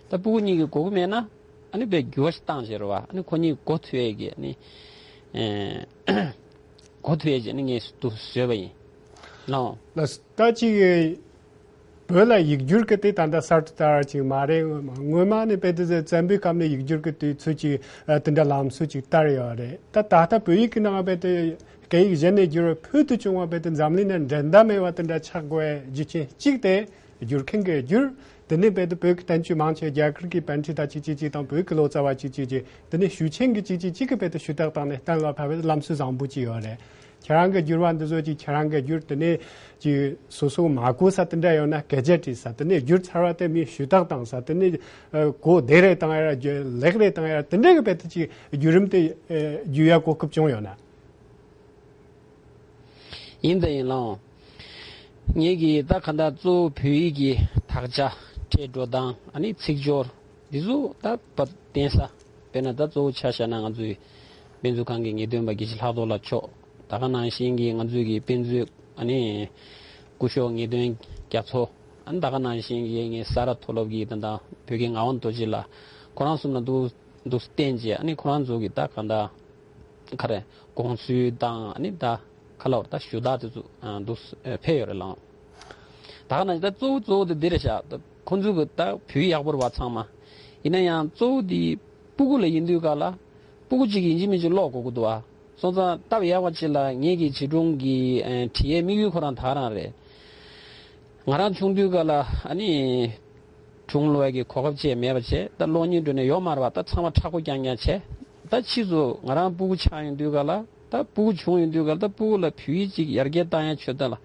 ད་སྤུ་གུ་གཉིས་ཀྱིས་གོ་གི་མེད་ན་ཨ་ནི་དཔེ་འགྱུར་བ་ཞིག་བཏང་བྱས་རེད་བ། ཨ་ནི་ཁོ་གཉིས་གོ་ཐུབ་ཡས་ཀྱི་ཨ་ནི་ཨེ་གོ་ཐུབ་ཡས་ཀྱི་ཨ་ནི་ངས་འདུག་བཟོས་པ་ཡིན། ལགས། ལགས། ད་ཅིག་ བོད་ལ་ཡིག་སྒྱུར་གྱི་དེ་ད་ལྟ་གསར་དུ་དར་བ་ཅིག་མ་རེད། སྔོན་མ་ནས་དཔེ་དེ་བཙན་པོའི་སྐབས་ནས་ཡིག་སྒྱུར་གྱི་དུས་ཚོད་ཅིག་ཨ་དེ་འདྲ་ལམ་སྲོལ་ཅིག་དར་ཡོད་རེད། ད་ད་ལྟ་བོད་ཡིག་གི་ནང་དཔེ་དེ་སྐད་ཡིག་གཞན་ནས་བསྒྱུར་བའི་ཕུལ་དུ་བྱུང་བ་དཔེ་དེ་འཛམ་གླིང་ནས་འགྲན་ཟླ་མེད་པ་དེ་འདྲ་ཆགས་དགོས་རྒྱུ་རྐྱེན་གཅིག་དེ་སྒྱུར་མཁན་གྱིས་བསྒྱུར། དེ་ནས་དཔེ་དེ་བོད་ཀྱི་བསྟན་བཅོས་མང་ཆེ་རྒྱ་གར་གྱི་པཎྜི་ཏ་ཅིག་ཅིག་ཅིག་དང་བོད་ཀྱི་ལོ་ཙཱ་བ་ཅིག་ཅིག་ཅིག་དེ་ནས་ཞུ་ཆེན་གྱི་ཅིག་ཅིག་ཅིག་གིས་དཔེ་དེ་ཞུ་དག་བཏང་ནས་གཏན་ལ་ཕབ་པའི་ལམ་སྲོལ་བཟང་པོ་ཅིག་ཡོད་རེད། ཁྱེད་རང་གི་བསྒྱུར་བ་འདི་ཚོ་ཅིག་ཁྱེད་རང་གི་བསྒྱུར་དེ་ནས་ཅིག་སོ་སོ་མ་གོ་ས་དེ་འདྲ་ཡོད་ན་སྐད་ཆ་དྲིས་ས། དེ་ནས་བསྒྱུར་ཚར་བ་དེ་མི་ཞུ་དག་བཏང་ས། དེ་ནས་ཨ་གོ་བདེ་རེ་བཏང་ཡ་ར་ལེགས་རེ་བཏང་ཡ་ར་དེ་འདྲ་གི་དཔེ་དེ་ཅིག་བསྒྱུར་རིམ་དེ་ཨ་བསྒྱུར་ཡ་གོ་སྐབས་བྱུང་ཡོད་ན། ཡིན་དང་ཡིན་ལང་། ངེད་ཀྱིས་ད་ག་འདྲ་གཙོ་བོ་བོད་ཡིག་གི་དག་ཆ། སྒྲའི་འགྲོ་སྟངས། ཨ་ནི་ཚིག་སྦྱོར། འདི་ཚོ་ད་བབ་བསྟན་ས། དཔེར་ན་ད་གཙོ་བོ་ཆ་བཞག་ན་ང་ཚོའི་དཔེ་མཛོད་ཁང་གི་ངེས་སྟོན་པ་དགེ་བཤེས་ལྷག་རྡོར་ལགས་མཆོག་ད་ག་ནང་བཞིན་གྱི་ང་ཚོའི་གི་དཔེ་མཛོད་ཨ་ནི་སྐུ་ཞབས་ངེས་སྟོན་རྒྱ་མཚོ། ཨ་ནི་ད་ག་ནང་བཞིན་གྱི་ངའི་ས་རཱ་མཐོ་སློབ་ཀྱི་ད་ལྟ་བོད་ཀྱི་ངག་དབང་རྡོ་རྗེ་ལགས། ཁོ་རང་གསུམ་ལ་འདུག་འདུག་བསྟན་རྗེས་ཨ་ནི་ཁོ་རང་ཚོ་གི་ད་ག་འདྲ་ག་རེ་དགོངས་ཚུལ་དང་ཨ་ནི་ད་ག་ལ་བར་ད་ཞུ་དག་དེ་ཚོ་འདུག་ཕེབས་ཡོད་རེད་ལགས། ད་ག་ནང་བཞིན་ད་གཙོ་བོ་གཙོ་བོ་དེ་འདི་རེད་ཤག་ད་ཁོང་ཚོ་གི་ད་བོད་ཡིག་ཡག་པོ་རེད་བ་ཚང་མ། ཡིན་ན་ཡང་གཙོ་བོ་དེ་སྤུ་གུ་ལ་ཡིན་དུས་ག་ལ་སྤུ་གུ་གཅིག་ཡིན་གཅིག་མིན་གཅིག་ཀློག་དགོས་ཀྱི་འདུག་བ། སོང་ཙང་སྟབས་ཡག་པ་ཅིག་ལ་ངེད་ཀྱི་བྱིས་སྒྲུང་གི་ཨ་བྲིས་ཡའི་དམིགས་ཡུལ་ཁོ་རང་ད་ག་རང་རེད། ང་རང་ཆུང་དུས་ག་ལ་ཨ་ནི་སྒྲུང་ཀློག་ཡ་གི་གོ་སྐབས་ཅིག་མེད་པ་བྱས། ད་གློག་བརྙན་འགྲོ་ནས་ཡོད་མ་རེད་བ། ད་ཚང་མ་མཁྲེགས་པོ་རྐྱང་རྐྱང་བྱས། ད་ཕྱིས་སུ་ང་རང་སྤུ་གུ་ཆགས་ཡོང་དུས་ག་ལ་ད་སྤུ་གུ་བྱུང་ཡོང་དུས་ག་ལ་ད་སྤུ་གུ་ལ་བོད་ཡིག་ཅིག་ཡར་རྒྱས་བཏང་ཡ་ཆེད་དུ་ལ་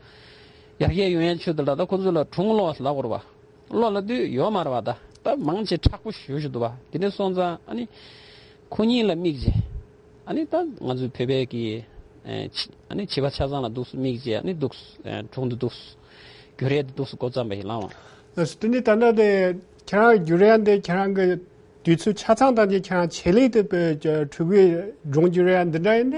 ཡར་རྒྱས་ཡོང་ཡ་ཆེད་དུ་ལ་ད་ཁོ་ཚོ་ལ་སྒྲུང་ཀློག་ལབ་དགོས་རེད་བ། ཀློག་ལབ་དུས་ཡོད་མ་རེད་བ། ད་ད་མང་ཆེ་མཁྲེགས་པོ་ཞེ་པོ་ཞིག་འདུག་བ། དེ་ནས་སོང་ཙང་ཨ་ནི་ཁོ་གཉིས་ལ་དམིགས་བྱས། ཨ་ནི་ད་ང་ཚོའི་བོད་པའི་གི་ཨ་ནི་བྱིས་པ་ཆ་ཚང་ལ་འདུག་སེ་དམིགས་བྱས། ཨ་ནི་འདུག་སེ་སྒྲུང་འདི་འདུག་སེ་བསྒྱུར་ཡས་འདི་འདུག་སེ་འགོ་བརྩམས་པ་ཡིན་ལགས། ལགས་སོ། དེ་ནས་ད་ལྟ་དེ་ཁྱེད་རང་བསྒྱུར་ཡ་འདི་ཁྱེད་རང་གི་དུས་ཚོད་ཆ་ཚང་དང་ཁྱེད་རང་ཆེད་ལས་དེ་ཕྲུ་གུའི་སྒྲུང་བསྒྱུར་ཡ་འདི་འདྲ་ཡིན་ན།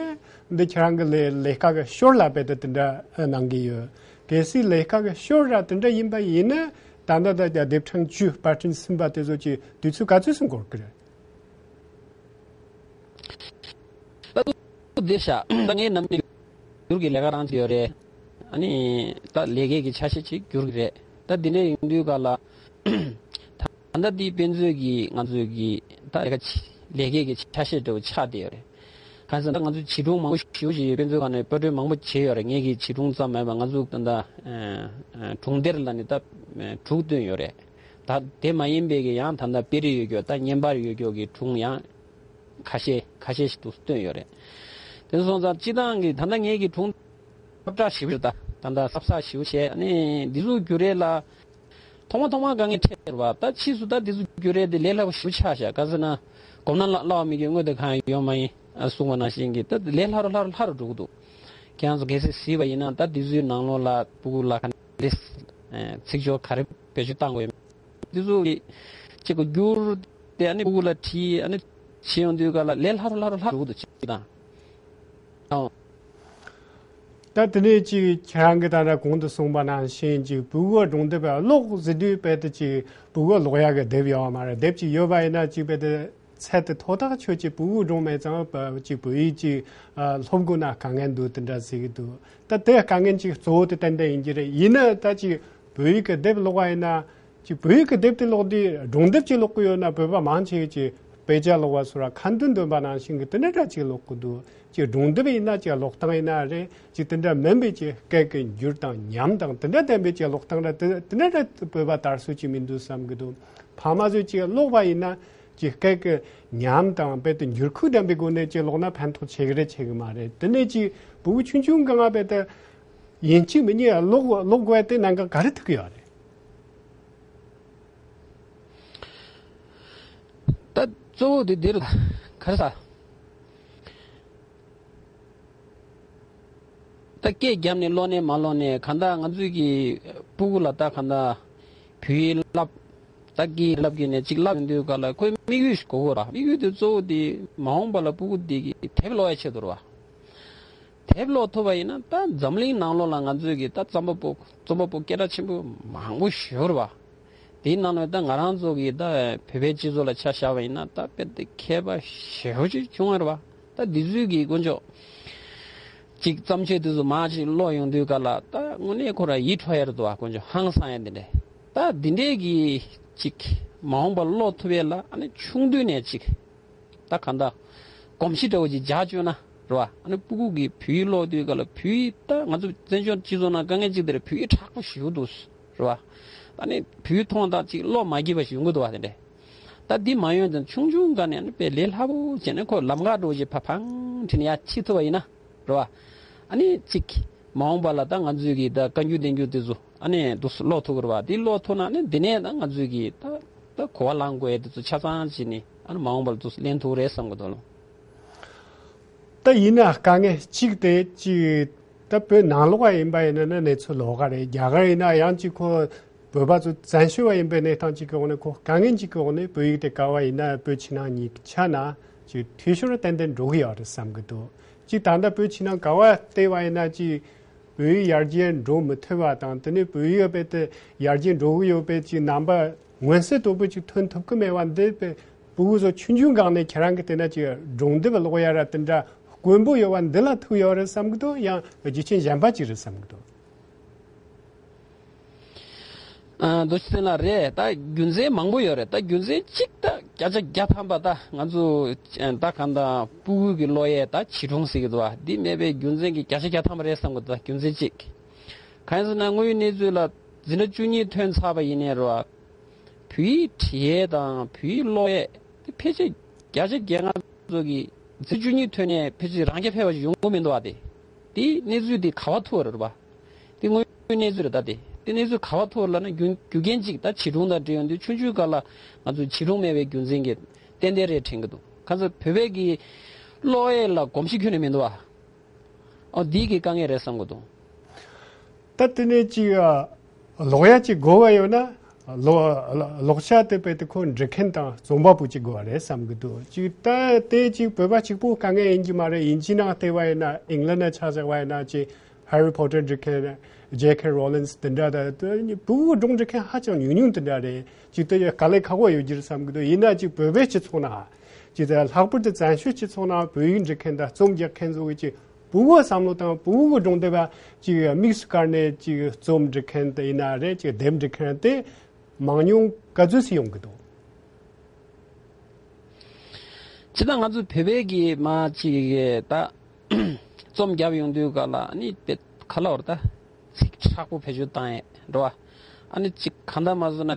འདི་ཁྱེད་རང་གི་ལས་ལས་ཀ་གི་ཞོར་ལ་དཔེ་དེ་དེ་འདྲ་གནང་གི་ཡོད། གལ་སྲིད་ལས་ཀ་གི་ཞོར་ར་དེ་འདྲ་ཡིན་པ་ཡིན་ན་ད་ལྟ་ད་ལྟ་དེབ་ཕྲེང་བཅུ་པར་སྐྲུན་ཟིན་པ་དེ་ཚོ་གི་དུས་ཚོད་ག་ཚོད་སུ་འགོར་གི་རེད། ད་དུ་བདེ་ཤག་ད་ངའི་ནམ་རྒྱུན་བསྒྱུར་གྱི་ལས་ཀ་རང་བྱེད་ཡོད་རེད། ཨ་ནི་ད་ལས་ཀའི་གི་ཆ་ཤས་ཅིག་བསྒྱུར་གྱི་རེད། ད་འདི་འདྲ་ཡིན་དུས་ག་ལ་ད་ལྟ་འདི་དཔེ་མཛོད་ཀྱི་ང་ཚོའི་གི་ད་ལས་ཀ་ཅི་ལས་ཀའི་གི་ཆ་ཤས་འདྲ་བོ་ཆགས་བསྡད་ཡོད་རེད། གང་ཟེར་ན་ང་ཚོའི་བྱིས་སྒྲུང་མང་པོ་ཞེ་པོ་ཅིག་དཔེ་མཛོད་ཁང་ནས་པར་སྐྲུན་མང་པོ་བྱས་ཡོད་རེད། ངའི་གི་བྱིས་སྒྲུང་ཙམ་མེད་པ་ང་ཚོ་ད་ལྟ་སྒྲུང་སྡེར་ལ་ནི་ད་དྲུག་བཏོན་ཡོད་རེད། ད་དེ་མ་ཡིན་པའི་གི་ཡང་ད་ལྟ་དཔེ་རིས་ཡོད་རྒྱུ་ད་བརྙན་པར་ཡོད་རྒྱུ་གི་སྒྲུང་ཡང་ཁ་ཤས་ཁ་ཤས་ཤིག་ཏུ་བཏོན་ཡོད་རེད། དེ་སོང་ཙང་སྤྱི་བཏང་གི་ད་ལྟ་ངའི་གི་སྒྲུང་ཁྱབ་བསྒྲགས་ཞེ་པོ་ད་ད་ལྟ་གསར་བསགས་ཞེ་པོ་བྱས། ཨ་ནི་འདི་ཚོ་བསྒྱུར་ཡས་ལ་ཐོག་མ་ཐོག་མ་དཀའ་ངལ་འཕྲད་རེད་བ། ད་ཕྱིས་སུ་ད་འདི་ཚོ་བསྒྱུར་ཡས་དེ་ལས་སླ་པོ་ཞེ་པོ་ཆགས་ཤག་ག་ཟེར་ན་གོམས་ན་སླ་བ་མི་དགོས་སྔོན་དུ་གང་ཡང་ཡོད་མ་ཡིན་ཨ་གསུངས་པ་ནང་བཞིན་གྱི་ད་ལས་སླ་རུ་སླ་རུ་སླ་རུ་འགྲོ་གི་འདུག་ཁྱེད་རང་ཚོ་གལ་སྲིད་གཟིགས་པ་ཡིན་ན་ད་འདི་ཚོའི་ནང་ལོགས་ལ་སྤུ་གུ་ལ་ག་འདྲས་ཚིག་སྦྱོར་ག་རེ་བེད་སྤྱོད་བཏང་དགོས་ཡོད། འདི་ཚོ་གི་གཅིག་གོ་བསྒྱུར་ཏེ་ཨ་ནི་སྤུ་གུ་ལ་བྲིས་ཨ་ནི་བྱེད་ཡོང་དུས་ག་ལ་ལས་སླ་རུ་སླ་རུ་སླ་རུ་འགྲོ་གི་འདུག་ཅིག་དང་། ཨོ། ད་དེ་ནས་ཅིག་ཁྱེད་རང་གིས་ད་ལྟ་གོང་དུ་གསུངས་པ་ནང་བཞིན་ཅིག་སྤུ་གུ་སྒྲུང་དེབ་ཀློག་ཟེར་དུས་དཔེ་དེ་ཅིག་སྤུ་གུ་ཀློག་ཡག་གི་དེབ་ཡོད་མ་རེད། དེབ་ཅིག་ཡོད་པ་ཡིན་ན་ཅིག་དཔེ་དེ་ཚད་དེ་མཐོ་ཐག་ཆོད་ཅིག་སྤུ་གུ་སྒྲུང་མེད་ཙང་ཅིག་བོད་ཡིག་ཅིག་སློབ་དགོས་ན་དཀའ་ངལ་འདུག་དེ་འདྲ་ཟེར་གི་འདུག་ད་དེ་དཀའ་ངལ་ཅིག་གཙོ་བོ་དེ་ཏན་ཏན་ཡིན་གྱི་རེད། ཡིན་ན་ད་ཅིག་བོད་ཡིག་གི་དེབ་ཀློག་པ་ཡིན་ན། ཅིག་བོད་ཡིག་གི་དེབ་དེ་ཀློག་དུས་སྒྲུང་དེབ་ཅིག་ཀློག་གི་ཡོད་ན་བོད་པ་མང་ཆེ་གིས་ཅིག་དཔེ་ཆ་ཀློག་པ་སོགས་ལ་ཁ་འདོན་འདོན་པ་ནང་བཞིན་གྱི་དེ་འདྲ་འདྲ་ཅིག་ཀློག་གི་འདུག་ཅིག་སྒྲུང་དེབ་ཡིན་ན་ཅིག་ཀློག་སྟངས་ཡིན་ན་རེད། ཅིག་དེ་འདྲ་མིན་པའི་ཅིག་སྐད་ཀྱི་འགྱུར་དང་ཉམས་དང་དེ་འདྲ་ལྡན་པའི་ཅིག་ཀློག་སྟངས་ར་དེ་དེ་འདྲ་འདྲ་བོད་པ་དར་སྲོལ་ཅིག་མི་འདུག་བསམ་གྱི་འདུག་ཕ་མ་ཚོས་ཅིག་ཀློག་པ་ཡིན་ན་ཅིག་སྐད་ཀྱི་ཉམས་དང་དཔེ་དེ་འགྱུར་ཁུག་ལྡན་པའི་སྒོ་ནས་ཅིག་ཀློག་ན་ཕན་ཐོགས་ཆེ་གི་རེད་ཆེ་གི་མ་རེད། དེ་ནས་ཅིག་བུ་ཆུང་ཆུང་གི་ང་དཔེ་དེ་ཡིན་གཅིག་མིན་གཉིས་ཀློག་ཀློག་དགོས་དེ་གནད་འགག་ག་རེ་ཐུག་གི་ཡོད་རེད། ད་གཙོ་བོ་དེ་འདིར་ག་རེ་ཟ། ད་སྐད་བརྒྱབ་ནས་ཀློག་ནས་མ་ཀློག་ནས་གང་ལྟར་ང་ཚོས་ཀྱི་སྤུ་གུ་ལ་ད་གང་ལྟར་བོད་ཡིག་བསླབ། ད་སྐད་ཡིག་བསླབ་ཀྱི་ནས་གཅིག་བསླབ་ཡོང་དུས་ག་ལ་ཁོས་དམིགས་ཡུལ་ཞིག་དགོས་ཀྱི་རེད་བ། དམིགས་ཡུལ་དེ་གཙོ་བོ་དེ་མ་འོངས་པ་ལ་སྤུ་གུ་དེ་གི་དེབ་ཀློག་ཡ་ཆེད་དུ་རེད་བ། དེབ་ཀློག་ཐུབ་པ་ཡིན་ན་ད་འཛམ་གླིང་ནང་ལོགས་ལ་ང་ཚོས་ཀྱི་ད་རྩོམ་པ་པོ་རྩོམ་པ་པོ་སྐད་གྲགས་ཆེན་པོ་མང་པོ་ཞིག་ཡོད་རེད་བ། དེའི་ནང་ནས་ད་ང་རང་ཚོ་གི་ད་བོད་པའི་སྤྱི་ཚོགས་ལ་ཆ་བཞག་པ་ཡིན་ན་ད་དཔེ་དེ་མཁས་པ་ཞེ་པོ་ཅིག་བྱུང་ཡོད་རེད་བ། ད་འདི་ཚོའི་གི་དཀོན་མཆོག་ཅིག་བརྩམས་ཆོས་དེ་ཚོ་མར་ཅིག་ཀློག་ཡོང་དུས་ག་ལ་ད་དངོས་གནས་ཁོ་རང་ཡིད་འཕྲོག་ཡ་རེད་འདུག་བ། དཀོན་མཆོག་ཧང་སང་ཡ་འདི་འདྲས། ད་འདི་འདྲའི་གི་ཅིག་མ་འོངས་པར་ཀློག་ཐུབ་ཡས་ལ་ཨ་ནི་ཆུང་དུས་ནས་ཅིག་ད་གང་ལྟར་གོམས་གཤིས་འདྲ་བོ་ཅིག་འཇགས་བཅུག་ན་རེད་བ། ཨ་ནི་སྤུ་གུ་གི་བོད་ཡིག་ཀློག་དུས་ག་ལ་བོད་ཡིག་ད་ང་ཚོ་བཙན་བྱོལ་སྤྱི་ཚོགས་ནང་དཀའ་ངལ་ཅིག་དེ་རེད། བོད་ཡིག་དྲག་པོ་ཞེ་པོ་འདུག་རེད་བ། ཨ་ནི་བོད་ཡིག་མཐོང་དང་ཅིག་ཀློག་མ་སྐྱིད་པ་ཞིག་ཡོང་གི་འདུག་བ། དེ་འདྲས་ད་འདི་མ་ཡོང་ཙང་ཆུང་ཆུང་སྒང་ནས་ཨ་ནི་དཔེ་ལས་སླ་པོ་བྱས་ནས་ཁོ་ལམ་ཁ་འགྲོ་བཞིན་ཕ་ཕང་ཁྲིད་ནས་ཡར་ཁྲིད་ཐུབ་པ་ཡིན་ན་རེད་བ། ཨ་ནི་ཅིག་མ་འོངས་པ་ལ་ད་ང་ཚོས་ཀྱི་ད་བཀའ་འགྱུར་བསྟན་འགྱུར་དེ་ཚོ་ཨ་ནི་འདུག་སེ་ཀློག་ཐུབ་ཀྱི་རེད་བ། དེ་ཀློག་ཐུབ་ན་ཨ་ནི་འདི་ནས་ད་ང་ཚོས་ཀྱི་ད་ད་གོ་བ་ལེན་དགོས་ཡས་དེ་ཚོ་ཆ་ཚང་བྱས་ནས་ཨ་ནི་མ་འོངས་པ་ལ་འདུག་སེ་ལེན་ཐུབ་ཀྱི་རེད་བསམ་གྱི་འདུག་ལོ། ད་ཡིན་ན་དཀའ་ངལ་གཅིག་དེ་གཅིག་ད་བོད་ནང་ལོགས་པ་ཡིན་པ་ཡིན་ན་ནི་གནས་ཚུལ་ལོགས་ཀ་རེད། རྒྱ་གར་ཡིན་ན་ཡང་གཅིག་ཁོ་བོད་པ་ཚོ་བཙན་བྱོལ་བ་ཡིན་པའི་གནས་སྟངས་གཅིག་གི་འོག་ནས་ཁོ་དཀའ་ངལ་གཅིག་གི་འོག་ནས་བོད་ཡིག་དེ་ག་བ་ཡིན་ན་བོད་ཕྱི་ནང་གཉིས་ཆ་ན་ཅིག་འཐུས་ཤོར་ཏན་ཏན་འགྲོ་གི་ཡོད་རེད་བསམ་གི་འདུག་ཅིག་ད་ལྟ་བོད་ཕྱི་ནང་ག་བ་བལྟས་པ་ཡིན་ན་ཅིག་བོད་ཡིག་ཡར་རྒྱས་འགྲོ་མི་ཐུབ་པ་དང་དེ་ནས་བོད་ཡིག་རྦད་དེ་ཡར་རྒྱས་འགྲོ་གི་ཡོད་པའི་ཅིག་རྣམ་པ་མངོན་གསལ་དོད་པོ་ཅིག་ཐོན་ཐུབ་ཀྱི་མེད་པ་འདི་དཔེ་ཕྲུ་གུ་ཚོ་ཆུང་ཆུང་སྒང་ནས་ཁྱེད་རང་གི་དེ་ན་ཅིག་སྒྲུང་དེབ་ཀློག་ཡ་ར་དེ་འདྲ་དཀོན་པོ་ཡོད་པ་འདི་ལ་ཐུག་ཡོད་རེད་བསམ་གི་འདུག་ཡང་རྒྱུ་རྐྱེན་གཞན་པ་ཅིག་རེད་བསམ་གི་འདུག་ཨ། རྡོ་རྗེ་བཙན་ལགས་རེད། ད་རྒྱུ་མཚན་མང་པོ་ཡོད་རེད། ད་རྒྱུ་མཚན་གཅིག་ད་བརྒྱ་ཆ་བརྒྱ་ཐམ་པ་ད་ང་ཚོ་ད་གང་ལྟར་ཕྲུ་གུ་གི་ཀློག་ཡས་ད་བྱིས་སྒྲུང་ཟེར་གི་འདུག་བ། འདི་མེད་པའི་རྒྱུ་མཚན་གྱི་བརྒྱ་ཆ་བརྒྱ་ཐམ་པ་རེད་བསམ་གི་འདུག་ད་རྒྱུ་མཚན་གཅིག་གང་ཡིན་ཟེར་ན་དངོས་ཡོད་གནས་ཚུལ་ལ་འཛིན་གྲྭ་བཅུ་གཉིས་ཐོན་ཚར་བ་ཡིན་ནའི་རེད་བ། བོད་ཡིག་འབྲི་ཡས་དང་བོད་ཡིག་ཀློག་ཡས་དེ་ཕལ་ཆེར་བརྒྱ་ཆ་བརྒྱ་ང་ཚོ་གི་འཛིན་གྲྭ་བཅུ་གཉིས་ཐོན་ནས་ཕལ་ཆེར་རང་རྐྱ་འཕེར་བ་ཞིག་ཡོང་གི་མི་འདུག་བ། དེ་དེ་གནས་ཚུལ་དེ་ག་བ་ཐུག་རེད་བ། དེ་དངོས་ཡོད་གནས་ཚུལ་རེད། ད་དེ་དེ་གནས་ཚུལ་ག་བ་ཐུག་ལབ་ན་རྒྱུ་རྒྱུ་རྐྱེན་གཅིག་ད་བྱིས་སྒྲུང་དང་འབྲེལ་ཡོང་དུས་ཆུང་ཆུང་སྒང་ལ་ང་ཚོ་བྱིས་སྒྲུང་མེད་པའི་རྒྱུ་མཚན་གྱིས་ཏན་ཏན་རེད་དྲན་གྱི་འདུག་གང་ཟེར་བོད་པའི་གི་ཀློག་ཡས་ལ་གོམས་གཤིས་ཁྱོན་ནས་མི་འདུག་བ། ཨོ་འདི་གི་དཀའ་ངལ་རེད་བསམ་གྱི་འདུག་ད་དེ་ནས་ཅིག་ཨ། ཀློག་ཡ་ཅིག་དགོས་པ་ཡོད་ན་ཀློག་ཀློག་བྱ་དེ་དཔེ་དེ་ཁོ་འབྲི་མཁན་དང་རྩོམ་པ་པོ་ཅིག་དགོས་པ་རེད་བསམ་གྱི་འདུག་ཅིག་ད་དེ་ཅིག་བོད་པ་གཅིག་པོ་དཀའ་ངལ་ཡིན་གྱི་མ་རེད། དབྱིན་ཇི་ནང་བལྟས་པ་ཡིན་ན་ཨིང་ལན་ནང་ཆ་བཞག་པ་ཡིན་ན་ཅིག་Harry Potter འབྲི་མཁན་J K Rowling དེ་འདྲ་ད་ཕྲུ་གུ་སྒྲུང་འབྲི་མཁན་ཧ་ཅང་ཉུང་ཉུང་དེ་འདྲ་རེད། ཅིག་དེ་དཀའ་ལས་ཁག་པོ་ཡོད་ཀྱི་རེད་བསམ་གྱི་འདུག་ཡིན་ན་ཅིག་བོད་པའི་སྤྱི་ཚོགས་ནང་ཅིག་ད་ལྷག་པར་དུ་བཙན་བྱོལ་སྤྱི་ཚོགས་ནང་བོད་ཡིག་འབྲི་མཁན་དང་རྩོམ་རྒྱག་མཁན་ཚོ་གི་ཅིག་ཕྲུ་གུའི་བསམ་བློ་དང་ཕྲུ་གུའི་སྒྲུང་དེབ་ཅིག་དམིགས་སུ་བཀར་ནས་ཅིག་རྩོམ་འབྲི་མཁན་དེ་ཡིན་ན་རེད། ཅིག་དེབ་འབྲི་མཁན་དེ་མང་ཉུང་ག་ཚོད་ཅིག་ཡོང་གི་འདུག་ཇི་ལྟར་ང་ཚོ་བོད་པའི་གི་མ་ཅིག་ད་རྩོམ་རྒྱབ་ཡོང་དུས་ག་ལ་ཨ་ནི་དཔེ་ཁ་ལ་བར་ད་ཚིག་དྲག་པོ་བེད་སྤྱོད་བཏང་ཡས་འགྲོ་བ། ཨ་ནི་ཅིག་གང་ལྟར་མ་བཟོ་ན་ད་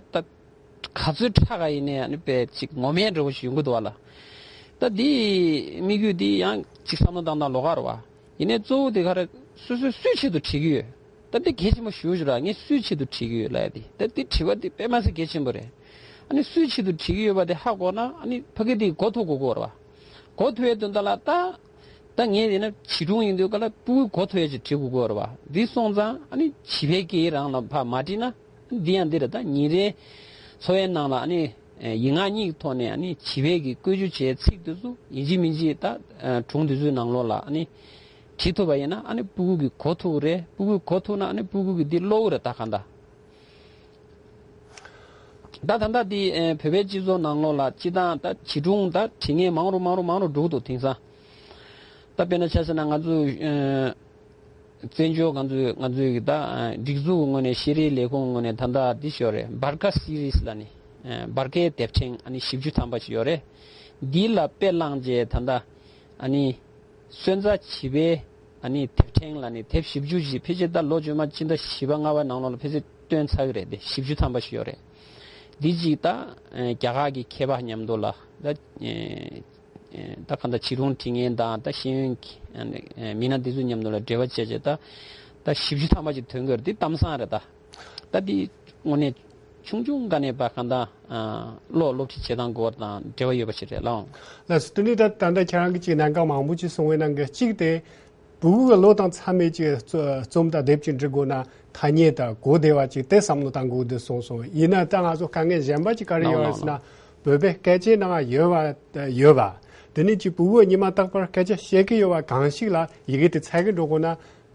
ག་ཚོད་དྲག་ག་ཡིན་ནའི་ཨ་ནི་དཔེ་ཅིག་ངོ་མའི་འདྲ་བོ་ཞིག་ཡོང་གི་འདུག་བ་ལ། ད་འདི་དམིགས་ཡུལ་འདི་ཡང་ཅིག་བསམ་བློ་བཏང་སྟངས་ལོགས་ཀ་རེད་བ། ཡིན་ནའི་གཙོ་བོ་དེ་ག་རེ་སོ་སོས་སུའི་ཆེད་དུ་བྲིས་ཀྱི་ཡོད། ད་འདི་གལ་ཆེན་པོ་ཞེ་པོ་ཅིག་རེད། ངས་སུའི་ཆེད་དུ་བྲིས་ཀྱི་ཡོད་ལབ་ཡ་དེ། ད་འདི་བྲིས་པ་འདི་དཔེ་མ་སྲིད་གལ་ཆེན་པོ་རེད། ཨ་ནི་སུའི་ཆེད་དུ་བྲིས་ཀྱི་ཡོད་པ་དེ་ཧ་གོ་ན་ཨ་ནི་ཕ་གི་དེ་གོ་ཐུབ་དགོས་ཀྱི་ཡོད་རེད་བ། གོ་ཐུབ་ཡའི་དོན་དག་ལ་ད། ད་ངས་ཡིན་ན་བྱིས་སྒྲུང་ཡིན་དུས་ག་ལ་ཕྲུ་གུས་གོ་ཐུབ་ཡ་ཅིག་བྲིས་དགོས་ཀྱི་ཡོད་རེད་བ། འདི་སོང་ཙང་ཨ་ནི་བྱིས་པའི་སྐད་ཡིག་རང་ལ་ཕར་མ་བྲིས་ན། འདི་ཡང་འདི་རེད། ད་ཉིན་རེའི་འཚོ་བའི་ནང་ལ་ཨ་ནི་ཡིག་ངག་གཉིས་ཀྱི་ཐོག་ནས་ཨ་ནི་བྱིས་པའི་གི་བཀོལ་སྤྱོད་བྱས་ཚིག་དེ་ཚོ་ཡིན་གཅིག་མིན་གཅིག་ད་སྒྲུང་དེ་ཚོའི་ནང་ལོགས་ལ་ཨ་ནི་བྲིས་ཐུབ་པ་ཡིན་ན་ཨ་ནི་ཕྲུ་གུ་གིས་གོ་ཐུབ་ཀྱི་རེད། ཕྲུ་གུས་གོ་ཐུབ་ན་ཨ་ནི་ཕྲུ་གུ་གིས་འདི་ཀློག་གི་རེད། ད་གང་ལྟར། ད་ད་ལྟ་འདི་ཨེ་བོད་པའི་སྤྱི་ཚོགས་ནང་ལོགས་ལ་སྤྱི་བཏང་ད་བྱིས་སྒྲུང་ད་བྲིས་མཁན་མང་རུ་མང་རུ་མང་རུ་འགྲོ་གི་འདུག་དེང་སང་། ད་དཔེར་ན་ཆ་བཞག་ན་ང་ཚོ་ཨེ་བཙན་བྱོལ་ང་ཚོའི་ང་ཚོའི་གི་ད་ཨེ་སྒྲིག་འཛུགས་ཀྱི་ངོས་ནས་ཤེས་རིག་ལས་ཁུངས་ཀྱི་ངོས་ནས་ད་ལྟ་འདི་ཞིག་ཡོད་རེད། སྦར་ཀ་སི་རིས་ལབ་ནས་ཨེ་སྦར་ཀའི་དེབ་ཕྲེང་ཨ་ནི་བཞི་བཅུ་ཐམ་པ་ཞིག་ཡོད་རེད། འདི་ལ་དཔེ་བླངས་རྗེས་ད་ལྟ་ཨ་ནི། སོན་རྩ་བྱིས་པའི་ཨ་ནི་དེབ་ཕྲེང་ལ་ནི་དེབ་བཞི་བཅུ་ཞིག་ཕལ་ཆེར་ད་ལོ་རྗེས་མ་སྤྱི་ཟླ་བཞི་པ་ལྔ་པའི་ནང་ལོགས་ལ་ཕལ་ཆེར་བཏོན་ཚར་གི་རེད། དེ་བཞི་བཅུ་ཐམ་པ་ཞིག་ཡོད་རེད། འདི་གཅིག་ད་རྒྱ་གར་གྱི་མཁས་པ་མཉམ་དུ་ལ་ད་ད་གང་ལྟར་བྱིས་སྒྲུང་འབྲི་མཁན་དང་ད་ཤེས་ཡོན་གྱི་མི་སྣ་འདི་ཚོ་མཉམ་དུ་ལ་འབྲེལ་བ་བྱས་བྱས་ད་ད་བཞི་བཅུ་ཐམ་པ་ཞིག་ཐོན་གི་རེད། འདི་གཏམ་བཟང་རེད་ད། ད་འདི་དངོས་གནས་ཆུང་ཆུང་སྒང་ནས་ཕར་གང་ལྟར་ཨ་ཀློག་སློབ་ཁྲིད་བྱེད་སྟངས་སྐོར་དང་འབྲེལ་བ་ཡོད་པ་ཞིག་རེད་ལགས། ལགས་སོ། དེ་ནས་ད་ད་ལྟ་ཁྱེད་རང་གིས་ཅིག་གནད་འགག་མང་པོ་ཅིག་གསུངས་པའི་ནང་གི་གཅིག་དེ། ཕྲུ་གུ་གི་བློ་དང་འཚམ་པའི་ཅིག་རྩོ་རྩོམ་དང་དེབ་ཅིག་འབྲི་དགོས་ན་ཐ་སྙད་དང་གོ་བདེ་བ་ཅིག་དེ་བསམ་བློ་བཏང་དགོས་འདུག་གསུངས་སོང་། ཡིན་ན་ད་ང་ཚོ་དཀའ་ངལ་གཞན་པ་ཅིག་ག་རེ་ཡོད་རེད་ཟེར་ན། བོད་པའི་སྐད་ཆའི་ནང་ཡོད་པ་ཡོད་པ། དེ་ནས་ཅིག་ཕྲུ་གུ་ཉི་མ་རྟག་པར་སྐད་ཆ་བཤད་ཀྱི་ཡོད་པ་གང་ཞིག་ལ་ཡི་གེ་དེ་འཚོལ་གི་འགྲོ་དགོས་ན།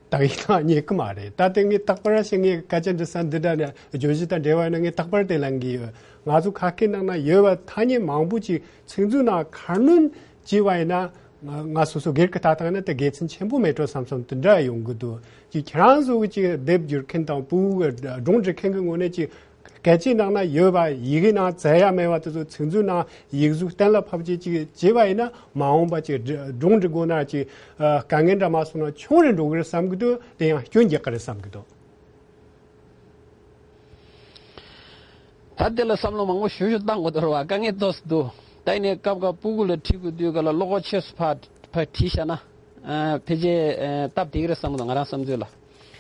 དག་ཡིག་ལ་རྙེད་ཀྱི་མ་རེད། ད་ལྟ་ངས་རྟག་པར་ཞིག་ངས་སྐད་ཆ་འདྲི་ས་འདི་འདྲ་ནས་བརྗོད་གཞི་དང་འབྲེལ་བ་ཡོད་ན་ངས་རྟག་པར་དེ་ལེན་གྱི་ཡོད། ང་ཚོ་ཁ་སྐད་ནང་ན་ཡོད་པ་ཐ་སྙད་མང་པོ་ཅིག་ཚིག་མཛོད་ནང་ཁ་སྣོན་བྱས་པ་ཡིན་ན་ང་ང་སོ་སོ་སྒེར་གྱི་ལྟ་སྟངས་ན་དེ་དགེ་མཚན་ཆེན་པོ་མེད་འགྲོ་བསམ་བསམ་དེ་འདྲ་ཡོང་གི་འདུག་ཅིག་ཁྱེད་རང་ཚོ་གི་ཅིག་དེབ་སྒྱུར་མཁན་དང་ཕྲུ་གུ་གི་སྒྲུང་འབྲི་མཁན་གྱི་ངོས་ནས་ཅིག་ སྐད་ཆའི་ནང་ན་ཡོད་པ་ཡི་གེའི་ནང་བཙལ་ཡ་མེད་པ་དེ་ཚོ་ཚིག་མཛོད་ནང་ཡིག་གཟུགས་གཏན་ལ་ཕབ་བྱས་ཅིག་བྱས་པ་ཡིན་ན་མ་འོངས་པ་ཅིག་སྒྲུང་འབྲི་དགོས་ན་ཅིག་དཀའ་ངལ་འདྲ་མ་སོང་ན་ཆུང་རུ་འགྲོ་གི་རེད་བསམ་གི་འདུག་དེ་ཡང་སྐྱོན་རྒྱག་གི་རེད་བསམ་གི་འདུག་ད་དེ་ལ་བསམ་བློ་མང་པོ་ཞུ་ཞུ་བཏང་དགོས་འདུག་ར་བ། དཀའ་ངལ་ཏོག་ཙམ་འདུག་ད་ཡིན་ནའི་སྐབས་འགའ་སྤུ་གུ་ལ་ཁྲིད་དགོས་དུས་ག་ལ་བློ་ཁོག་ཆེ་སུ་ཕར་ཕར་ཁྲིད་བཞག་ན་ཨ་ཕལ་ཆེར་ཨ་སྟབས་བདེ་གི་རེད་བསམ་གི་འདུག་ང་རང་བསམ་ཚུལ་ལ།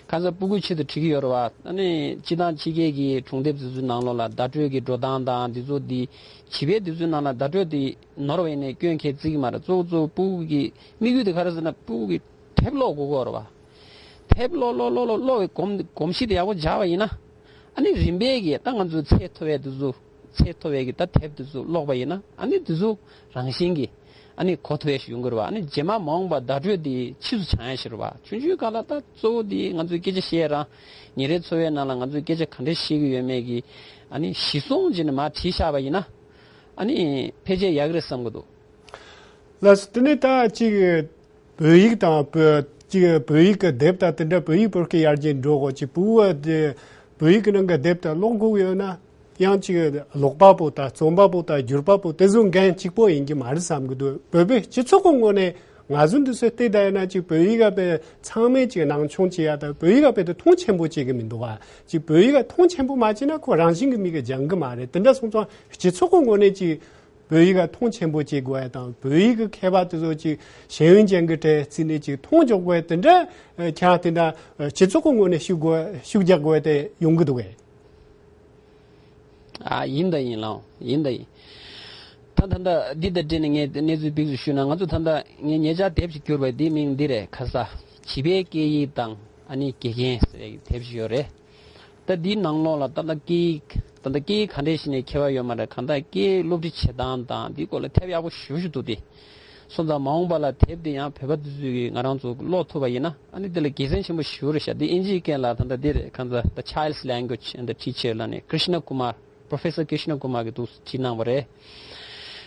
གང་ཟག་སྤུ་གུའི་ཆེད་དུ་ཁྲིད་ཀྱི་ཡོད་རེད་བ། ཨ་ནི་སྤྱི་བཏང་ཕྱི་རྒྱལ་གྱི་སྒྲུང་དེབ་དེ་ཚོའི་ནང་ལོགས་ལ་བརྡ་སྤྲོད་ཀྱི་འགྲོ་སྟངས་དང་དེ་ཚོ་དེ་བྱིས་པའི་དེ་ཚོའི་ནང་ལ་བརྡ་སྤྲོད་དེ་ནོར་བ་ཡིན་ནའི་སྐྱོན་གལ་བརྩི་གི་མ་རེད། གཙོ་བོ་གཙོ་བོ་སྤུ་གུ་གི་དམིགས་ཡུལ་དེ་ག་རེ་ཟེར་ན་སྤུ་གུ་གི་དེབ་ཀློག་དགོས་ཀྱི་ཡོད་རེད་བ། དེབ་ཀློག་ཀློག་ཀློག་ཀློག་ཀློག་གི་གོམས་གོམས་གཤིས་དེ་ཡག་པོ་སྦྱར་བ་ཡིན་ན། ཨ་ནི་རིམ་པས་ཀྱིས་ད་ང་ཚོའི་ཚད་མཐོ་བའི་དེ་ཚོ་ཚད་མཐོ་བའི་གི་ད་དེབ་དེ་ཚོ་ཀློག་པ་ཡིན་ན་ཨ་ནི་དེ་ཚོ་རང་བཞིན་གྱིས་ཨ་ནི་གོ་ཐུབ་ཡ་ཞིག་ཡོང་གི་རེད་བ། ཨ་ནི་རྗེས་མ་མ་འོངས་པ་བརྡ་སྤྲོད་དེ་ཕྱིས་སུ་བྱང་ཡ་ཞིག་རེད་བ། ཆུང་ཆུང་སྒང་ལ་ད་གཙོ་བོ་དེ་ང་ཚོའི་སྐད་ཆ་བཤད་རང་ཉིན་རེའི་འཚོ་བའི་ནང་ལ་ང་ཚོའི་སྐད་ཆ་ག་འདྲ་བཤད་ཀྱི་ཡོད་མེད་ཀྱི་ཨ་ནི་གཞི་བཟུང་བྱས་ནས་མར་བྲིས་བཞག་པ་ཡིན་ན་ཨ་ནི་ཕལ་ཆེར་ཡག་གི་རེད་བསམ་གི་འདུག་ལགས་སོ། དེ་ནས་ད་ཅིག་བོད་ཡིག་དང་བོད་ཅིག་བོད་ཡིག་གི་དེབ་དང་དེ་འདྲ་བོད་ཡིག་བོད་སྐད་ཡར་རྒྱས་འགྲོ་དགོས་ཅིག་བོད་བོད་ཡིག་གི་ནང་གི་དེབ་དང་ཀློག་དགོས་ཡོད་ན་ཡང་ཅིག་ཀློག་པ་པོ་དང་རྩོམ་པ་པོ་དང་སྒྱུར་པ་པོ་དེ་ཚོ་འགན་གཅིག་པོ་ཡིན་གྱི་མ་རེད་བསམ་གྱི་འདུག་བོད་པའི་སྤྱི་ཚོགས་ཀྱི་ངོས་ནས་ང་ཚོ་འདི་ཚོ་བལྟས་བསྡད་ཡོད་ན་ཅིག་བོད་ཡིག་ག་དཔེ་ཚང་མས་ཅིག་སྣང་ཆུང་བྱེད་ཡ་དང་བོད་ཡིག་ག་དཔེ་དེ་མཐོང་ཆེན་པོ་བྱེད་ཀྱི་མི་འདུག་བ། ཅིག་བོད་ཡིག་ག་མཐོང་ཆེན་པོ་མ་བྱས་ན་ཁོ་རང་བཞིན་གྱི་མིག་གིས་སྦྱང་གི་མ་རེད། དེ་འདྲ་སོང་ཙང་སྤྱི་ཚོགས་ཀྱི་ངོས་ནས་ཅིག་བོད་ཡིག་ག་མཐོང་ཆེན་པོ་བྱེད་དགོས་ཡ་དང་བོད་ཡིག་གི་མཁས་པ་དེ་ཚོ་ཅིག་ཤེས་ཡོན་ཅན་གྱི་གྲས་བརྩིས་ནས་ཅིག་མཐོང་འཇོག་དགོས་ཡ་དེ་འདྲ་ཁྱེད་རང་དེ་འདྲ་སྤྱི་ཚོགས་ཀྱི་ངོས་ནས་ཤུགས་དགོས་ཤུགས་རྒྱག་དགོས་ཡ་དེ་ཡོང་གི་འདུག་གས། ཨ་ཡིན་ད་ཡིན་ལགས་ཡིན་ད་ཡིན། ད་ད་ད་འདི་དང་འབྲེལ་ནས་ངས་གནས་ཚུལ་ཕིགས་སུ་ཞུས་ན་ང་ཚོ་ད་ལྟ་ངས་ཉེ་ཆར་དེབ་ཅིག་བསྒྱུར་བས་འདིའི་མིང་འདི་རེད་ཁ་ས། བྱིས་པའི་སྐད་ཡིག་དང་ཨ་ནི་དགེ་རྒན་ཟེར་བའི་དེབ་ཅིག་ཡོད་རེད། ད་འདིའི་ནང་ལོགས་ལ་ད་ལྟ་སྐད་ཡིག་ད་ལྟ་སྐད་ཡིག་ག་འདྲས་ཤིག་ནས་མཁས་པ་ཡོད་མ་རེད། གང་ལྟར་སྐད་ཡིག་སློབ་ཁྲིད་བྱེད་སྟངས་དང་འདིའི་སྐོར་ལ་དེབ་ཡག་པོ་ཞེ་པོ་ཞིག་འདུག་སྟེ། སོང་ཙང་མ་འོངས་པ་ལ་དེབ་འདི་ཡང་བོད་པ་འདི་ཚོས་ཀྱིས་ང་རང་ཚོ་ཀློག་ཐུབ་པ་ཡིན་ན་ཨ་ནི་འདི་ལ་དགེ་མཚན་ཆེན་པོ་ཞེ་པོ་རེད་ཤག་འདི་ཨིན་ཇིའི་སྐད་ལ་ད་ལྟ་འདི་རེད། གང་ལྟར་The Child's Language and the Teacher ལབ་ནས་Krishna Kumar Professor Krishna Kumar གིས་འདུག་བྲིས་གནང་བ་རེད།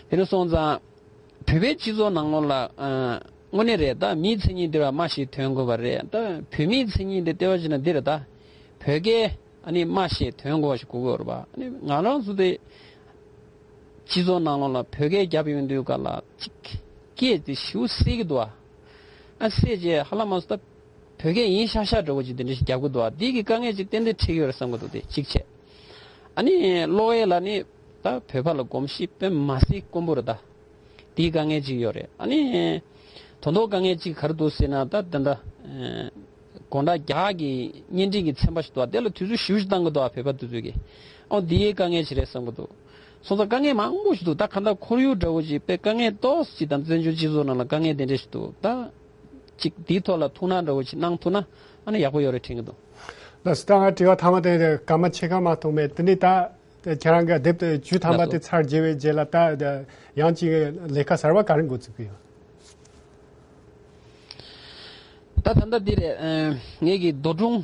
དེ་ནས་སོང་ཙང་བོད་པའི་སྤྱི་ཚོགས་ནང་ལོགས་ལ་ཨ་དངོས་གནས་རེད། ད་མིའི་མཚན་ཉིད་འདི་ལ་སྨྲ་ཤེས་དོན་གོ་བ་རེད། ད་བོད་མིའི་མཚན་ཉིད་འདི་ལྟེ་བ་བྱས་ན་འདི་རེད། ད་བོད་སྐད་ཨ་ནི་སྨྲ་ཤེས་དོན་གོ་བ་ཞིག་དགོས་ཀྱི་ཡོད་རེད་པ། ཨ་ནི་ང་རང་ཚོ་དེ་སྤྱི་ཚོགས་ནང་ལོགས་ལ་བོད་སྐད་རྒྱབ་ཡོང་དུས་ག་ལ་ཅིག་སྐད་དེ་ཞེ་པོ་སད་ཀྱི་འདུག་ཨ། ཨ་སད་རྗེས་ཧ་ལམ་མ་སོང་ད་བོད་སྐད་ཡིན་ཤག་ཤག་འདྲ་བོ་ཅིག་དེ་འདྲ་ཞིག་རྒྱབ་ཀྱི་འདུག་ཨ། འདི་གི་དཀའ་ངལ་ཅིག་ཏན་ཏན་འཕྲད་ཀྱི་ཡོད་རེད་བསམ་གྱི་འདུག་དེ་གཅིག་བྱས། ཨ་ནི་ཀློག་ཡས་ལ་ནི་ད་བོད་པ་ལ་གོམས་གཤིས་དཔེ་མ་སྲིད་དཀོན་པོ་རེད་ད། དེའི་དཀའ་ངལ་ཅིག་ཡོད་རེད། ཨ་ནི་དོན་དག་དཀའ་ངལ་ཅིག་ག་རེ་འདུག་ཟེར་ན་ད་ད་ད་དགོང་དག་རྒྱག་གི་བརྙན་འཕྲིན་གྱི་ཚན་པ་ཞིག་འདུག་ཨ། དེ་ལ་དུས་ཚོད་ཞེ་པོ་ཞིག་བཏང་གི་འདུག་ཨ། བོད་པ་དེ་ཚོས་ཀྱིས། ཨོ་འདི་ཡའི་དཀའ་ངལ་ཅིག་རེད་བསམ་གྱི་འདུག་སོང་ཙང་དཀའ་ངལ་མང་པོ་ཞིག་འདུག་ད་གང་ལྟར་ཁོར་ཡུག་འདྲ་བོ་ཅིག་དཔེ་དཀའ་ངལ་ཏོག་ཙམ་ཅིག་དང་བཙན་བྱོལ་སྤྱི་ཚོགས་ནང་ལ་དཀའ་ངལ་དེ་འདྲ་ཞིག་འདུག་ད་ཅིག་འདིའི་ཐོག་ལ་ཐུགས་སྣང་འདྲ་བོ་ཅིག་གནང་ཐུབ་ན་ཨ་ནི་ཡག་པོ་ཡོད་རེད་དྲན་གྱི་འདུག་ལགས་སོ། ད་ང་དྲི་བ་ཐ་མ་དེ་སྐར་མ་ཕྱེད་ཀ་མ་གཏོགས་མེད། དེ་ནས་ད་ཁྱེད་རང་གི་དེབ་དེ་བཅུ་ཐམ་པ་དེ་ཚར་རྗེས་པའི་རྗེས་ལ་ད་ཡང་ཅིག་ལས་ཀ་གསར་བ་ག་རེ་འགོ་ཚུགས་ཀྱི་ཡོད། ད་ད་ལྟ་འདི་རེད། ཨ་ངེད་ཀྱི་འདོད་སྒྲུང་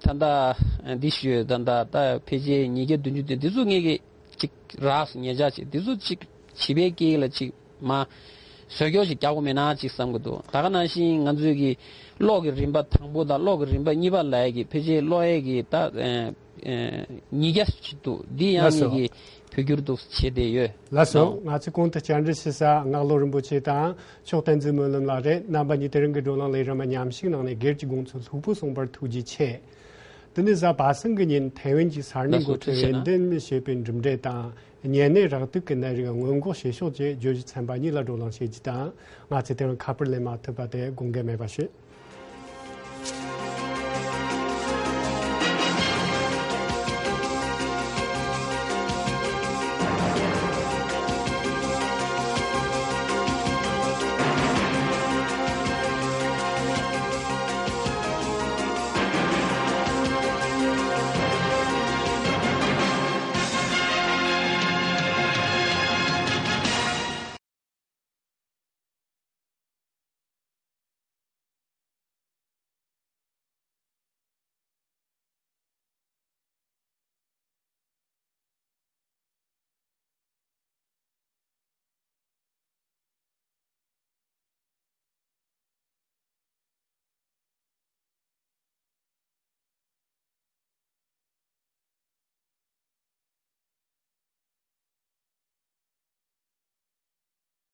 ད་ལྟ་འདི་ཞུས་ད་ལྟ་ད་ཕལ་ཆེར་ཉིས་བརྒྱ་བདུན་ཅུ་དེ་འདི་ཚོ་ངེད་ཀྱི་ཅིག་རགས་སུ་ཉེ་ཆར་ཅིག་འདི་ཚོ་ཅིག་བྱིས་པའི་སྐད་ཡིག་ལ་ཅིག་མ་བཟོ་སྐྱོར་ཞིག་རྒྱག་དགོས་མེད་ན་ཅིག་བསམ་གྱི་འདུག་ད་ག་ནང་བཞིན་ང་ཚོའི་གི་ཀློག་གི་རིམ་པ་དང་པོ་དང་ཀློག་གི་རིམ་པ་གཉིས་པ་ལབ་ཡ་གི་ཕལ་ཆེར་ཀློག་ཡ་གི་ད་ཨ་ཨ་ཉིས་བརྒྱ་ཅིག་འདུག་འདི་ཡང་ངེད་ཀྱི་བོད་བསྒྱུར་དུ་བྱས་བསྡད་ཡོད། ལགས་སོ། ང་ཚོས་གོང་དུ་བཅར་འདྲི་ཞུ་ས་ངག་བློ་རིན་པོ་ཆེ་དང་མཆོག་བསྟན་འཛིན་སྨོན་ལམ་ལགས་རེད། རྣམ་པ་གཉིས་དེ་རིང་གི་བགྲོ་གླེང་ལས་རིམ་མཉམ་ཞུགས་གནང་ནས་སྒེར་གྱི་དགོངས་ཚུལ་ལྷུག་པོ་གསུངས་པར་ཐུགས་རྗེ་ཆེ། དེ་ནས་གཟའ་པ་སངས་ཀྱི་ཉིན་ཐའེ་ཝན་གྱི་ས་གནས་འགོ་ཁྲིད་ཧན་ཏན་ཞེས་པའི་གྲུབ་འབྲས་དང་། གཉན་ནད་རེག་དུག་གི་ནད་རིགས་སྔོན་འགོག་བྱེད་ཕྱོགས་ཀྱི་བརྗོད་གཞི་ཚན་པ་གཉིས་ལ་བགྲོ་གླེང་བྱེད་རྒྱུ་དང་། ང་ཚོས་དེ་རིང་ཁ་པར་ལེན་མ་ཐུབ་པ་དེ་དགོངས་འགལ་མེད་པ་ཞུ།